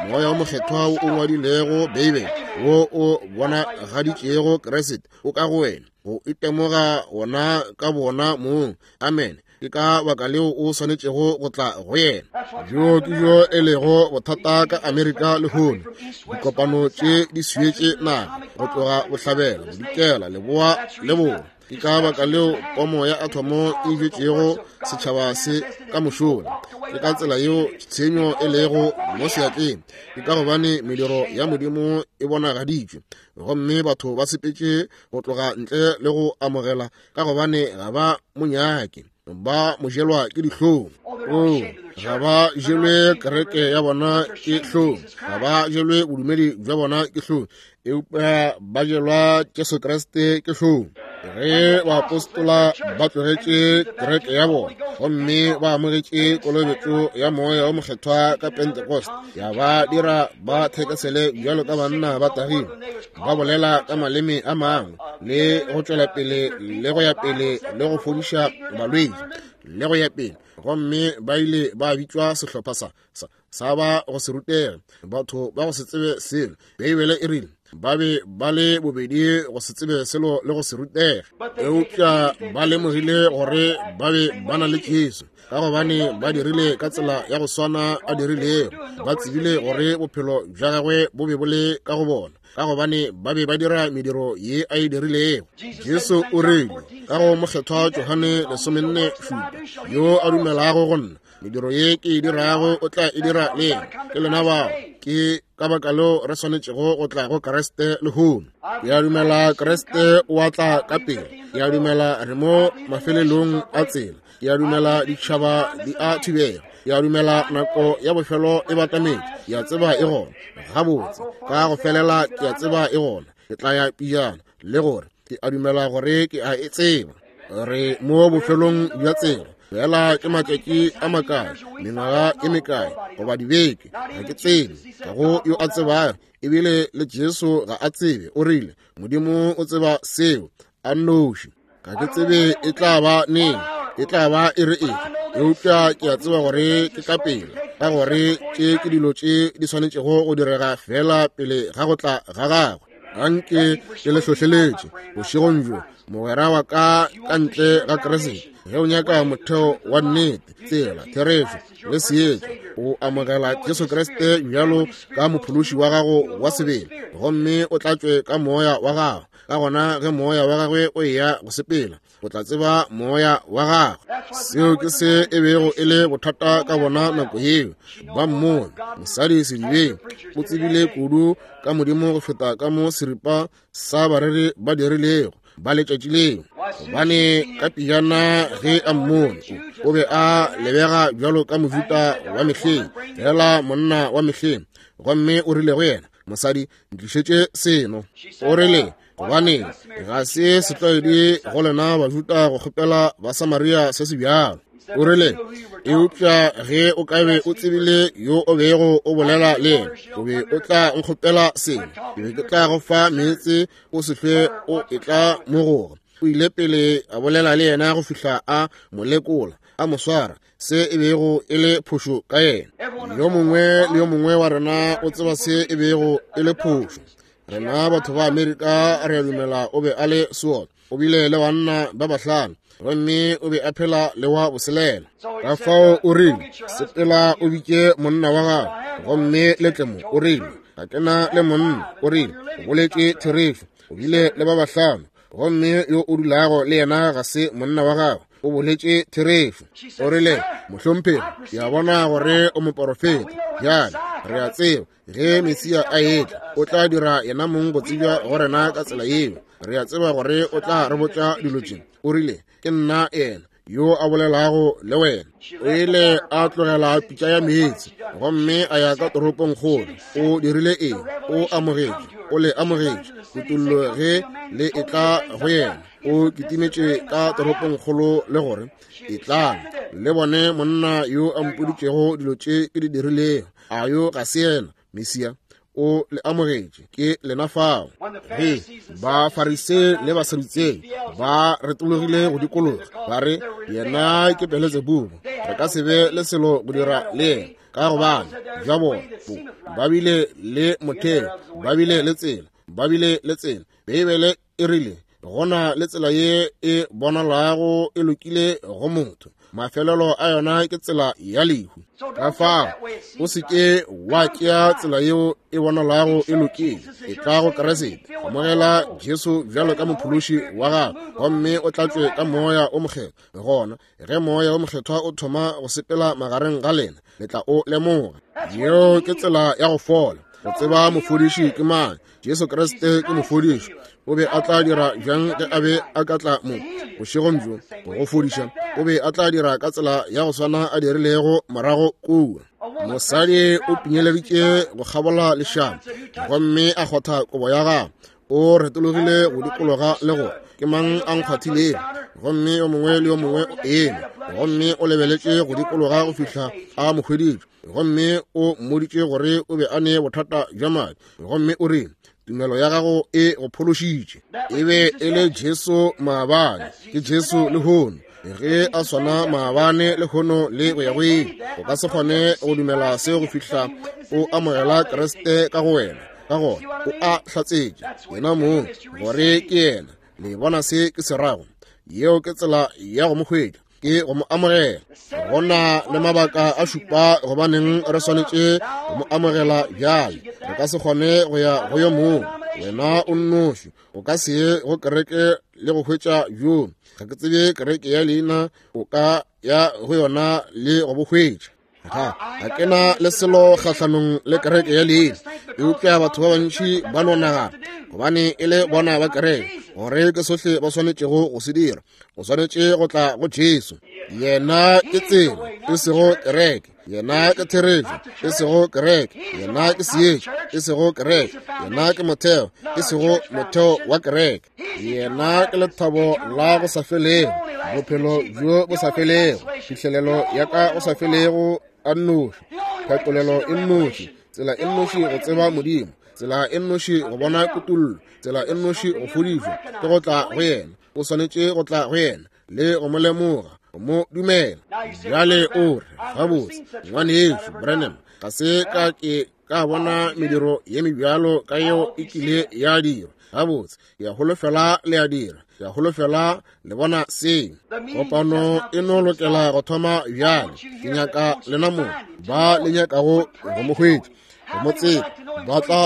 Moya wo Mokgethwa wo o ngwadilego Beibele, wo o bonagaditšego Kriste, o ka go wena, go itemoga wona ka bona mong. Amene. Ke ka baka leo o swanetšego go tla go yena. Bjo ke bjo e lego bothata ka Amerika lehono. Dikopano tše di swietše naga go tloga bohlabela, bodikela, leboa le borwa. Ke ka baka leo pomo ya athomo e bjetšego setšhaba se ka mošola. Ke ka tsela yeo tshenyo e lego mo seatleng. Ke ka gobane mediro ya Modimo e bonagaditšwe, gomme batho ba sepetše go tloga ntle le go amogela, ka gobane ga ba mo nyake, ba mo jelwa ke dihlong. Oo, ga ba jelwe kereke ya bona ke hlong, ga ba jelwe bodumedi bja bona ke hlong, eupša ba jelwa Jesu Kriste ke hlong. Ge baapostola ba tlogetše kereke ya bona gomme ba amogetše kolobetšo ya Moya wo Mokgethwa ka Pentecost, ya ba dira ba thekesele bjalo ka banna ba tagile, ba bolela ka maleme a mangwe le go tšwela pele le go ya pele le go fodiša balwetši le go ya pele, gomme ba ile ba bitšwa sehlopha sa sa sa ba go se rutege, batho ba go se tsebe selo. Beibele e rile ba be ba le bobedi go se tsebe selo le go se rutege, eupša ba lemogile gore ba be ba na le Jesu, ka gobane ba dirile ka tsela ya go swana a dirilego. Ba tsebile gore bophelo bja gagwe bo be bo le ka go bona, ka gobane ba be ba dira mediro ye a e dirilego. Jesu o rile ka go Mokgethwa Johane 47, yo a dumelago go nna, mediro ye ke e dirago o tla e dira le yena. Ke lena bao. Ke ka baka leo re swanetšego go tla go Kriste lehono. Ke a dumela Kriste o a tla ka pele. Ke a dumela re mo mafelelong a tsela. Ke a dumela ditšhaba di a thubega. Ke a dumela nako ya bofelo e batametše. Ke a tseba e gona. Gabotse, ka go felela ke a tseba e gona. Ke tla ya pejana le gore ke a dumela gore ke a e tseba. Re mo bofelong bja tsela. Fela ke matšatši a makae, mengwaga e mekae, goba dibeke, ga ke tsebe. Ga go yo a tsebago, ebile le Jesu ga a tsebe. O rile, Modimo o tseba seo a nnoši. Ga ke tsebe e tla ba neng, e tla ba e re efe, Eupša ke a tseba gore ke ka pela, ka gore tše ke dilo tše di swanetšego go direga fela pele ga go tla ga gagwe. Anke ke le hlohleletše bošegong bjo, mogwera wa ka ka ntle ga Kriste. Ge o nyaka motheo wa nnete, tsela, therešo le seetša, o amogela Jesu Kriste bjalo ka mophološi wa gago wa sebele, gomme o tlatšwe ka moya wa gago. Ka gona ge moya wa gagwe o eya go sepela, o tla tseba moya wa gagwe. Seo ke se e bego e le bothata ka bona nako yeo. Ba mmone mosadi sedibeng, o tsebile kudu ka Modimo go feta ka mo seripa sa bareri ba dirilego ba letšatši leo. Gobane ka pejana ge a mmone, o be a lebega bjalo ka Mojuda wa mehleng, fela monna wa mehleng. Gomme o rile go yena, mosadi, ntlišetše seno. O rile, gobane ga se setlwaedi go lena Bajuda go kgopela Basamaria se se bjalo. O rile, eupša ge o ka be o tsebile yo o bego o bolela le yena, o be o tla nkgopela seno, ke be ke tla go fa meetse o se hlwe o etla mo goga. O ile pele a bolela le yena go fihla a mo lekola, a mo swara se e bego e le phošo ka yena. Yo mongwe le yo mongwe wa rena o tseba se e bego e le phošo. Rena batho ba Amerika re a dumela o be a le seotswa. O bile le banna ba bahlano, gomme o be a phela le wa boselela. Ka fao o rile, sepela o bitše monna wa gago, gomme le tle mo. O rile, ga ke na le monna. O rile, o boletše therešo. O bile le ba bahlano, gomme yo o dulago le yena ga se monna wa gago. O boletše therešo. O rile, mohlomphegi, ke a bona gore o moporofeta. Bjale re a tseba ge Mesia a etla, o tla dira yena mong go tsebja go rena ka tsela yeo. Re a tseba gore o tla re botša dilo tše. O rile, ke nna yena yo a bolelago le wena. O ile a tlogela pitša ya meetse gomme a ya ka toropong kgolo. O dirile eng? O amogetše, o le amogetše kutollo ge le etla go yena. O kitimetše ka toropong kgolo le gore, etlang le bone monna yo a mpoditšego dilo tše ke di dirilego. A yo ga se yena Mesia? O le amogetše, ke lena fao. Ge Bafarisei le Basadutsei ba retologile go dikologa, ba re, yena ke Beletsebubu, re ka se be le selo go dira le yena, ka gobane bja bona ba bile le motheo, ba bile le tsela, ba bile le tsela. Beibele e rile, go na le tsela ye e bonalago e lokile go motho, mafelelo a yona ke tsela ya lehu. Ka fao o se ke wa tšea tsela yeo e bonalago e lokile. E tla go Kriste, amogela Jesu bjalo ka mophološi wa gago, gomme o tlatšwe ka Moya o Mokgethwa. Gona ge Moya o Mokgethwa o thoma go sepela magareng ga lena, le tla o lemoga. Yeo ke tsela ya go fola. Go tseba mofodiši ke mang? Jesu Kriste ke mofodiši. O be a tla dira bjang ge a be a ka tla mo bošegong bjo go go fodiša? O be a tla dira ka tsela ya go swana a dirilego morago kua. Mosadi o pinyeleditše go kgabola lešaba gomme a kgotha kobo ya gagwe. O retologile go dikologa le go, ke mang a nkgwathilego? Gomme yo mongwe le yo mongwe o eme, gomme o lebeletše go dikologa go fihla a mo hweditše. Gomme o mmoditše gore o be a ne bothata bja madi, gomme o rile, tumelo ya gago e go phološitše. E be e le Jesu maabane, ke Jesu lehono. Ge a swana maabane, lehono le go ya go ile. O ka se kgone go dumela seo go fihla o amogela Kriste ka go wena. Ka gona o a hlatsetše yena mong gore ke yena. Le bona se ke se rago? Yeo ke tsela ya go mo hwetša, ke go mo amogela. Go na le mabaka a šupa gobaneng re swanetše go mo amogela bjale. Re ka se kgone go ya go yo mongwe, wena o nnoši. O ka se ye go kereke le go hwetša bjo. Ga ke tsebe kereke ya leina, o ka ya go yona le go bo hwetša. Ga ke na le selo kgahlanong le kereke ya leina, eupša batho ba bantši ba no nagana gobane e le bona ba kereke gore ke sohle ba swanetšego go se dira. O swanetše go tla go Jesu. Yena ke tsela, e sego kereke. Yena ke therešo, e sego kereke. Yena ke seetša, e sego kereke. Yena ke motheo, e sego motheo wa kereke. Yena ke lethabo la go sa felego, bophelo bjo bo sa felego, phihlelelo ya ka go sa felego a nnoši, phetolelo e nnoši, tsela e nnoši go tseba Modimo, tsela e nnoši go bona kutollo, tsela e nnoši go fodišwa, ke go tla go yena. O swanetše go tla go yena le go mo lemoga. go mo dumela. Bjale o re, Gabotse, Ngwanešu Branham, ga se ka ke ka bona mediro ye mebjalo ka yeo e kile ya dirwa. Gabotse, ke a holofela le a dira. Ke a holofela le bona seo. Kopano e no lokela go thoma bjale. Ke nyaka lena mo ba le nyakago go mo hwetša, go mo tseba, ba tla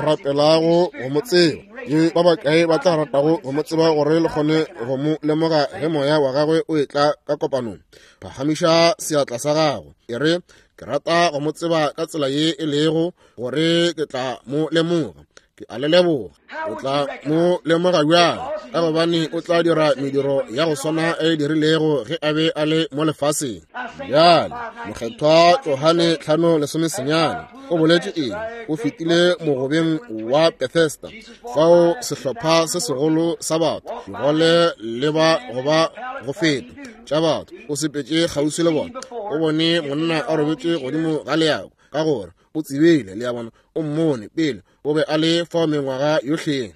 rapelago go mo tseba. Ke ba bakae ba tla ratago go mo tseba gore le kgone go mo lemoga ge moya wa gagwe o etla ka kopanong? Phagamiša seatla sa gago, e re, Ke rata go mo tseba ka tsela ye e lego gore ke tla mo lemoga. Ke a le leboga. O tla mo lemoga bjang? Ka gobane o tla dira mediro ya go swana e dirilego ge a be a le mo lefaseng. Bjale, Mokgethwa Johane 5:19 o boletše eng? O fetile mogobeng wa Bethesda, fao sehlopha se segolo sa batho, digole le ba go ba go feta tša batho, o sepetše kgauswi le bona, o bone monna a robetše godimo ga leako, ka gore o tsebile, le a bona, o mmone pele o be a le fao mengwaga yohleng.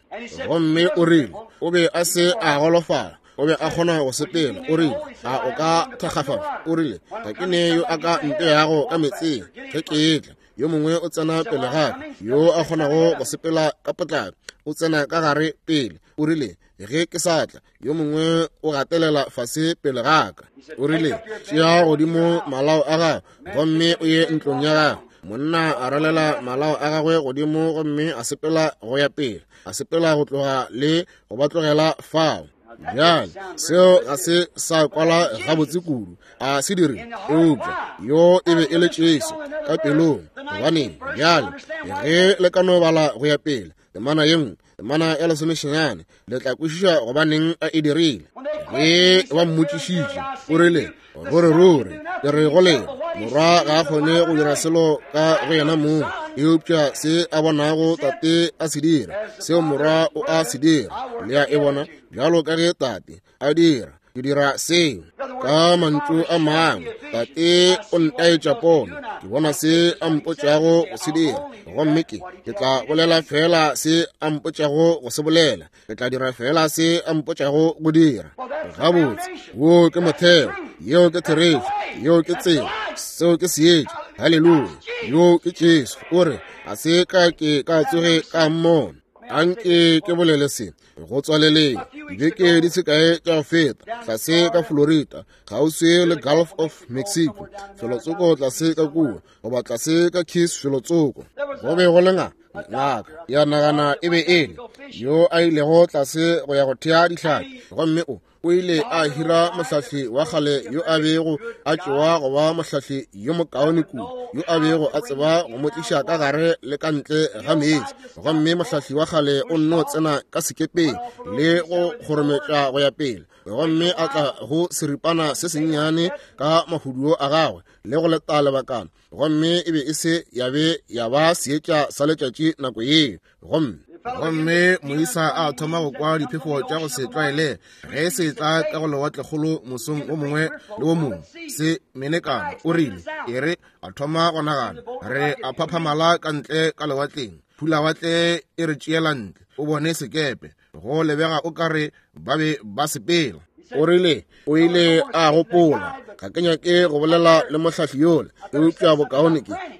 Gomme o rile o be a se a golofala, o be a kgona go sepela. O rile, a o ka thakgafala? O rile, ga ke ne yo a ka mpeyago ka metseng ge ke etla. Yo mongwe o tsena pele ga ka, yo a kgonago go sepela ka potlako, o tsena ka gare pele. O rile, ge ke sa tla, yo mongwe o gatelela fase pele ga ka. O rile, tšea godimo malao a gago gomme o ye ntlong ya gago. Monna a ralela malao a gagwe godimo gomme a sepela go ya pele, a sepela go tloga le go ba tlogela fao. Bjale seo ga se sa kwala gabotse kudu, a se dire, eupša yo e be e le Jesu ka pelong. Gobaneng? Bjale ge le ka no bala go ya pele temana ye nngwe, temana ya lesomesenyane, le tla kwešiša gobaneng a e dirile. Ge ba mmotšišitše, o rile, Ruri ruri ke re go lena, morwa ga a kgone go dira selo ka go yena mong, eupša se a bonago tate a se dira, seo morwa o a se dira. Le a e bona? Bjalo ka ge tate a dira, ke dira seo. Ka mantšu a mangwe, tate o ntaetša pono, ke bona se a mpotšago go se dira, gomme ke tla bolela feela se a mpotšago go se bolela. Ke tla dira feela se a mpotšago go dira. Gabotse, wo ke motheo, yeo ke therešo, yeo ke tsela, seo ke seetša. Haleluya! Yo ke Jesu. O re, ga se ka ke ka tsoge ka mmona. Anke ke bolele se go tswaleleng. Dibeke di se kae tša go feta, tlase ka Florida, kgauswi le Gulf of Mexico, felotsoko tlase ka kua, goba tlase ka Keys felotsoko, go be go le ngaka ya nagana e be e le yo a ilego tlase go ya go thea dihlapi, gomme o ile a hira mohlahli wa kgale yo a bego a tšewa go ba mohlahli yo mokaone kudu, yo a bego a tseba go mo tliša ka gare le ka ntle ga meetse. Gomme mohlahli wa kgale o nno tsena ka sekepeng le go kgorometša go ya pele, gomme a tla go seripana se sennyane ka mahuduo a gagwe le go leta lebakana, gomme e be e se ya be ya ba seetša sa letšatši nako yeo. Gomme moisa a thoma go kwa diphefo tša go se tlwaele ge se tla ka go lewatlekgolo mosong o mongwe le o mongwe, se menekana. O rile, e re, a thoma go nagana, re a phaphamala ka ntle ka lewatleng, phulawatle e re tšeela ntle. O bone sekepe, go lebega o ka re ba be ba sepela. O rile, o ile a gopola, ga ke nyake go bolela le mohlahli yola, eupša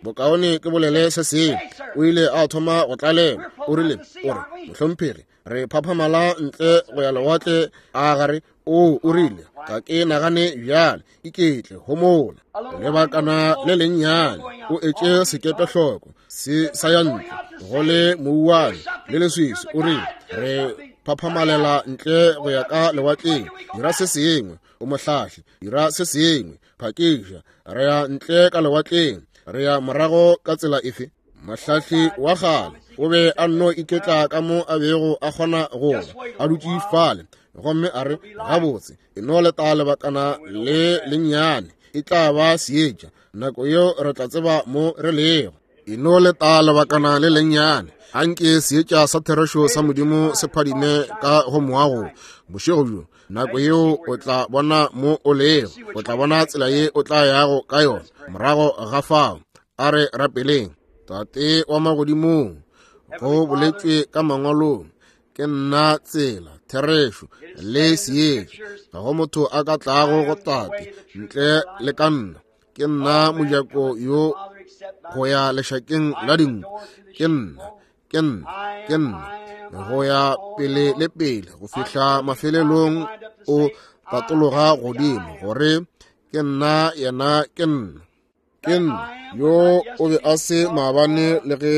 bokaone ke bolele se sengwe. O ile a thoma go tlalelwa. O rile, o re, mohlomphegi, re phaphamala ntle go ya lewatle a gare. O rile, ga ke nagane bjale, iketle, homola lebakana le lennyane, o etše sekepe hloko se sa ya ntle go le mouwane le leswiswi. O rile, re phaphamalela ntle go ya ka lewatleng, dira se sengwe, o mohlahli, dira se sengwe, phakiša, re ya ntle ka lewatleng, re ya morago ka tsela efe? Mohlahli wa kgale o be a nno iketla ka mo a bego a kgona go ba, a dutše fale, gomme a re, gabotse, e no leta lebakana le lennyane, e tla ba seetša, nako yeo re tla tseba mo re lego. E no leta lebakana le lennyane, anke seetša sa therešo sa Modimo se phadime ka go moago bošego bjo. Nako yeo o tla bona mo o lego, o tla bona tsela ye o tla yago ka yona morago ga fao. A re rapeleng. Tate wa magodimong, go boletšwe ka mangwalong, Ke nna tsela, therešo, le seetša. Ga go motho a ka tlago go Tate ntle le ka nna. Ke nna mojako yo go ya lešakeng la dinku. Ke nna, ke nna, ke nna. Go ya pele le pele go fihla mafelelong o tatologa godimo gore ke nna yena ke nna. Ke nna yo o be a se maabane le ge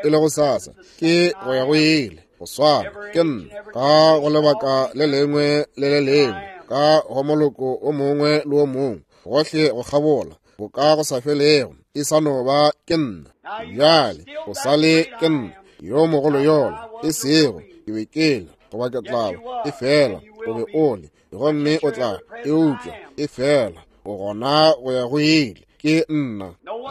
e le go sasa, ke go ya go ile go swana. Ke nna ka go lebaka le lengwe le le lengwe, ka go moloko o mongwe le o mongwe, gohle go kgabola boka go sa felego, e sa no ba ke nna. Bjale o sa le ke nna yo mogolo yola, e sego ke be ke le goba ke tla ba, e fela o be o le, gomme o tla eupša e fela o gona go ya go ile. Ke nna.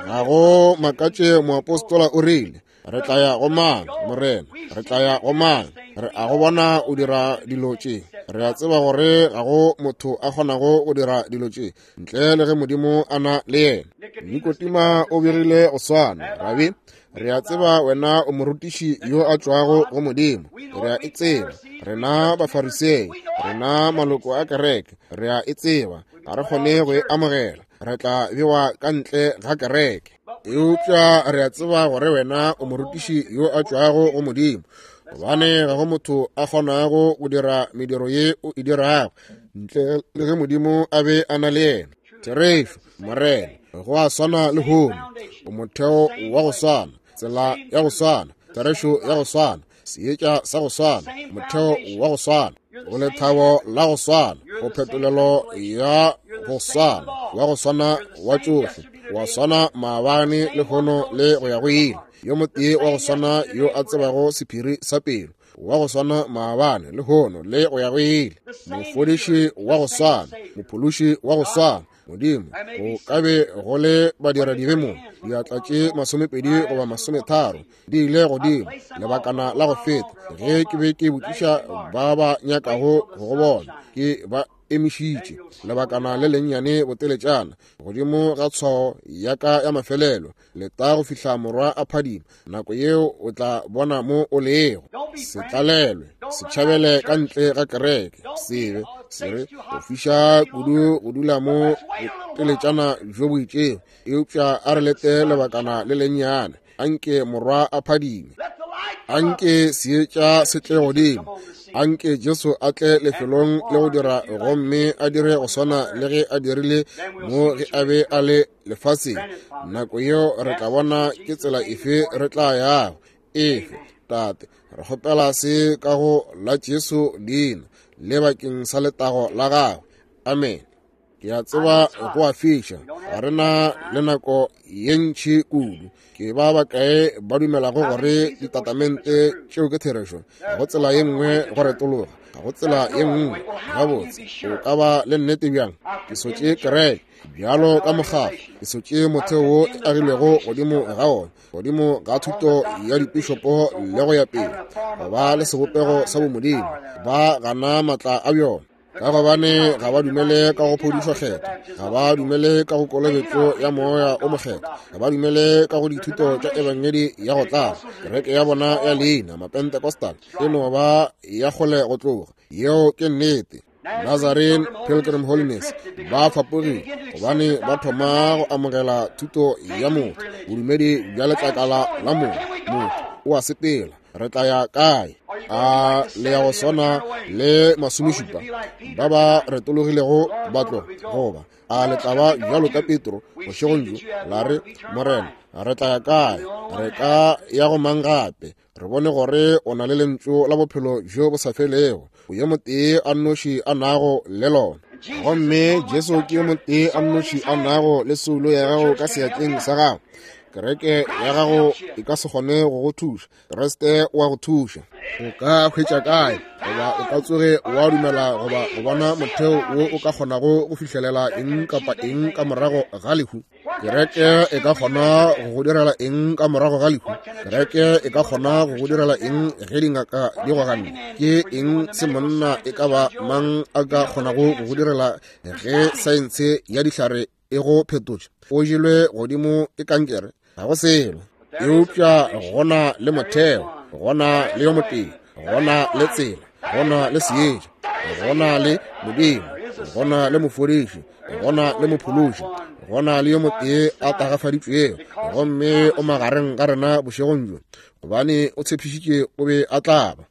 Ga go makatše moapostola o rile, re tla ya go mang, Morena? Re tla ya go mang? Re a go bona o dira dilo tše. Re a tseba gore ga go motho a kgonago go dira dilo tše ntle le ge Modimo a na le yena. Nikotima o begile go swana, Rabi, re a tseba wena o morutiši yo a tšwago go Modimo. Re a e tseba. Rena Bafarisei, rena maloko a kereke, re a e tseba. Ga re kgone go e amogela. Re tla bewa ka ntle ga kereke. Eupša re a tseba gore wena o morutiši yo a tšwago go Modimo, gobane ga go motho a kgonago go dira mediro ye o e dirago ntle le ge Modimo a be a na le yena. Therešo, Morena, go a swana le hono, o motheo wa go swana, tsela ya go swana, therešo ya go swana, seetša sa go swana, motheo wa go swana, go lethabo la go swana, go phetolelo ya go swana, wa go swana wa tšohle, wa swana maabane le hono le go ya go ile, yo motee wa go swana yo a tsebago sephiri sa pelo, wa go swana maabane le hono le go ya go ile, mofodiši wa go swana, mophološi wa go swana. Modimo, go ka be go le badiradibe mo, diatla tše 20 goba 30 di ile godimo lebakana la go feta ge ke be ke botšiša ba ba nyakago go go bona, ke ba emišitše lebakana le lennyane boteletšana godimo ga tshwao ya ka ya mafelelo, leta go fihla morwa a phadima, nako yeo o tla bona mo o lego. Se tlalelwe, se tšhabele ka ntle ga kereke, sebe se re go fiša kudu go dula mo boteletšana bjo bo itšego, eupša a re lete lebakana le lennyane, anke morwa a phadime, anke seetša se tle godimo, anke Jesu a tle lefelong le go dira gomme a dire go swana le ge a dirile mo ge a be a le lefaseng. Nako yeo re tla bona ke tsela efe re tla yago. Efe, Tate, re kgopela se ka go la Jesu leina le bakeng sa letago la gagwe. Amen. Ke a tseba go a fiša, ga re na le nako ye ntši kudu. Ke ba bakae ba dumelago gore ditatamente tšeo ke therešo? Ga go tsela ye nngwe go retologa, ga go tsela ye nngwe. Gabotse, o ka ba le nnete bjang? Ke sotše kereke bjalo ka mokgatlo, ke sotše motheo wo e agilwego godimo ga ona, godimo ga thuto ya dipišopo le go ya pele, go ba le sebopego sa bomodimo, ba gana maatla a bjona, ka gobane ga ba dumele ka go phodišo kgetho, ga ba dumele ka go kolobetšo ya moya o mokgetho, ga ba dumele ka go dithuto tša ebangedi ya go tlala. Kereke ya bona ya leina Mapentecostal e no ba ya kgole go tloga. Yeo ke nnete. Nazarene Pilgrim Holiness ba fapogile gobane ba thoma go amogela thuto ya motho, bodumedi bja letlakala la motho. Motho o a sepela, re tla ya kae? A le ya go swana le 70 ba ba retologilego ba tloga, goba a le tla ba bjalo ka Petro bošegong bjo la re, Morena, re tla ya kae? Re ka ya go mang gape? Re bone gore o na le lentšu la bophelo bjo bo sa felego, o yo motee a nnoši a nago le lona. Gomme Jesu ke yo motee a nnoši a nago le soulo ya gago ka seatleng sa gago. Kereke ya gago e ka se kgone go go thuša, Kriste o a go thuša. O ka hwetša kae goba o ka tsoge wa dumela goba go bona motheo wo o ka kgonago go fihlelela eng kapa eng ka morago ga lehu? Kereke e ka kgona go go direla eng ka morago ga lehu? Kereke e ka kgona go go direla eng ge dingaka di go ganne? Ke eng se monna e ka ba mang a ka kgonago go go direla ge saense ya dihlare e go phetotše? O jelwe godimo ke kankere, ga go selo. Eupša gona le motheo, gona le yo motee. Go na le tsela, go na le seetša, go na le Modimo, go na le mofodiši, go na le mophološi, go na le yo motee a tagafaditšwego, gomme o magareng ga rena bošegong bjo, gobane o tshepišitše o be a tla ba.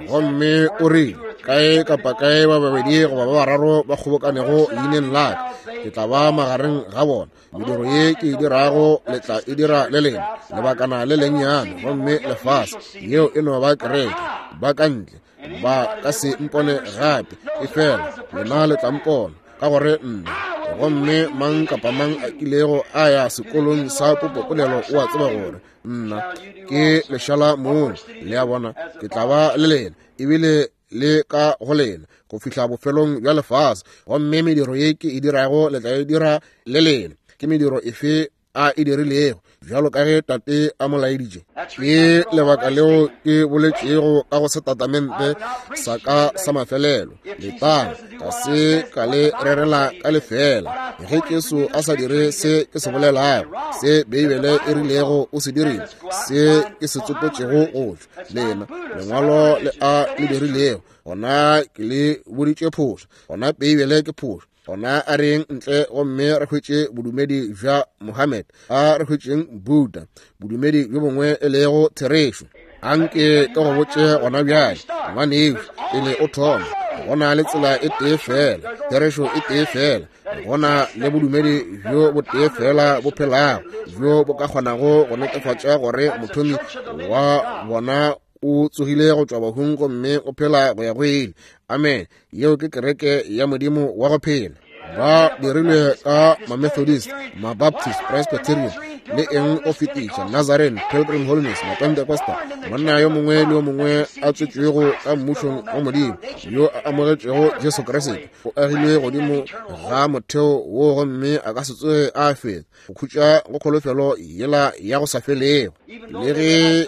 Gomme o rile, kae kapa kae ba babedi goba ba bararo ba kgobokanego leineng la ka, ke tla ba magareng ga bona. Mediro ye ke e dirago le tla e dira le lena lebakana le lennyane, gomme lefase yeo e no ba kereke ba ka ntle ba ka se mpone gape, efela lena le tla mpona, ka gore nna. Gomme mang kapa mang a kilego a ya sekolong sa popopolelo o a tseba gore nna ke lešala mong. Le a bona, ke tla ba le lena ebile le ka go lena go fihla bofelong bja lefase. Gomme mediro ye ke e dirago le tla e dira le lena. Ke mediro efe a e dirilego, bjalo ka ge Tate a mo laeditše? Ke lebaka leo ke boletšego ka go setatamente sa ka sa mafelelo, letang, ga se ka le rerela ka lefela. Ge Jesu a sa dire se ke se bolelago, se Beibele e rilego o se dirile, se ke se tsopotšego go tšwa lena lengwalo le a le dirilego, gona ke le boditše phošo, gona Beibele ke phošo. Gona a reng ntle gomme re hwetše bodumedi bja Mohammed, a re hwetšeng Buddha, bodumedi bjo bongwe e lego therešo. Anke ke go botše gona bjale, ngwanešu, pele o thoma, go na le tsela e tee fela, therešo e tee fela, go na le bodumedi bjo bo tee fela bo phelago, bjo bo ka kgonago go netefatša gore mothomi wa bona o tsogile go tšwa bahung gomme o phela go ya go ile. Amen. Yeo ke kereke ya Modimo wa go phela. Ba dirilwe ka Mamethodist, Mabaptist, Presbyterian, le eng o fetiša, Nazarene, Pilgrim Holiness, Mapentecostal, monna yo mongwe le yo mongwe a tswetšwego ka mmušong wa Modimo, yo a amogetšego Jesu Kriste, o agilwe godimo ga motheo wo gomme a ka se tsoge a feta go khutša go kholofelo yela ya go sa felego. Le ge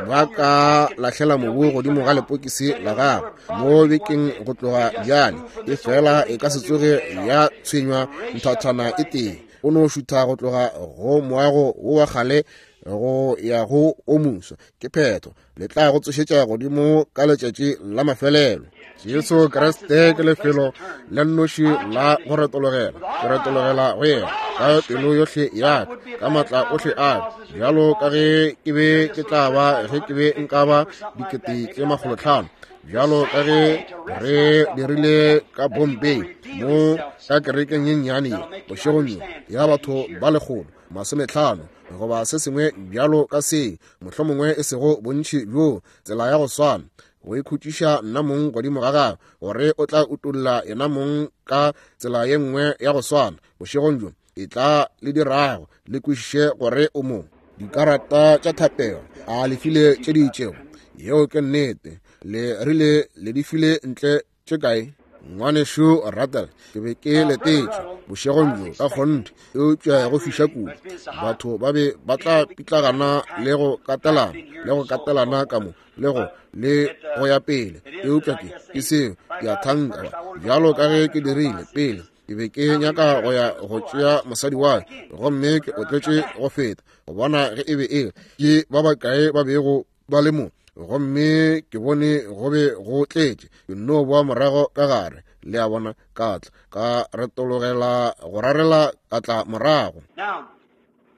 ba ka lahlela mobu godimo ga lepokisi la gago mo bekeng go tloga bjale, e fela e ka se tsoge ya tshwenywa nthathana e tee. O no šutha go tloga go moago wo wa kgale go ya go o moswa, ke phetho. Le tla go tsošetša godimo ka letšatši la mafelelo. Jesu Kriste ke lefelo le nnoši la go retologela. Ke retologela go yena ka pelo yohle ya ka, ka matla ohle a ka, bjalo ka ge ke be ke tla ba ge ke be nka ba 500,000, bjalo ka ge re dirile ka Bombay mo ka kerekeng ye nnyane ye bošegong bjo ya batho ba 150 goba se sengwe bjalo ka se, mohlomongwe e sego bontši bjo, tsela ya go swana, go ikhutšiša nna mong godimo ga gagwe, gore o tla utolla yena mong ka tsela ye nngwe ya go swana bošegong bjo, e tla le dirago le kwešiše gore o mo. Dikarata tša thapelo a le file tše di itšego? Yeo ke nnete. Le rile le di file ntle tše kae? Ngwanešu Rattle, ke be ke letetše bošegong bjo ka kgonthe, eupša go fiša kudu. Batho ba be ba tla pitlagana le go katelana, le go katelana ka mo, le go, le go ya pele. Eupša ke, ke seo, ke a thanka, bjalo ka ge ke dirile pele. Ke be ke nyaka go ya go tšea mosadi wa ka, gomme ke otletše go feta go bona ge e be e ke ba bakae ba bego ba le mo, gomme ke bone go be go tletše. Ke nno boa morago ka gare, le a bona, ka tla ka retologela go rarela ka tla morago. Now,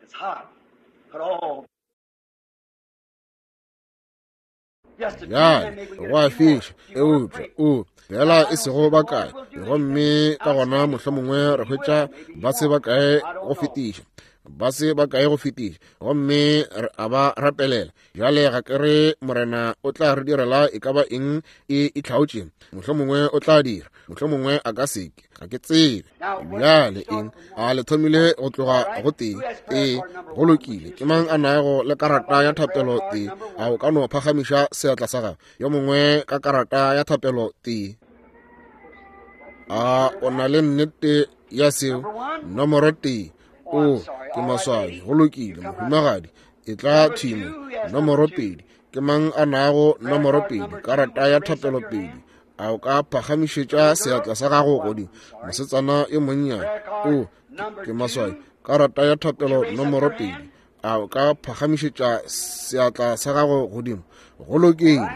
it's hot, but oh. Bjale go a fiša, eupša o fela e sego bakae, gomme ka gona mohlomongwe re hwetša ba se bakae go fetiša, ba se bakae go fetiša, gomme re a ba rapelela. Bjale ga ke re Morena o tla re direla e ka ba eng e itlhaotše, mohlomongwe o tla dira, mohlomongwe a ka se ke, ga ke tsebe. Bjale eng a le thomile go tloga go tee? Ee, go lokile. Ke mang a nago le karata ya thapelo tee? A o ka no phagamiša seatla sa gago? Yo mongwe ka karata ya thapelo tee? A o na le nnete ya seo? Nomoro tee. O, ke maswabi. Go lokile, mohumagadi, e tla thimo. Nomoro pedi. Ke mang a nago nomoro pedi, karata ya thapelo pedi? A o ka phagamišetša seatla sa gago godimo? Mosetsana yo monnyane. O, ke maswabi. Karata ya thapelo nomoro pedi. A o ka phagamišetša seatla sa gago godimo? Go lokile.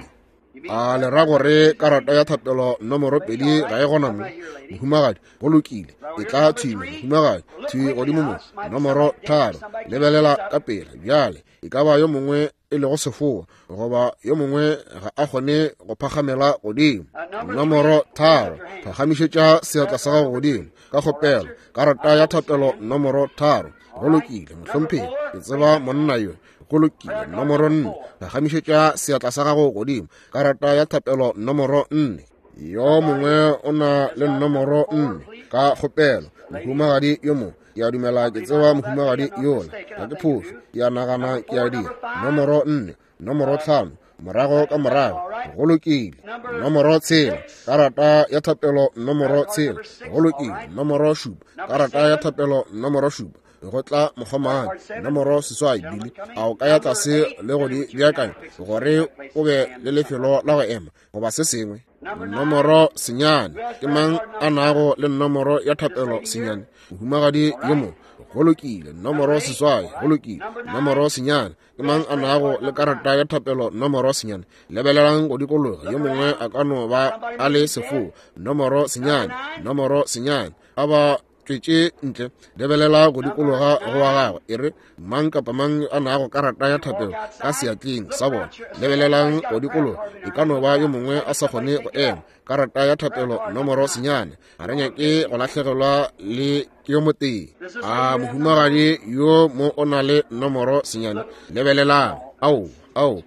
A le ra gore karata ya thapelo nomoro 2 ga e gona mo? Mohumagadi, go lokile. E tla thwi mo, mohumagadi, thwi godimo mo. Nomoro 3, lebelela ka pela bjale. E ka ba yo mongwe e lego sefoa, goba yo mongwe ga a kgone go phagamela godimo. Nomoro 3, phagamišetša seatla sa gago godimo ka kgopelo. Karata ya thapelo nomoro 3. Go lokile, mohlomphegi, ke tseba monna yo. Go lokile. Nomoro 4, phagamišetša seatla sa gago godimo. Karata ya thapelo nomoro 4. Yo mongwe o na le nomoro 4 ka kgopelo. Mohumagadi yo mongwe, ke a dumela ke tseba mohumagadi yola, ga ke phošo, ke a nagana ke a dira. Nomoro 4, nomoro 5, morago ka morago. Go lokile. Nomoro 6, karata ya thapelo nomoro 6. Go lokile. Nomoro 7, karata ya thapelo nomoro 7. Go tla mokgomane. Nomoro 8, Billy, a o ka ya tlase le go di beakanya gore o be le lefelo la go ema goba se sengwe? Nomoro 9, ke mang a nago le nomoro ya thapelo 9? Mohumagadi yo mongwe. Go lokile. Nomoro 8, go lokile. Nomoro 9, ke mang a nago le karata ya thapelo nomoro 9? Lebelelang go dikologa, yo mongwe a ka no ba a le sefoa. Nomoro 9, nomoro 9, a ba tšwetše ntle. Lebelela go dikologa go wa gagwe, e re mang kapa mang a nago karata ya thapelo ka seatleng sa bona. Lebelelang go dikologa, e ka no ba yo mongwe a sa kgone go ema. Karata ya thapelo nomoro 9, ga re nyake go lahlegelwa le ke yo motee. A mohumagadi yo mo o na le nomoro 9? Lebelelang. Ao, ao,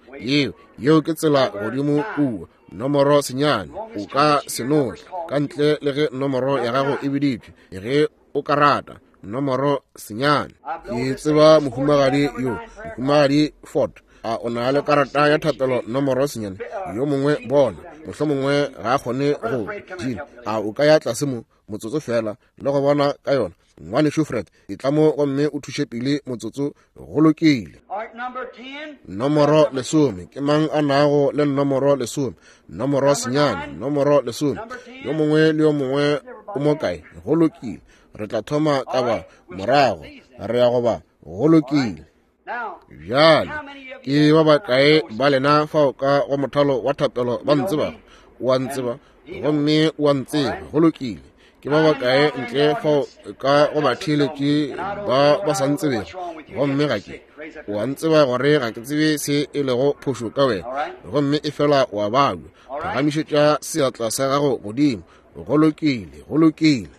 yeo ke tsela godimo kua. Nomoro 9, o ka se notle ka ntle le ge nomoro ya gago e biditšwe, ge o ka rata. Nomoro 9. Ke tseba mohumagadi yo, mohumagadi Ford. A o na le karata ya thapelo nomoro 9? Yo mongwe bona, mohlomongwe ga a kgone go Jean, a o ka ya tlase mo motsotso fela le go bona ka yona? Ngwanešu Fred, e tla mo gomme o thuše pele motsotso. Go lokile. Nomoro 10, ke mang a nago le nomoro 10? Nomoro 9, nomoro 10. Yo mongwe le yo mongwe o mo kae? Go lokile. Re tla thoma ka ba morago, re ya go ba. Go lokile. Bjale ke ba bakae ba lena fao ka go mothalo wa thapelo ba ntsebago? O a ntseba gomme o a ntseba. Go lokile. Ke ba bakae ntle fao ka go batheeletši ba ba sa ntsebego gomme ga ke? O a ntseba gore ga ke tsebe se e lego phošo ka wena, gomme e fela o a babja. Phagamišetša seatla sa gago godimo. Go lokile, go lokile.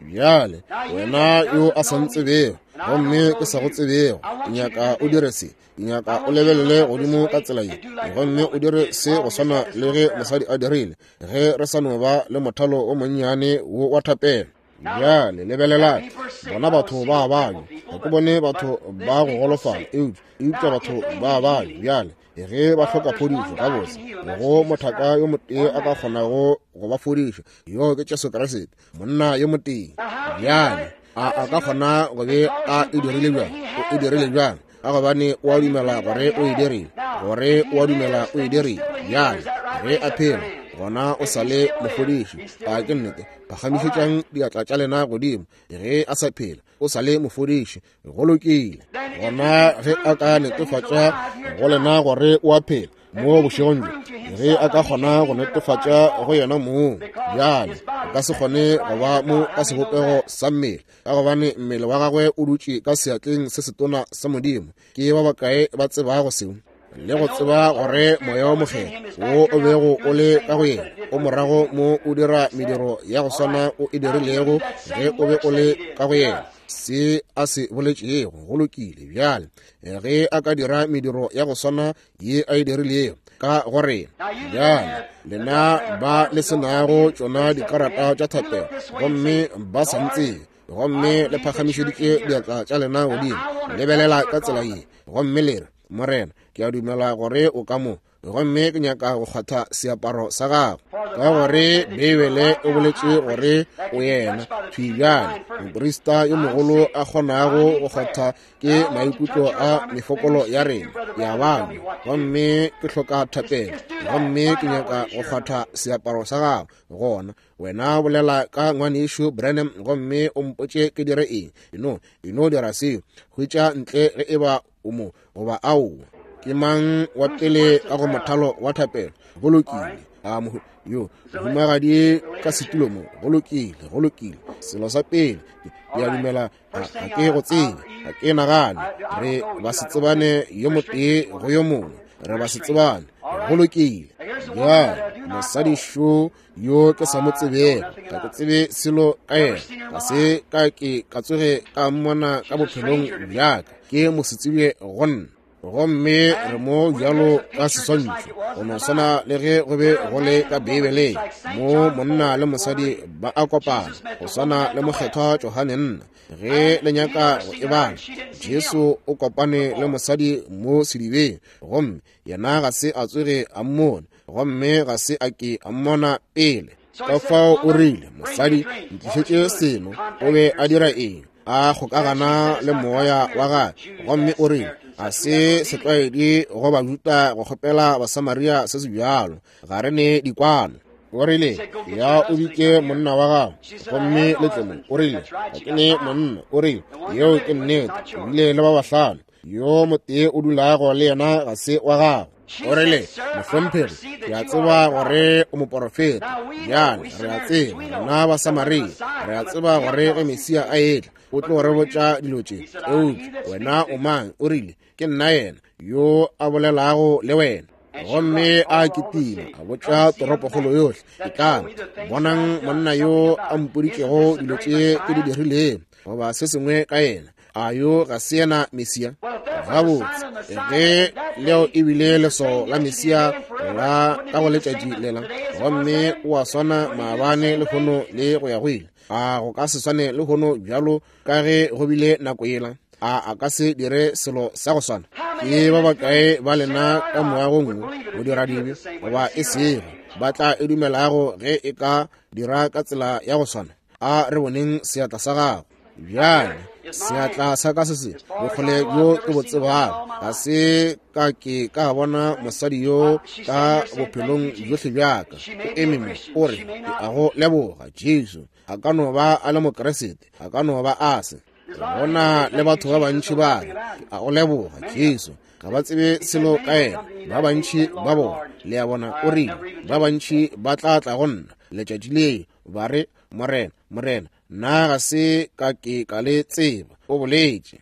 Bjale wena yo a sa ntsebego gomme ke sa go tsebego, ke nyaka o dire se. Ke nyaka o lebelele godimo ka tsela ye gomme o dire se go swana le ge mosadi a dirile ge re sa no ba le mothalo o monnyane wo wa thapelo. Bjale lebelelang, bona batho ba babja. Ga ke bone batho ba go golofala, eupša batho ba babja. Bjale ge ba hloka phodišo, gabotse go mothaka yo motee a ka kgonago go ba fodiša, yo ke Jesu Kriste, monna yo motee. Bjale a ka kgona go be a e dirile bjang? O e dirile bjang? Ka gobane o a dumela gore o e dirile, gore o a dumela o e dirile. Bjale ge a phela, gona o sa le mofodiši. A ke nnete? Phagamišetšang diatla tša lena godimo. Ge a sa phela, o sa le mofodiši. Go lokile. Gona ge a ka netefatša go lena gore o a phela mo bošegong bjo, ge a ka kgona go netefatša go yena mong, bjale o ka se kgone go ba mo ka sebopego sa mmele, ka gobane mmele wa gagwe o dutše ka seatleng se setona sa Modimo. Ke ba bakae ba tsebago seo? Le go tseba gore moya wa mokgethwa wo o bego o le ka go yena o morago mo o dira mediro ya go swana o e dirilego ge o be o le ka go yena, se a se boletšego. Go lokile. Bjale ge a ka dira mediro ya go swana ye a e dirilego ka go rena, bjale lena ba le senago tšona dikarata tša thapelo gomme ba sa ntsebe, gomme le phagamišeditše diatla tša lena godimo, lebelela ka tsela ye gomme le re, Morena, ke a dumela gore o ka mo, gomme ke nyaka go kgwatha seaparo sa gago, ka gore Beibele e boletše gore o yena thwi bjale moprista yo mogolo a kgonago go kgwatha ke maikutlo a mefokolo ya rena ya bana, gomme ke hloka thapelo, gomme ke nyaka go kgwatha seaparo sa gago. Gona wena bolela ka ngwanešu Branham gomme o mpotše ke dire eng. Eno dira seo, hwetša ntle ge e ba o mo goba aowa. Ke mang wa pele ka go mothalo wa thapelo? Go lokile. A yo mohumagadi ka setulo mo. Go lokile, go lokile. Selo sa pele, ke a dumela ga ke go tsebe, ga ke nagane re ba se tsebane yo motee go yo mongwe, re ba se tsebane. Go lokile. Bjale mosadi šo yo ke sa mo tsebego, ga ke tsebe selo ka yena, ga se ka ke ka tsoge ka mmona ka bophelong bjaka, ke mosetsebje go nna. Gomme re mo bjalo ka seswantšho, go no swana le ge go be go le ka Beibeleng, mo monna le mosadi ba a kopana, go swana le mokgethwa Johane nna. Ge le nyaka go e bala, Jesu o kopane le mosadi mo sedibeng, gomme yena ga se a tsoge a mmona, gomme ga se a ke a mmona pele. Ka fao o rile, mosadi, ntlišetše seno. O be a dira eng? A kgokagana le moya wa gagwe, gomme o rile, a se setlwaedi go Bajuda go kgopela Basamaria se se bjalo, ga re ne dikwano. O rile, ya o bitše monna wa gago gomme le tle mo. O rile, ga ke ne monna. O rile, yeo ke nnete, o bile le ba bahlano, yo motee o dulago le yena ga se wa gago. O rile, mohlomphegi, ke a tseba gore o moporofeta. Bjale re a tseba, rena Basamaria, re a tseba gore ge Mesia a etla o tlo re botša dilo tše. Eupša wena o mang? O rile, ke nna yena yo a bolelago le wena. Gomme a kitima a botša toropokgolo yohle, etlang bonang monna yo a mpoditšego dilo tše ke di dirilego, goba se sengwe ka yena. A yo ga se yena Mesia? Gabotse, ge leo e bile leswao la Mesia la ka go letšatši lela, gomme o a swana maabane lehono le go ya go ile, a go ka se swane lehono bjalo ka ge go bile nako yela? A ka se dire selo sa go swana? Ke ba bakae ba lena ka moagong wo, go dira dibe goba e sego, ba tla e dumelago ge e ka dira ka tsela ya go swana? A re boneng seatla sa gago. Bjale seatla sa ka se se bokgole bjo ke bo tsebago, ga se ka ke ka bona mosadi yo ka bophelong bjohle bjaka. O eme mo, o re, ke a go leboga Jesu. A ka no ba a le Mokeresete, a ka no ba a se. Gona le batho ba bantši ba re, ke a go leboga Jesu, ga ba tsebe selo ka yena. Ba bantši ba bona, le a bona, o rile, ba bantši ba tla tla go nna letšatši leo, ba re, Morena, Morena, nna ga se ka ke ka le tseba. O boletše.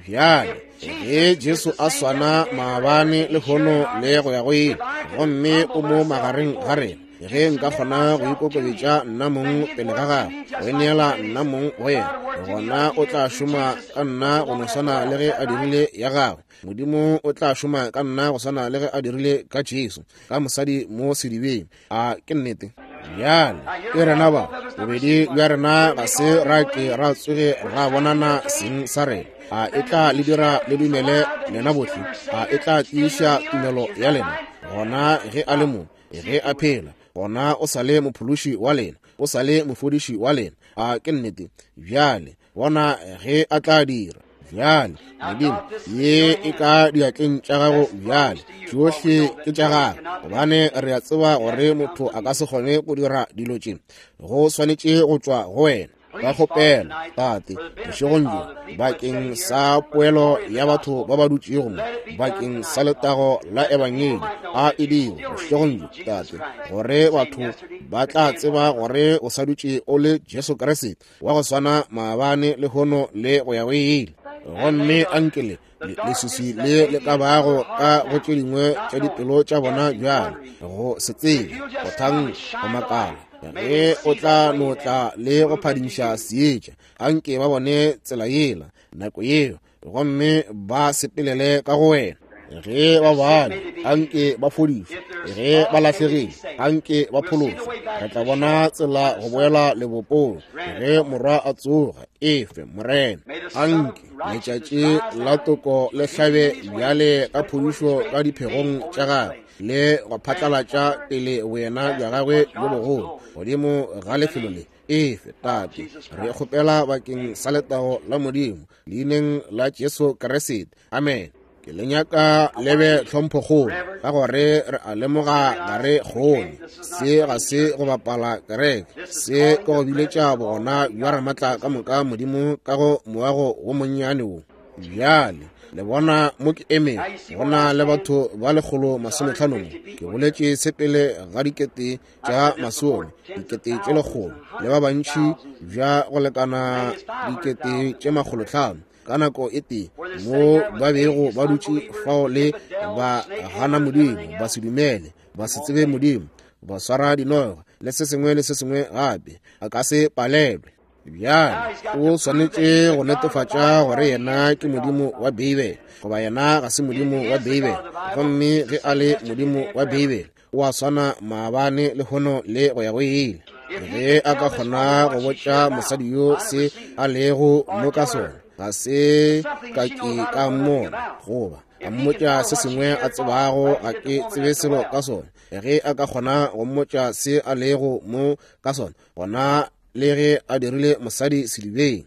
Bjale ge Jesu a swana maabane lehono le go ya go ile, gomme o mo magareng ga rena, ge nka kgona go ikokobetša nna mong pele ga gagwe, go ineela nna mong go yena, gona o tla šoma ka nna go no swana le ge a dirile ya gagwe. Modimo o tla šoma ka nna go swana le ge a dirile ka Jesu, ka mosadi mo sedibeng. A ke nnete? Bjale ke rena ba bobedi bja rena ga se ra ke ra tsoge ra bonana seng sa rena. A e tla le dira le dumele lena bohle? A e tla tiiša tumelo ya lena? Gona ge a le mo, ge a phela, gona o sa le mophološi wa lena, o sa le mofodiši wa lena. A ke nnete? Bjale bona ge a tla dira. Bjale Modimo, ye e ka diatleng tša gago bjale, tšohle ke tša gago, gobane re a tseba gore motho a ka se kgone go dira dilo tše, go swanetše go tšwa go wena. Ka kgopelo, Tate, bošegong bjo, bakeng sa poelo ya batho ba ba dutšego mo, bakeng sa letago la Ebangedi, a e dire bošegong bjo, Tate, gore batho ba tla tseba gore o sa dutše o le Jesu Kriste wa go swana maabane lehono le go ya go ile. Gomme anke leswiswi le le ka bago ka go tše dingwe tša dipelo tša bona bjale, go se tsebe, go thang, go makala, ge o tla no tla le go phadimiša seetša, anke ba bone tsela yela nako yeo, gomme ba sepelele ka go wena. Ge ba bana, anke ba fodišwe. Ge ba lahlegile, anke ba phološwe. Re tla bona tsela go boela lebopong ge morwa a tsoga. Efe, Morena, anke letšatši la toko le hlabe bjale ka phodišo ka diphegong tša gagwe, le go phatlalatša pele boyena bja gagwe bjo bogolo godimo ga lefelo le. Efe, Tate, re kgopela bakeng sa letago la Modimo, leineng la Jesu Kriste. Amen. Ke le nyaka le be tlhomphokgolo, ka gore re a lemoga ga re kgone. Se ga se go bapala kereke, se ke go biletša bogona bja Ramatla ka moka Modimo ka go moago wo monnyane wo. Bjale Le bona mo ke emego, go na le batho ba 150 mo. Ke boletše se pele ga 100 100, 100 le ba bantši bja go lekana 500,000 ka nako e tee, mo ba bego ba dutše fao le ba gana Modimo, ba se dumele, ba se tsebe Modimo, ba swara dinoga le se sengwe le se sengwe gape. A ka se palelwe. Bjale o swanetše go netefatša gore yena ke Modimo wa Beibele, goba yena ga se Modimo wa Beibele. Gomme ge a le Modimo wa Beibele, o a swana maabane, lehono le go ya go ile. Ge a ka kgona go botša mosadi yo se a lego mo ka sona, ga se ka ke ka mmona, goba a mmotša se sengwe a tsebago ga ke tsebe selo ka sona. Ge a ka kgona go mmotša se a lego mo ka sona, gona le ge a dirile mosadi sedibeng,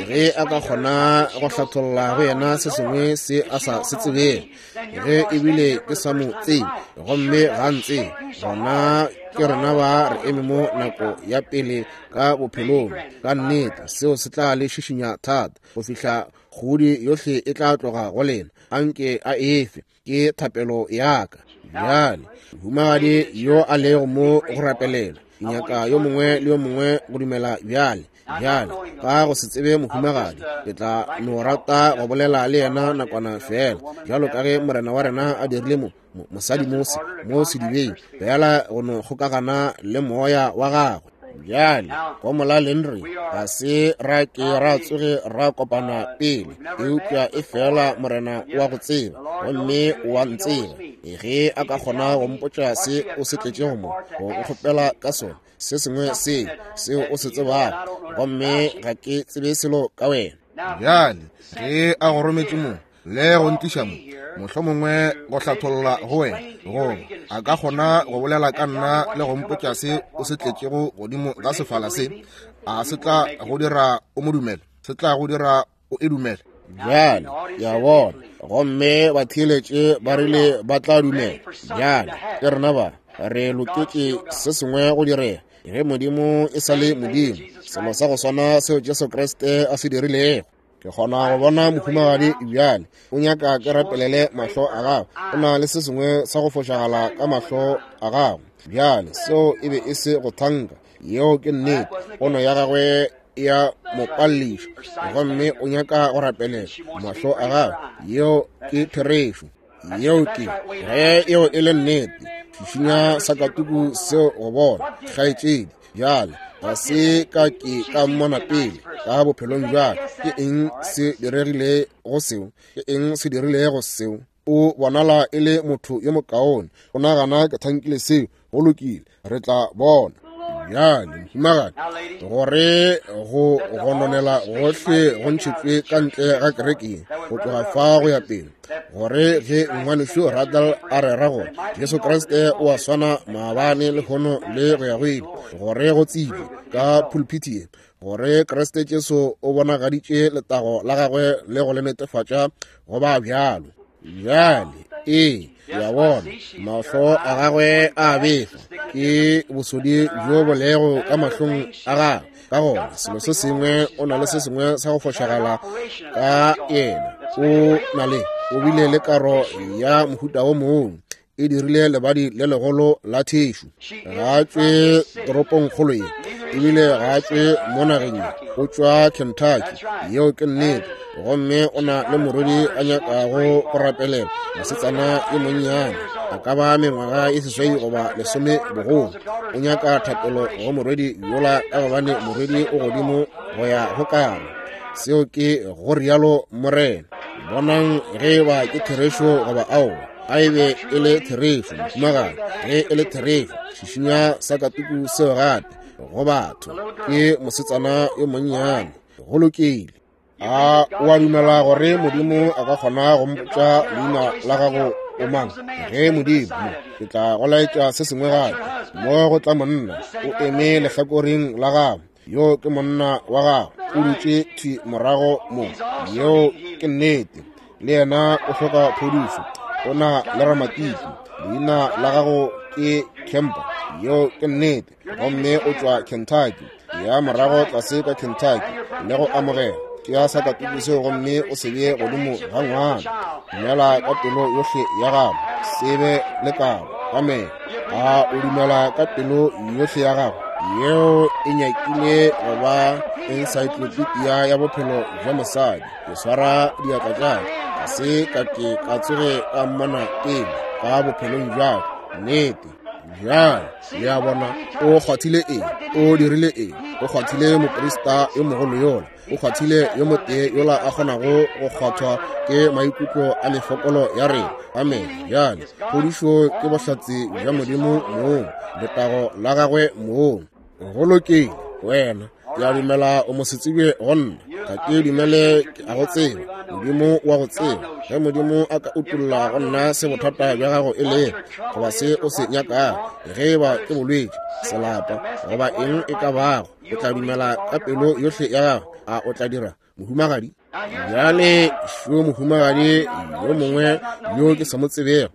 ge a ka kgona go hlatholla go yena se sengwe se a sa se tsebeng, ge ebile ke sa mo tsebe gomme ga ntsebe, gona ke rena ba re eme mo nako ya pele ka bophelong. Ka nnete seo se tla le šišinya thata go fihla kgodi yohle e tla tloga go lena. Anke a efe, ke thapelo ya ka. Bjale mohumagadi yo a lego mo go rapelela, ke nyaka yo mongwe le yo mongwe go dumela bjale. Bjale ka go se tsebe mohumagadi, ke tla no rata go bolela le yena nakwana fela, bjalo ka ge Morena wa rena a dirile mo mosadi mo sedibeng, fela go no kgokagana le moya wa gagwe. Bjale go molaleng re ga se ra ke ra tsoge ra kopana pele, eupša e fela Morena wa go tseba gomme wa ntseba. Ge a ka kgona go mpotša se o se tletšego mo, go nkgopela ka sona, se sengwe se seo o se tsebago, gomme ga ke tsebe selo ka wena. Bjale ge a go rometše mo le go ntliša mo, mohlomongwe go hlatholla go wena, goba a ka kgona go bolela ka nna le go mpotša se o se tletšego godimo ga sefala se, a se tla go dira o mo dumele? Se tla go dira o e dumele? Bjale ya bona, gomme batheeletše ba rile ba tla dumela. Bjale ke rena ba re loketše se sengwe go direga. Ge Modimo e sa le Modimo, selo sa go swana seo Jesu Kriste a se dirilego. Ke kgona go bona mohumagadi bjale o nyaka ke rapelele mahlo a gagwe. O na le se sengwe sa go fošagala ka mahlo a gagwe. Bjale seo e be e se go thanka, yeo ke nnete. Pono ya gagwe ya mo palliša, gomme o nyaka go rapelela mahlo a gagwe. Yeo ke therešo. Yeo ke ge yeo e le nnete. Šišinya sakatuku seo go bona, kgaetšedi. Bjale ga se ka ke ka mmona pele ka bophelong bjale. Ke eng se diregile go seo? Ke eng se dirilego seo? O bonala e le motho yo mokaone. O nagana ke thankile seo. Go lokile, re tla bona. Bjale mohumagadi, gore go gononela gohle go ntšhetšwe ka ntle ga kerekeng go tloga fa go ya pele, gore ge ngwanešu Radal a rera gore Jesu Kriste o a swana maabane, lehono le go ya go ile, gore go tsebje ka pulpiti ye gore Kriste Jesu o bonagaditše letago la gagwe le go le netefatša go ba bjalo. Bjale ee, ya bona mahlo a gagwe a befa, ke bosodi bjo bo lego ka mahlong a gagwe. Ka gona selo se sengwe, o na le se sengwe sa go fošagala ka yena. O na le, o bile le karo ya mohuta wo mongwe, e dirile lebadi le legolo la thešu. Ga a tšwe toropongkgolo ye, ebile ga a tšwe mo nageng ye, o tšwa Kentucky. Yeo ke nnete. Gomme o na le morwedi a nyakago go rapelela, mosetsana yo monnyane, a ka ba mengwaga e 8 goba 10 bogolo. O nyaka thapelo go morwedi yola, ka gobane morwedi o godimo go ya go karo. Seo ke go rialo Morena. Bonang ge ba ke therešo goba aowa. A e be e le therešo, mohumagadi. Ge e le therešo, šišinya sakatuku seo gape go batho. Ke mosetsana yo monnyane. Go lokile. A o a dumela gore Modimo a ka kgona go mpotša leina la gago o mang? Ge Modimo, ke tla go laetša se sengwe gape. Mo go tla monna, o eme lehlakoreng la gago. Yo ke monna wa gago, o dutše thwi morago mo. Yeo ke nnete. Le yena o hloka phodišo. O na le ramatiki. Leina la gago ke Kemper. Yeo ke nnete. Gomme o tšwa Kentucky. Ya morago tlase ka Kentucky le go amogela. Tšea sakatuku seo gomme o se bee godimo ga ngwana. Dumela ka pelo yohle ya gago, se be le kabo. Amene. A o dumela ka pelo yohle ya gago? Yeo e nyakile go ba encyclopedia ya bophelo bja mosadi. Ke swara diatla tša ka, ga se ka ke ka tsoge ka mmona pele ka bophelong bja ka. Nnete. Bjale, le a bona, o kgwathile eng? O dirile eng? O kgwathile moprista yo mogolo yola. O kgwathile yo motee yola a kgonago go kgwathwa ke maikutlo a mefokolo ya rena. Amene. Bjale, phodišo ke bohlatse bja Modimo mong, letago la gagwe mong. Go lokile, wena. Ke a dumela o mosetsebje go nna. Ga ke dumele ke a go tseba. Modimo wa go tseba. Ge Modimo a ka utolla go nna se bothata bja gago e lego, goba se o se nyakago, ge e ba ke bolwetši, selapa, goba eng e ka bago, o tla dumela ka pelo yohle ya gago. A o tla dira, mohumagadi? Bjale šo mohumagadi yo mongwe yo ke sa mo tsebego,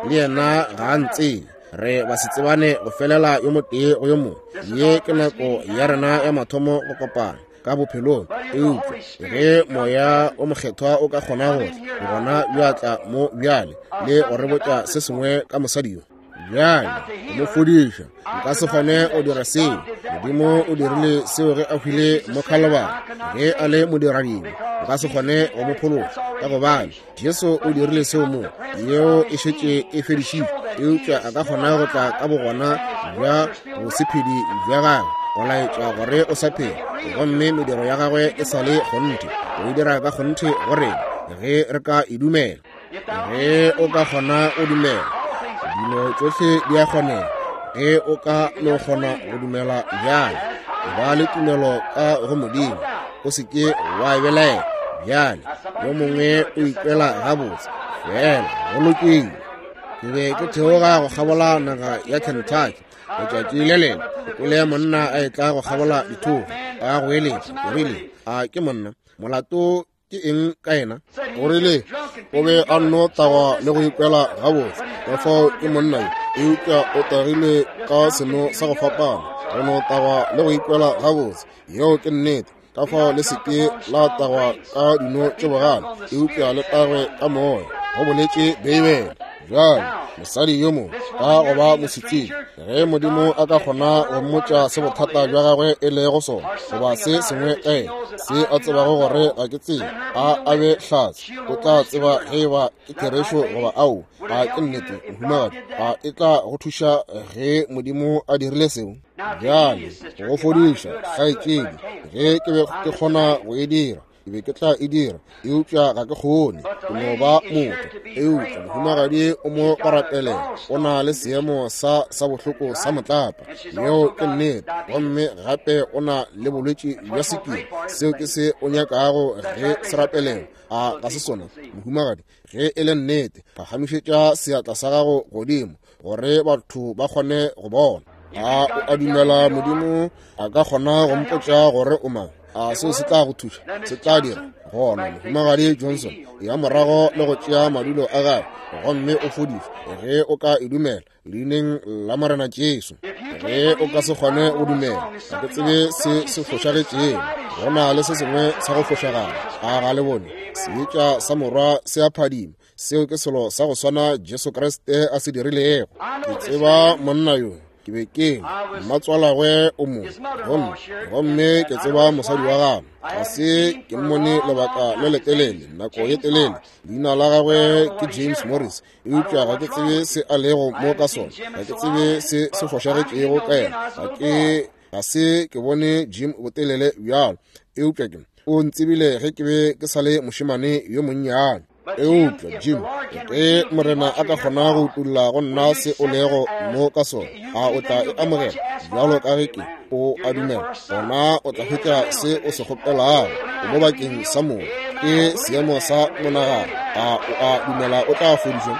le yena ga a ntsebe. Re ba se tsebane go felela yo motee go yo mongwe. Ye ke nako ya rena ya mathomo go kopana ka bophelong. Eupša ge Moya o Mokgethwa o ka kgona go tla gona bja tla mo bjale le go re botša se sengwe ka mosadi yo, bjale go mo fodiša, nka se kgone go dira seo. Modimo o dirile seo ge a hwile mo Khalibari, ge a le modiradibe. Nka se kgone go mo phološa, ka gobane Jesu o dirile seo mo, yeo e šetše e fedišitšwe. Eupša a ka kgona go tla ka bogona bja bosephedi bja gagwe go laetša gore o sa phela, gomme mediro ya gagwe e sa le kgonthe. O e dira ka kgonthe go rena ge re ka e dumela. Ge o ka kgona go dumela, dilo tšohle di a kgonega. Ge o ka no kgona go dumela bjale, ba le tumelo ka go Modimo, o se ke wa e belaela. Bjale yo mongwe o ikwela gabotse, fela go lokile. Ke be ke theoga go kgabola naga ya Kentucky letšatši le lengwe, ke kwele monna a etla go kgabola dithogo a goeletša. Ke rile, a ke monna, molato ke eng ka yena? O rile o be a nno tagwa le go ikwela gabotse, ka fao ke monna yo, eupša o tagile ka seno sa go fapana, go no tagwa le go ikwela gabotse. Yeo ke nnete. Ka fao le se ke la tagwa ka dino tše bogale, eupša le tagwe ka moya, go boletše Beibele. Bjale mosadi yo mongwe ka go ba mosetsebje, ge Modimo a ka kgona go mmotša se bothata bja gagwe e lego sona, goba se sengwe ka yena se a tsebago gore ga ke tsebe, a a be hlatse, o tla tseba ge e ba ke therešo goba ao. A ke nnete, mohumagadi? A e tla go thuša ge Modimo a dirile seo? Bjale go fodiša, kgaetšedi, ge ke be ke kgona go e dira, ke be ke tla e dira, eupša ga ke kgone, ke no ba motho. Eupša mohumagadi o mo go rapelela, o na le seemo sa sa bohloko sa motlapa, yeo ke nnete, gomme gape o na le bolwetši bja sekiri. Seo ke se o nyakago ge se rapelela, a ga se sona, mohumagadi? Ge e le nnete, phagamišetša seatla sa gago godimo gore batho ba kgone go bona. A o a dumela Modimo a ka kgona go mpotša gore o mang? A seo se tla go thuša? Se tla dira. Gona mohumagadi Johnson ya morago le go tšea madulo a gagwe, gomme o fodišwe ge o ka e dumela leineng la Morena Jesu. Ge o ka se kgone go dumela, ga ke tsebe se se fošagetšego, go na le se sengwe sa go fošagala. A ga le bone seetša sa morwa se a phadima? Seo ke selo sa go swana Jesu Kriste a se dirilego. Ke tseba monna yo, ke be ke mmatswalagwe o mo, gomme ke tseba mosadi wa gagwe. Ga se ke mmone lebaka le letelele, nako ye telele. Leina la gagwe ke James Morris, eupša ga ke tsebe se a lego mo ka sona. Ga ke tsebe se se fošagetšego ka yena. Ga se ke bone Jim botelele bjalo, eupša ke o ntsebile ge ke be ke sa le mošemane yo monnyane. Eupša Jim, ge Morena a ka kgona go utolla go nna se o lego mo ka sona, a o tla e amogela bjalo ka ge ke o a dumela? Gona o tla hwetša se o se kgopelago. O mo bakeng sa moo, ke seemo sa monagano. A o a dumela o tla fodišwa?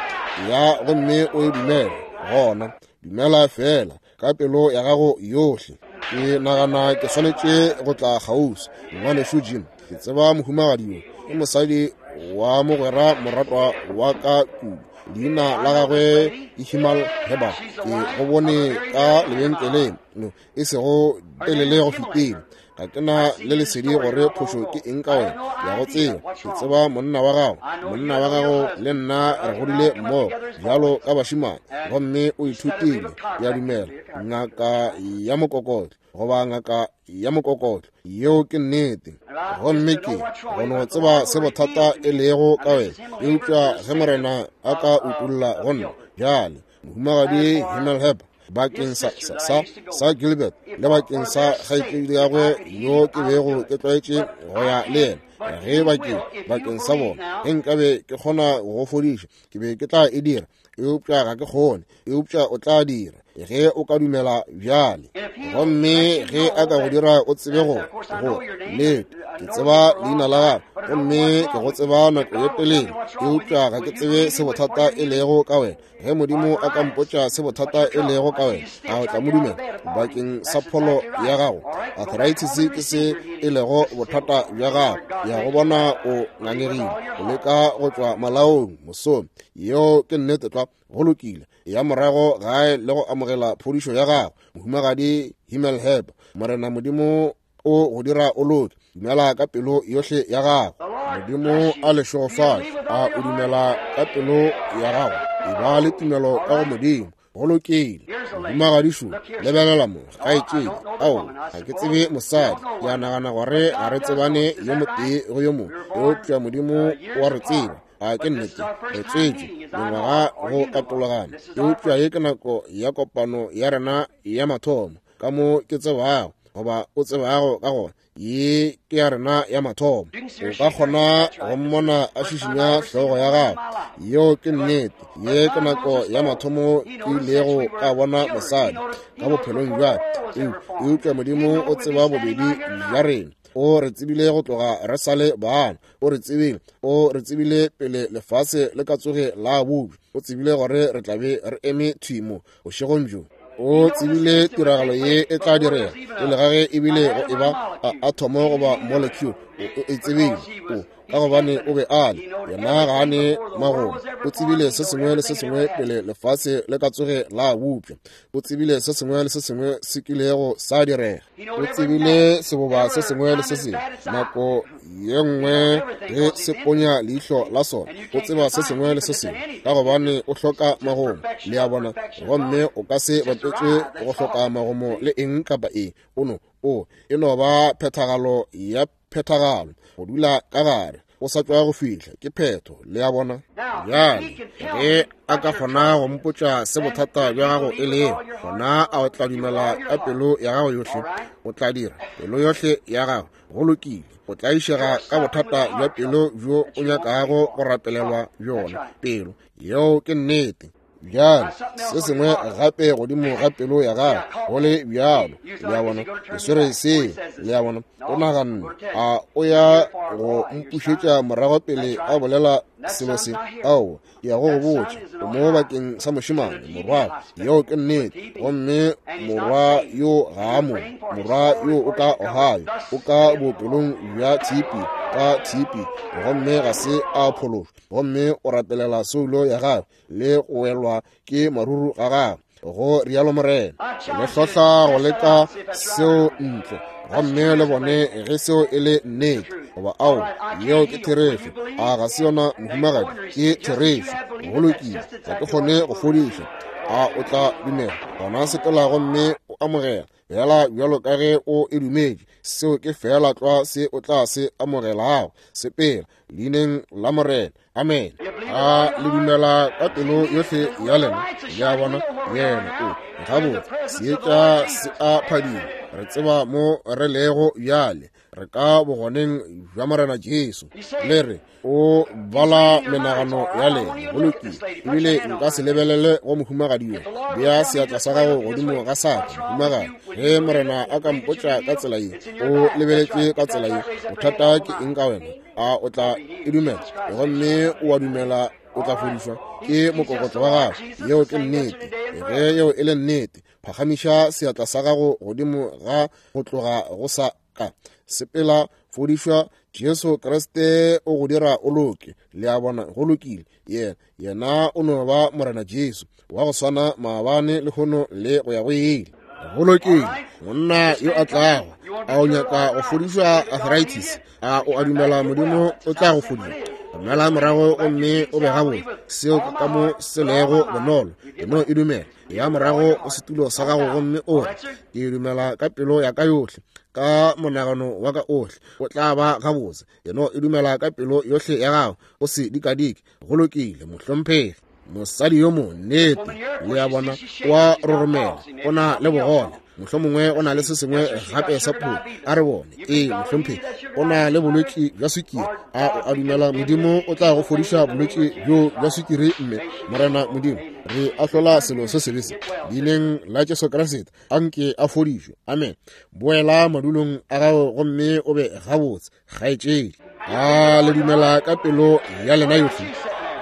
Ya, gomme o e dumele. Gona dumela feela ka pelo ya gago yohle. Ke nagana ke swanetše go tla kgauswi, ngwanešu Jim. Ke tseba mohumagadi yo, ke mosadi wa mogwera moratwa wa ka kudu. Leina la gagwe ke Himal Heber. Ke go bone ka lebenkeleng, no, e sego telele go fetile. Ga ke na le lesedi gore phošo ke eng ka wena. Ke a go tseba. Ke tseba monna wa gago. Monna wa gago le nna re godile mmogo bjalo ka bašemane. Gomme o ithutile, ke a dumela, ngaka ya mokokotlo goba ngaka ya mokokotlo. Yeo ke nnete. Gomme ke go no tseba se bothata e lego ka wena. Eupša ge Morena a ka utolla go nna bjale, Mohumagadi Himmelheber, bakeng sa, sa, sa, sa Gilbert le bakeng sa kgaetšedi ya gagwe yo ke bego ke tlwaetše go ya le yena, ge bakeng, bakeng sa bona, ge nkabe ke kgona go fodiša, ke be ke tla e dira, eupša ga ke kgone. Eupša o tla dira ge o ka dumela bjale. Gomme ge a ka go dira o tsebe go go lete, ke tseba leina la gago, gomme ke go tseba nako ye telele, eupša ga ke tsebe se bothata e lego ka wena. Ge Modimo a ka mpotša se bothata e lego ka wena, a o tla mo dumela bakeng sa pholo ya gago? Arthritis ke se e lego bothata bja gago. Ya go bona o ngangegile, o leka go tšwa malaong mosong. Yeo ke nnete tlwa. Go lokile. Ya morago gae le go amogela phodišo ya gago, Mohumagadi Himmelheber. Morena Modimo o go dira o loke. Dumela ka pelo yohle ya gago. Modimo a le šegofatše. A o dumela ka pelo ya gago? E ba le tumelo ka go Modimo. Go lokile. Mohumagadi šo, lebelela mo, kgaetšedi. Ao, ga ke tsebe mosadi. Ke a nagana gore ga re tsebane yo motee go yo mongwe, eupša Modimo o a re tseba. A ke nnete? Re tswetšwe mengwaga go katologana, eupša ye ke nako ya kopano ya rena ya mathomo. Ka mo ke tsebago, goba o tsebago ka gona, ye ke ya rena ya mathomo. O ka kgona go mmona a šišinya hlogo ya gagwe. Yeo ke nnete. Ye ke nako ya mathomo ke ilego ka bona mosadi ka bophelong bja ka, eupša Modimo o tseba bobedi bja rena. O re tsebile go tloga re sa le bana. O re tsebile, o re tsebile pele lefase le ka tsoge la bopša. O tsebile gore re tla be re eme thwi mo bošegong bjo. O tsebile tiragalo ye e tla direga pele ga ge ebile go eba a athomo goba molecule. O e tsebile, o ka gobane o be a le yena, ga a ne magomo. O tsebile se sengwe le se sengwe pele lefase le ka tsoge la bopša. O tsebile se sengwe le se sengwe se kilego sa direga. O tsebile seboba se sengwe le se sengwe nako ye nngwe ge se ponya leihlo la sona. O tseba se sengwe le se sengwe ka gobane o hloka magomo, le a bona, gomme o ka se bapetšwe go hloka magomo le eng kapa eng. O no, o e no ba phethagalo ya phethagalo, go dula ka gare, o sa tšwa go fihla, ke phetho, le a bona. Bjale ge a ka kgona go mpotša se bothata bja gago e lego, gona a o tla dumela ka pelo ya gago yohle? O tla dira pelo yohle ya gago. Go lokile. O tlaišega ka bothata bja pelo bjo o nyakago go rapelelwa bjona, pelo. Yeo ke nnete. Bjale se sengwe gape godimo ga pelo ya gago, go le bjalo, le a bona, ke swere seo, le a bona. O naganne a o ya go mpušetša morago pele a bolela selo se? Aowa, ke ya go go botša, o mo bakeng sa mošemane, morwa. Yeo ke nnete. Gomme morwa yo ga a mo, morwa yo o ka Ohio, o ka bookelong bja tshipi, ka tshipi, gomme ga se a phološwa. Gomme o rapelela soulo ya gagwe le go welwa ke maruru ga gagwe, go rialo Morena. Le hlohla go leka seo ntle, gomme le bone ge seo e le nnete goba ao. Yeo ke therešo. A ga se yona, mohumagadi? Ke therešo. Go lokile. Ga ke kgone go fodiša. A o tla dumela? Gona sepela gomme o amogela fela bjalo ka ge o e dumetše. Seo ke fela tlwa se o tla se amogelago. Sepela leineng la Morena. Amen. A le dumela ka pelo yohle ya lena? Le a bona, yena o gabotse. Seetša se a phadima. Re tseba mo re lego bjale. Re ka bogoneng bja Morena Jesu. Le re o bala menagano ya lena. Go lokile. Ebile nka se lebelele go mohumagadi yo. Bea seatla sa gago godimo ga sa ka, mohumagadi. Ge Morena a ka mpotša ka tsela ye, o lebeletše ka tsela ye, bothata ke eng ka wena? A o tla e dumela? Gomme o a dumela o tla fodišwa ke mokokotlo wa gago. Yeo ke nnete. Ge yeo e le nnete, phagamiša seatla sa gago godimo ga go tloga go sa ka. Sepela, fodišwa, Jesu Kriste o go dira o loke. Le a bona? Go lokile. Yena, yena o no ba Morena Jesu wa go swana maabane, lehono le go ya go ile. Go lokile, monna yo a tlago, a o nyaka go fodišwa arthritis? A o a dumela Modimo o tla go fodiša? Romela morago gomme o be gabotse. Seo ke ka mo se lego bonolo. E no e dumela. Ya morago go setulo sa gago gomme o re, Ke dumela ka pelo ya ka yohle, ka monagano wa ka ohle, o tla ba gabotse. E no e dumela ka pelo yohle ya gago, o se dikadike. Go lokile, mohlomphegi. Mosadi yo mo, nnete, le a bona, o a roromela, o na le bogole, mohlomongwe o na le se sengwe gape sa pholo. A re bone. Ee, mohlomphegi, o na le bolwetši bja swikiri. A o a dumela Modimo o tla go fodiša bolwetši bjo bja swikiri? Mme Morena Modimo, re ahlola selo se sebe se leineng la Jesu Kriste, a nke a fodišwe. Amen. Boela madulong a gago gomme o be gabotse, kgaetšedi. A le dumela ka pelo ya lena yohle?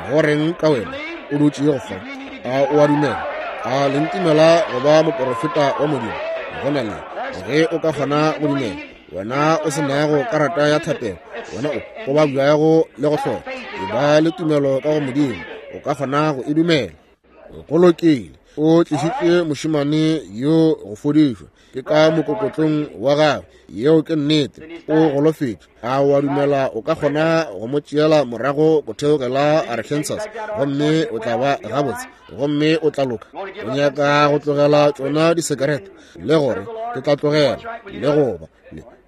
Go reng ka wena o dutšego fa? A o a dumela? A le ntumela go ba moporofeta wa Modimo? Go na le ge o ka kgona go dumela, wena o se nago karata ya thapelo, wena o babjago le go hloka, e ba le tumelo ka go Modimo, o ka kgona go e dumela. Go lokile. O tlišitše mošemane yo go fodišwa, ke ka mokokotlong wa gagwe. Yeo ke nnete. O golofetše. A o a dumela o ka kgona go mo tšeela morago go theogela Arkansas, gomme o tla ba gabotse, gomme o tla loka? O nyaka go tlogela tšona disekerete, le gore ke tla tlogela le go ba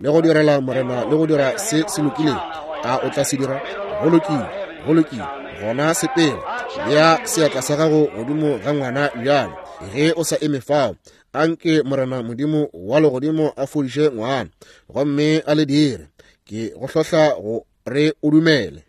le go direla Morena le go dira se se lokilego? A o tla se dira? Go lokile, go lokile. Gona sepela, bea seatla sa gago godimo ga ngwana bjalo, ge o sa eme fao. Anke Morena Modimo wa legodimo a fodiše ngwana gomme a le dire. Ke go hlohla go re o dumele.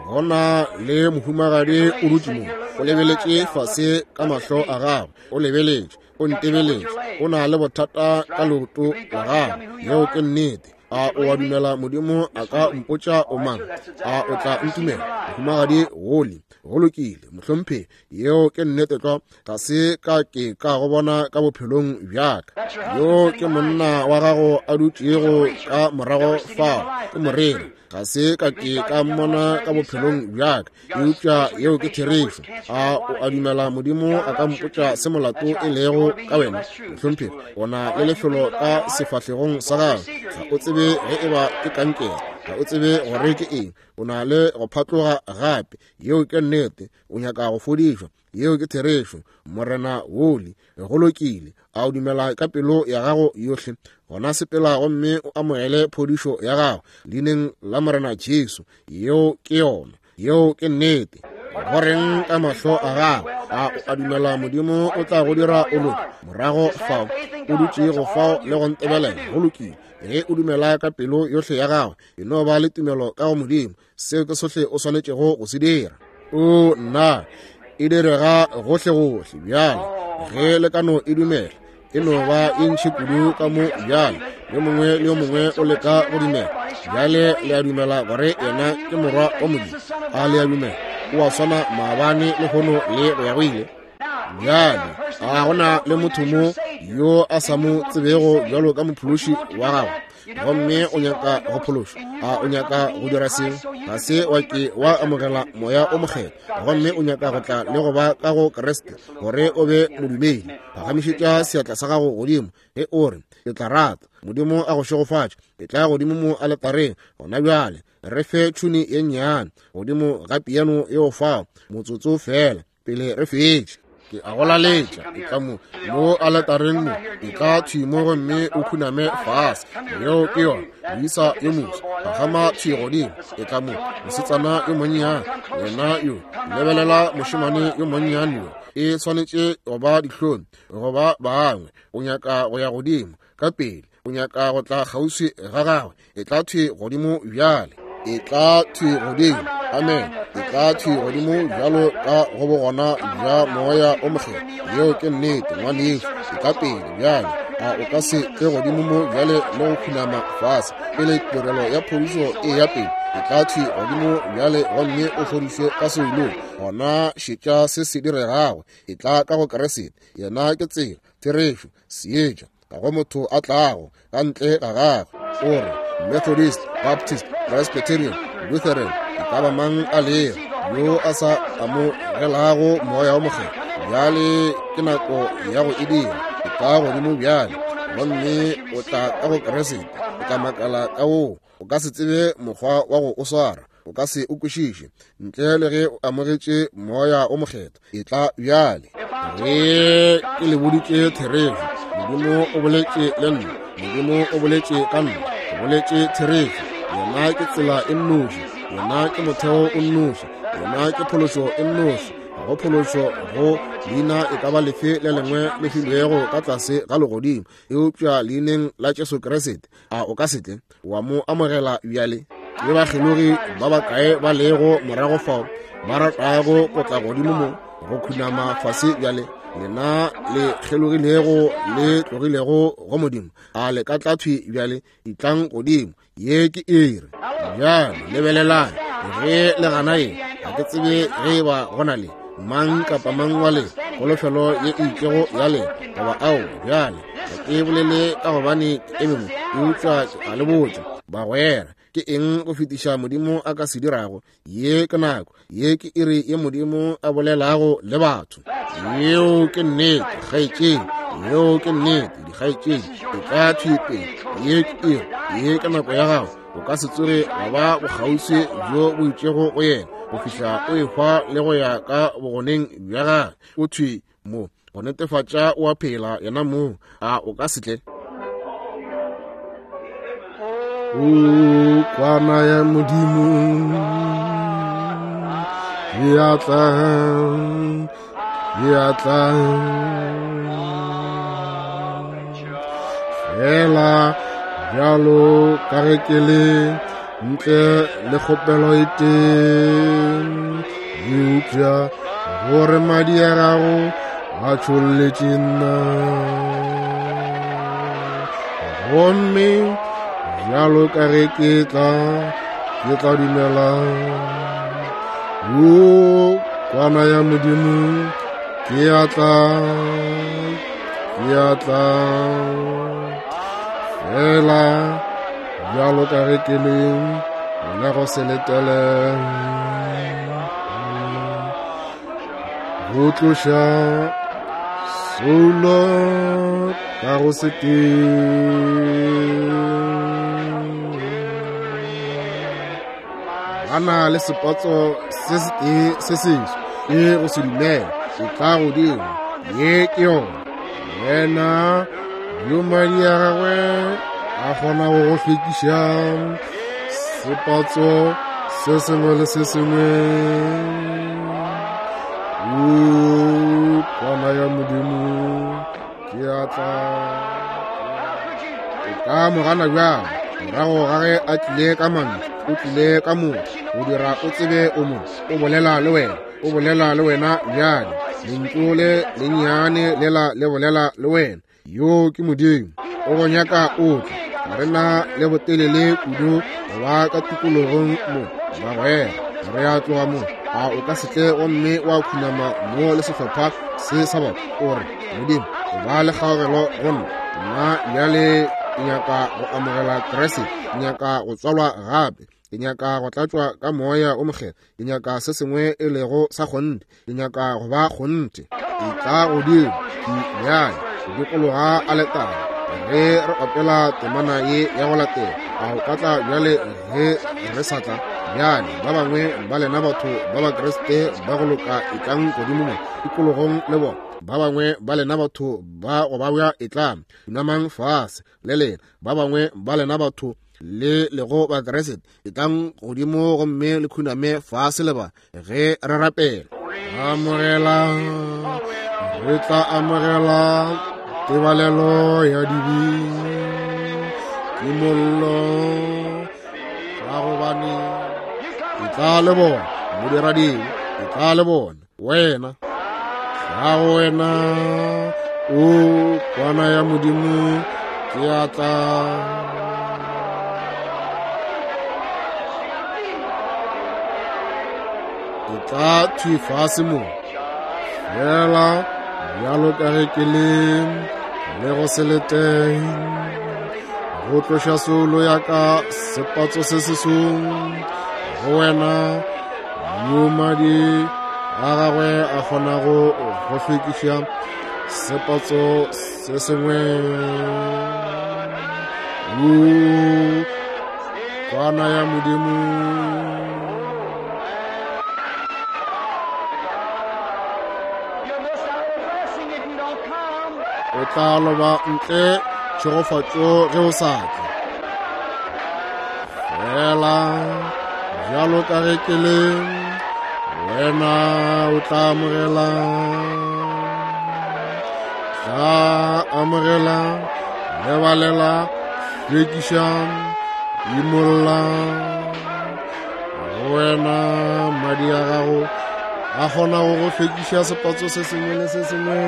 Go na le mohumagadi o dutše mo, o lebeletše fase ka mahlo a gagwe, o lebeletše, o ntebeletše, o na le bothata ka leoto la gagwe. Yeo ke nnete. A o a dumela Modimo a ka mpotša o mang? A o tla ntumela, mohumagadi Woli? Go lokile, mohlomphegi, yeo ke nnete tlwa. Ga se ka ke ka go bona ka bophelong bja ka. Yo ke monna wa gago a dutšego ka morago fao, ke moreri. Ga se ka ke ka mmona ka bophelong bja ka, eupša yeo ke therešo. A o a dumela Modimo a ka mpotša se molato e lego ka wena? Mohlomphegi, o na le lefelo ka sefahlegong sa gago. Ga o tsebe ge e ba ke kankere, ga o tsebe gore ke eng. O na le go phatloga gape. Yeo ke nnete. O nyaka go fodišwa. Yeo ke therešo, Morena Woli. Go lokile. A o dumela ka pelo ya gago yohle? Gona sepela gomme o amogele phodišo ya gago leineng la Morena Jesu. Yeo ke yona. Yeo ke nnete. Go reng ka mahlo a gago? A o a dumela Modimo o tla go dira o loke? Morago fao o dutšego fao le go ntebelela. Go lokile. Ge o dumela ka pelo yohle ya gago, e no ba le tumelo ka go Modimo. Seo ke sohle o swanetšego go se dira. O nna, e direga gohlegohle bjale. Ge le ka no e dumela, e no ba e ntši kudu ka mo bjale. Yo mongwe le yo mongwe o leka go dumela. Bjale le a dumela gore yena ke Morwa wa Modimo? A le a dumela? O a swana maabane, lehono le go ya go ile. Bjale a gona le motho mo yo a sa mo tsebego bjalo ka mophološi wa gagwe, gomme o nyaka go phološwa? A o nyaka go dira seo? Ga se wa ke wa amogela Moya o Mokgethwa, gomme o nyaka go tla le go ba ka go Kriste gore o be modumedi? Phagamišetša seatla sa gago godimo ge o re, Ke tla rata. Modimo a go šegofatše. Ke tla godimo mo aletareng gona bjale. Re fe tšhuni ye nnyane godimo ga piano yeo fao, motsotso feela pele re fetše. Ke a go laletša, e tla mo mo aletareng mo, e tla thwi mo gomme o khuname fase. Yeo ke yona, moisa yo moswa, phagama thwi godimo, e tla mo, mosetsana yo monnyane, wena yo, lebelela mošemane yo monnyane yo, e swanetše go ba dihlong go ba bangwe. O nyaka go ya godimo ka pele, o nyaka go tla kgauswi ga gagwe, e tla thwi godimo bjale. E tla thwi godimo. Amen. E tla thwi godimo bjalo ka go bogona bja Moya o Mokgethwa. Yeo ke nnete, ngwanešu. E tla pele bjale. A o ka se tle godimo mo bjale le go khunama fase pele tirelo ya phodišo e ya pele? E tla thwi godimo bjale gomme o fodišwe ka seolong. Gona šetša se se diregago. E tla ka go Kriste. Yena ke tsela, therešo, seetša. Ga go motho a tlago ka ntle ga gagwe. O re, Methodist, Baptist, Presbyterian, Lutheran, e ka ba mang a lego yo a sa amogelago Moya o Mokgethwa, bjale ke nako ya go e dira. Etla godimo bjale, gomme o tla ka go Kriste. O tla makala ka woo. O ka se tsebe mokgwa wa go o swara. O ka se o kwešiše ntle le ge o amogetše Moya o Mokgethwa. Etla bjale. Ge ke le boditše therešo, Modimo o boletše le nna. Modimo o boletše ka nna. Ke boletše therešo. Yena ke tsela e nnoši. Yena ke motheo o nnoši. Yena ke phološo e nnoši. Ga go phološo go leina e ka ba lefe le lengwe le filwego ka tlase ga legodimo, eupša leineng la Jesu Kriste. A o ka se tle wa mo amogela bjale? Ke bakgelogi ba bakae ba lego morago fao ba ratago go tla godimo mo go khunama fase bjale? Lena le kgelogilego le tlogilego go Modimo, a le ka tla thwi bjale? Etlang godimo, ye ke iri. Bjale lebelelang, ge le gana ye, ga ke tsebe ge e ba go na le mang kapa mang wa lena kholofelo ye e itšego ya lena goba ao. Bjale ga ke bolele ka gobane ke eme mo, eupša ke a le botša bagwera, ke eng go fetiša Modimo a ka se dirago? Ye ke nako, ye ke iri ye Modimo a bolelago le batho. Yeo ke nnete, kgaetšedi. Yeo ke nnete, dikgaetšedi. E tla thwi pele. Ye ke iri, ye ke nako ya gago. O ka se tsoge wa ba bokgauswi bjo bo itšego go yena go fihla o ehwa le go ya ka bogoneng bja gagwe. O thwi mo go netefatša o a phela yena mong. A o ka se tle? O kwana ya Modimo ke a tla, ke a tla. Fela bjalo ka ge ke le ntle le kgopelo e tee, eupša gore madi a gago a tšholletše nna. Gomme bjalo ka ge ke tla, ke tla dumela. O kwana ya Modimo, ke a tla, ke a tla. Fela bjalo ka ge ke le le go se letele go tloša soulo ka go se ke. Ba na le sepotso se setee se seswa ke go se dumela. E tla godimo, ye ke yona. Yena yo madi a gagwe a kgonago go hlwekiša sepatso se sengwe le se sengwe. O kwana ya Modimo, ke a tla. O ka mo gana bjang morago ga ge a tlile ka mantšu? O tlile ka motho go dira o tsebe o mo o bolela le wena. O bolela le wena bjale. Lentšu le lennyane lela le bolela le wena. Yo ke Modimo. O go nyaka o tle. Ga re na le botelele kudu go ba ka tikologong mo, bagwera. Re a tloga mo. A o ka se tle gomme wa khunama mo le sehlopha se sa batho? O re, Modimo, o ba le kgaogelo go nna. Nna bjale ke nyaka go amogela Kriste. Ke nyaka go tswalwa gape. Ke nyaka go tlatšwa ka Moya o Mokgethwa. Ke nyaka se sengwe e lego sa kgonthe. Ke nyaka go ba kgonthe. Etla godimo bjale go dikologa aletare ge re opela temana ye ya go latela. A o ka tla bjale ge re sa tla? Bjale ba bangwe ba lena batho ba Bakriste ba go loka etlang godimo mo tikologong le bona. Ba bangwe ba lena batho ba go babja etlang, khunamang fase le lena. Ba bangwe ba lena batho le lego Bakriste etlang godimo gomme le khuname fase le ba ge re rapela. Amogela, re tla amogela tebalelo ya dibe, kimollo, ka gobane etla le bona modiradibe, etla le bona wena. Tla go wena, o kwana ya Modimo, ke a tla. Etla thwi fase mo, fela bjalo ka ge ke le le go se leteng go tloša soulo ya ka sepatso se se song go wena, yo madi a gagwe a kgonago go hlwekiša Sepatso se sengwe. Woo, Kwana ya Modimo. O tla loba ntle tšhegofatšo ge o sa tle. Fela bjalo ka ge ke le, wena o tla amogela. Tla amogela, lebalela, hlwekiša, imolla. Go wena madi a gago a kgona go go hlwekiša sepatso se sengwe le se sengwe.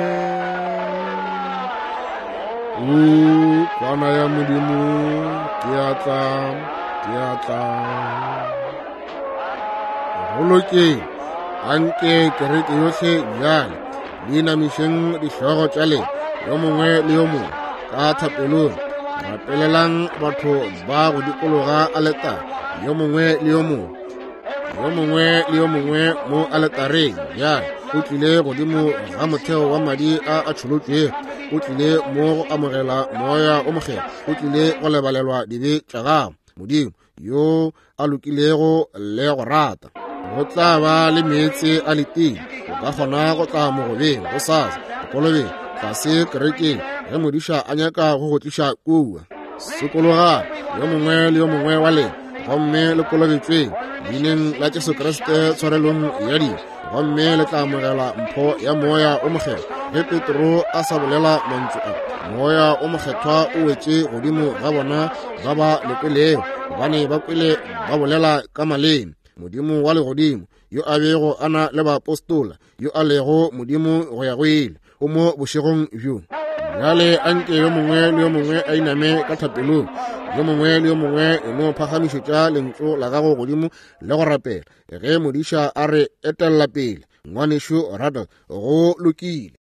O Kwana ya Modimo, ke a tla, ke a tla. Go lokeng, anke kereke yohle bjale le inamišeng dihlogo tša lena yo mongwe le yo mongwe ka thapelong. Rapelelang batho ba go dikologa aletare, yo mongwe le yo mongwe, yo mongwe le yo mongwe mo aletareng. Bjale o tlile godimo ga motheo wa madi a a tšholotšwego, o tlile mo go amogela Moya o Mokgethwa, o tlile go lebalelwa dibe tša gago. Modimo yo a lokilego le go rata, go tla ba le meetse a letile. O ka kgona go tla mogobeng gosasa, kolobeng, tlase kerekeng, ge modiša a nyaka go go tliša kua. Sokologang yo mongwe le yo mongwe wa lena, gomme le kolobetšweng leineng la Jesu Kriste tshwarelong ya dibe, gomme le tla amogela mpho ya Moya o Mokgethwa. Ge Petro a sa bolela mantšu a, Moya o Mokgethwa o wetše godimo ga bona ba ba le kwelego, gobane ba kwele ba bolela ka maleme. Modimo wa legodimo, yo a bego a na le baapostola, yo a lego Modimo go ya go ile, o mo bošegong bjo. Bjale anke yo mongwe le yo mongwe a iname ka thapelong. Yo mongwe le yo mongwe e no phagamišetša lentšu la gago godimo le go rapela ge modiša a re etella pele. Ngwanešu Rattle, go lokile.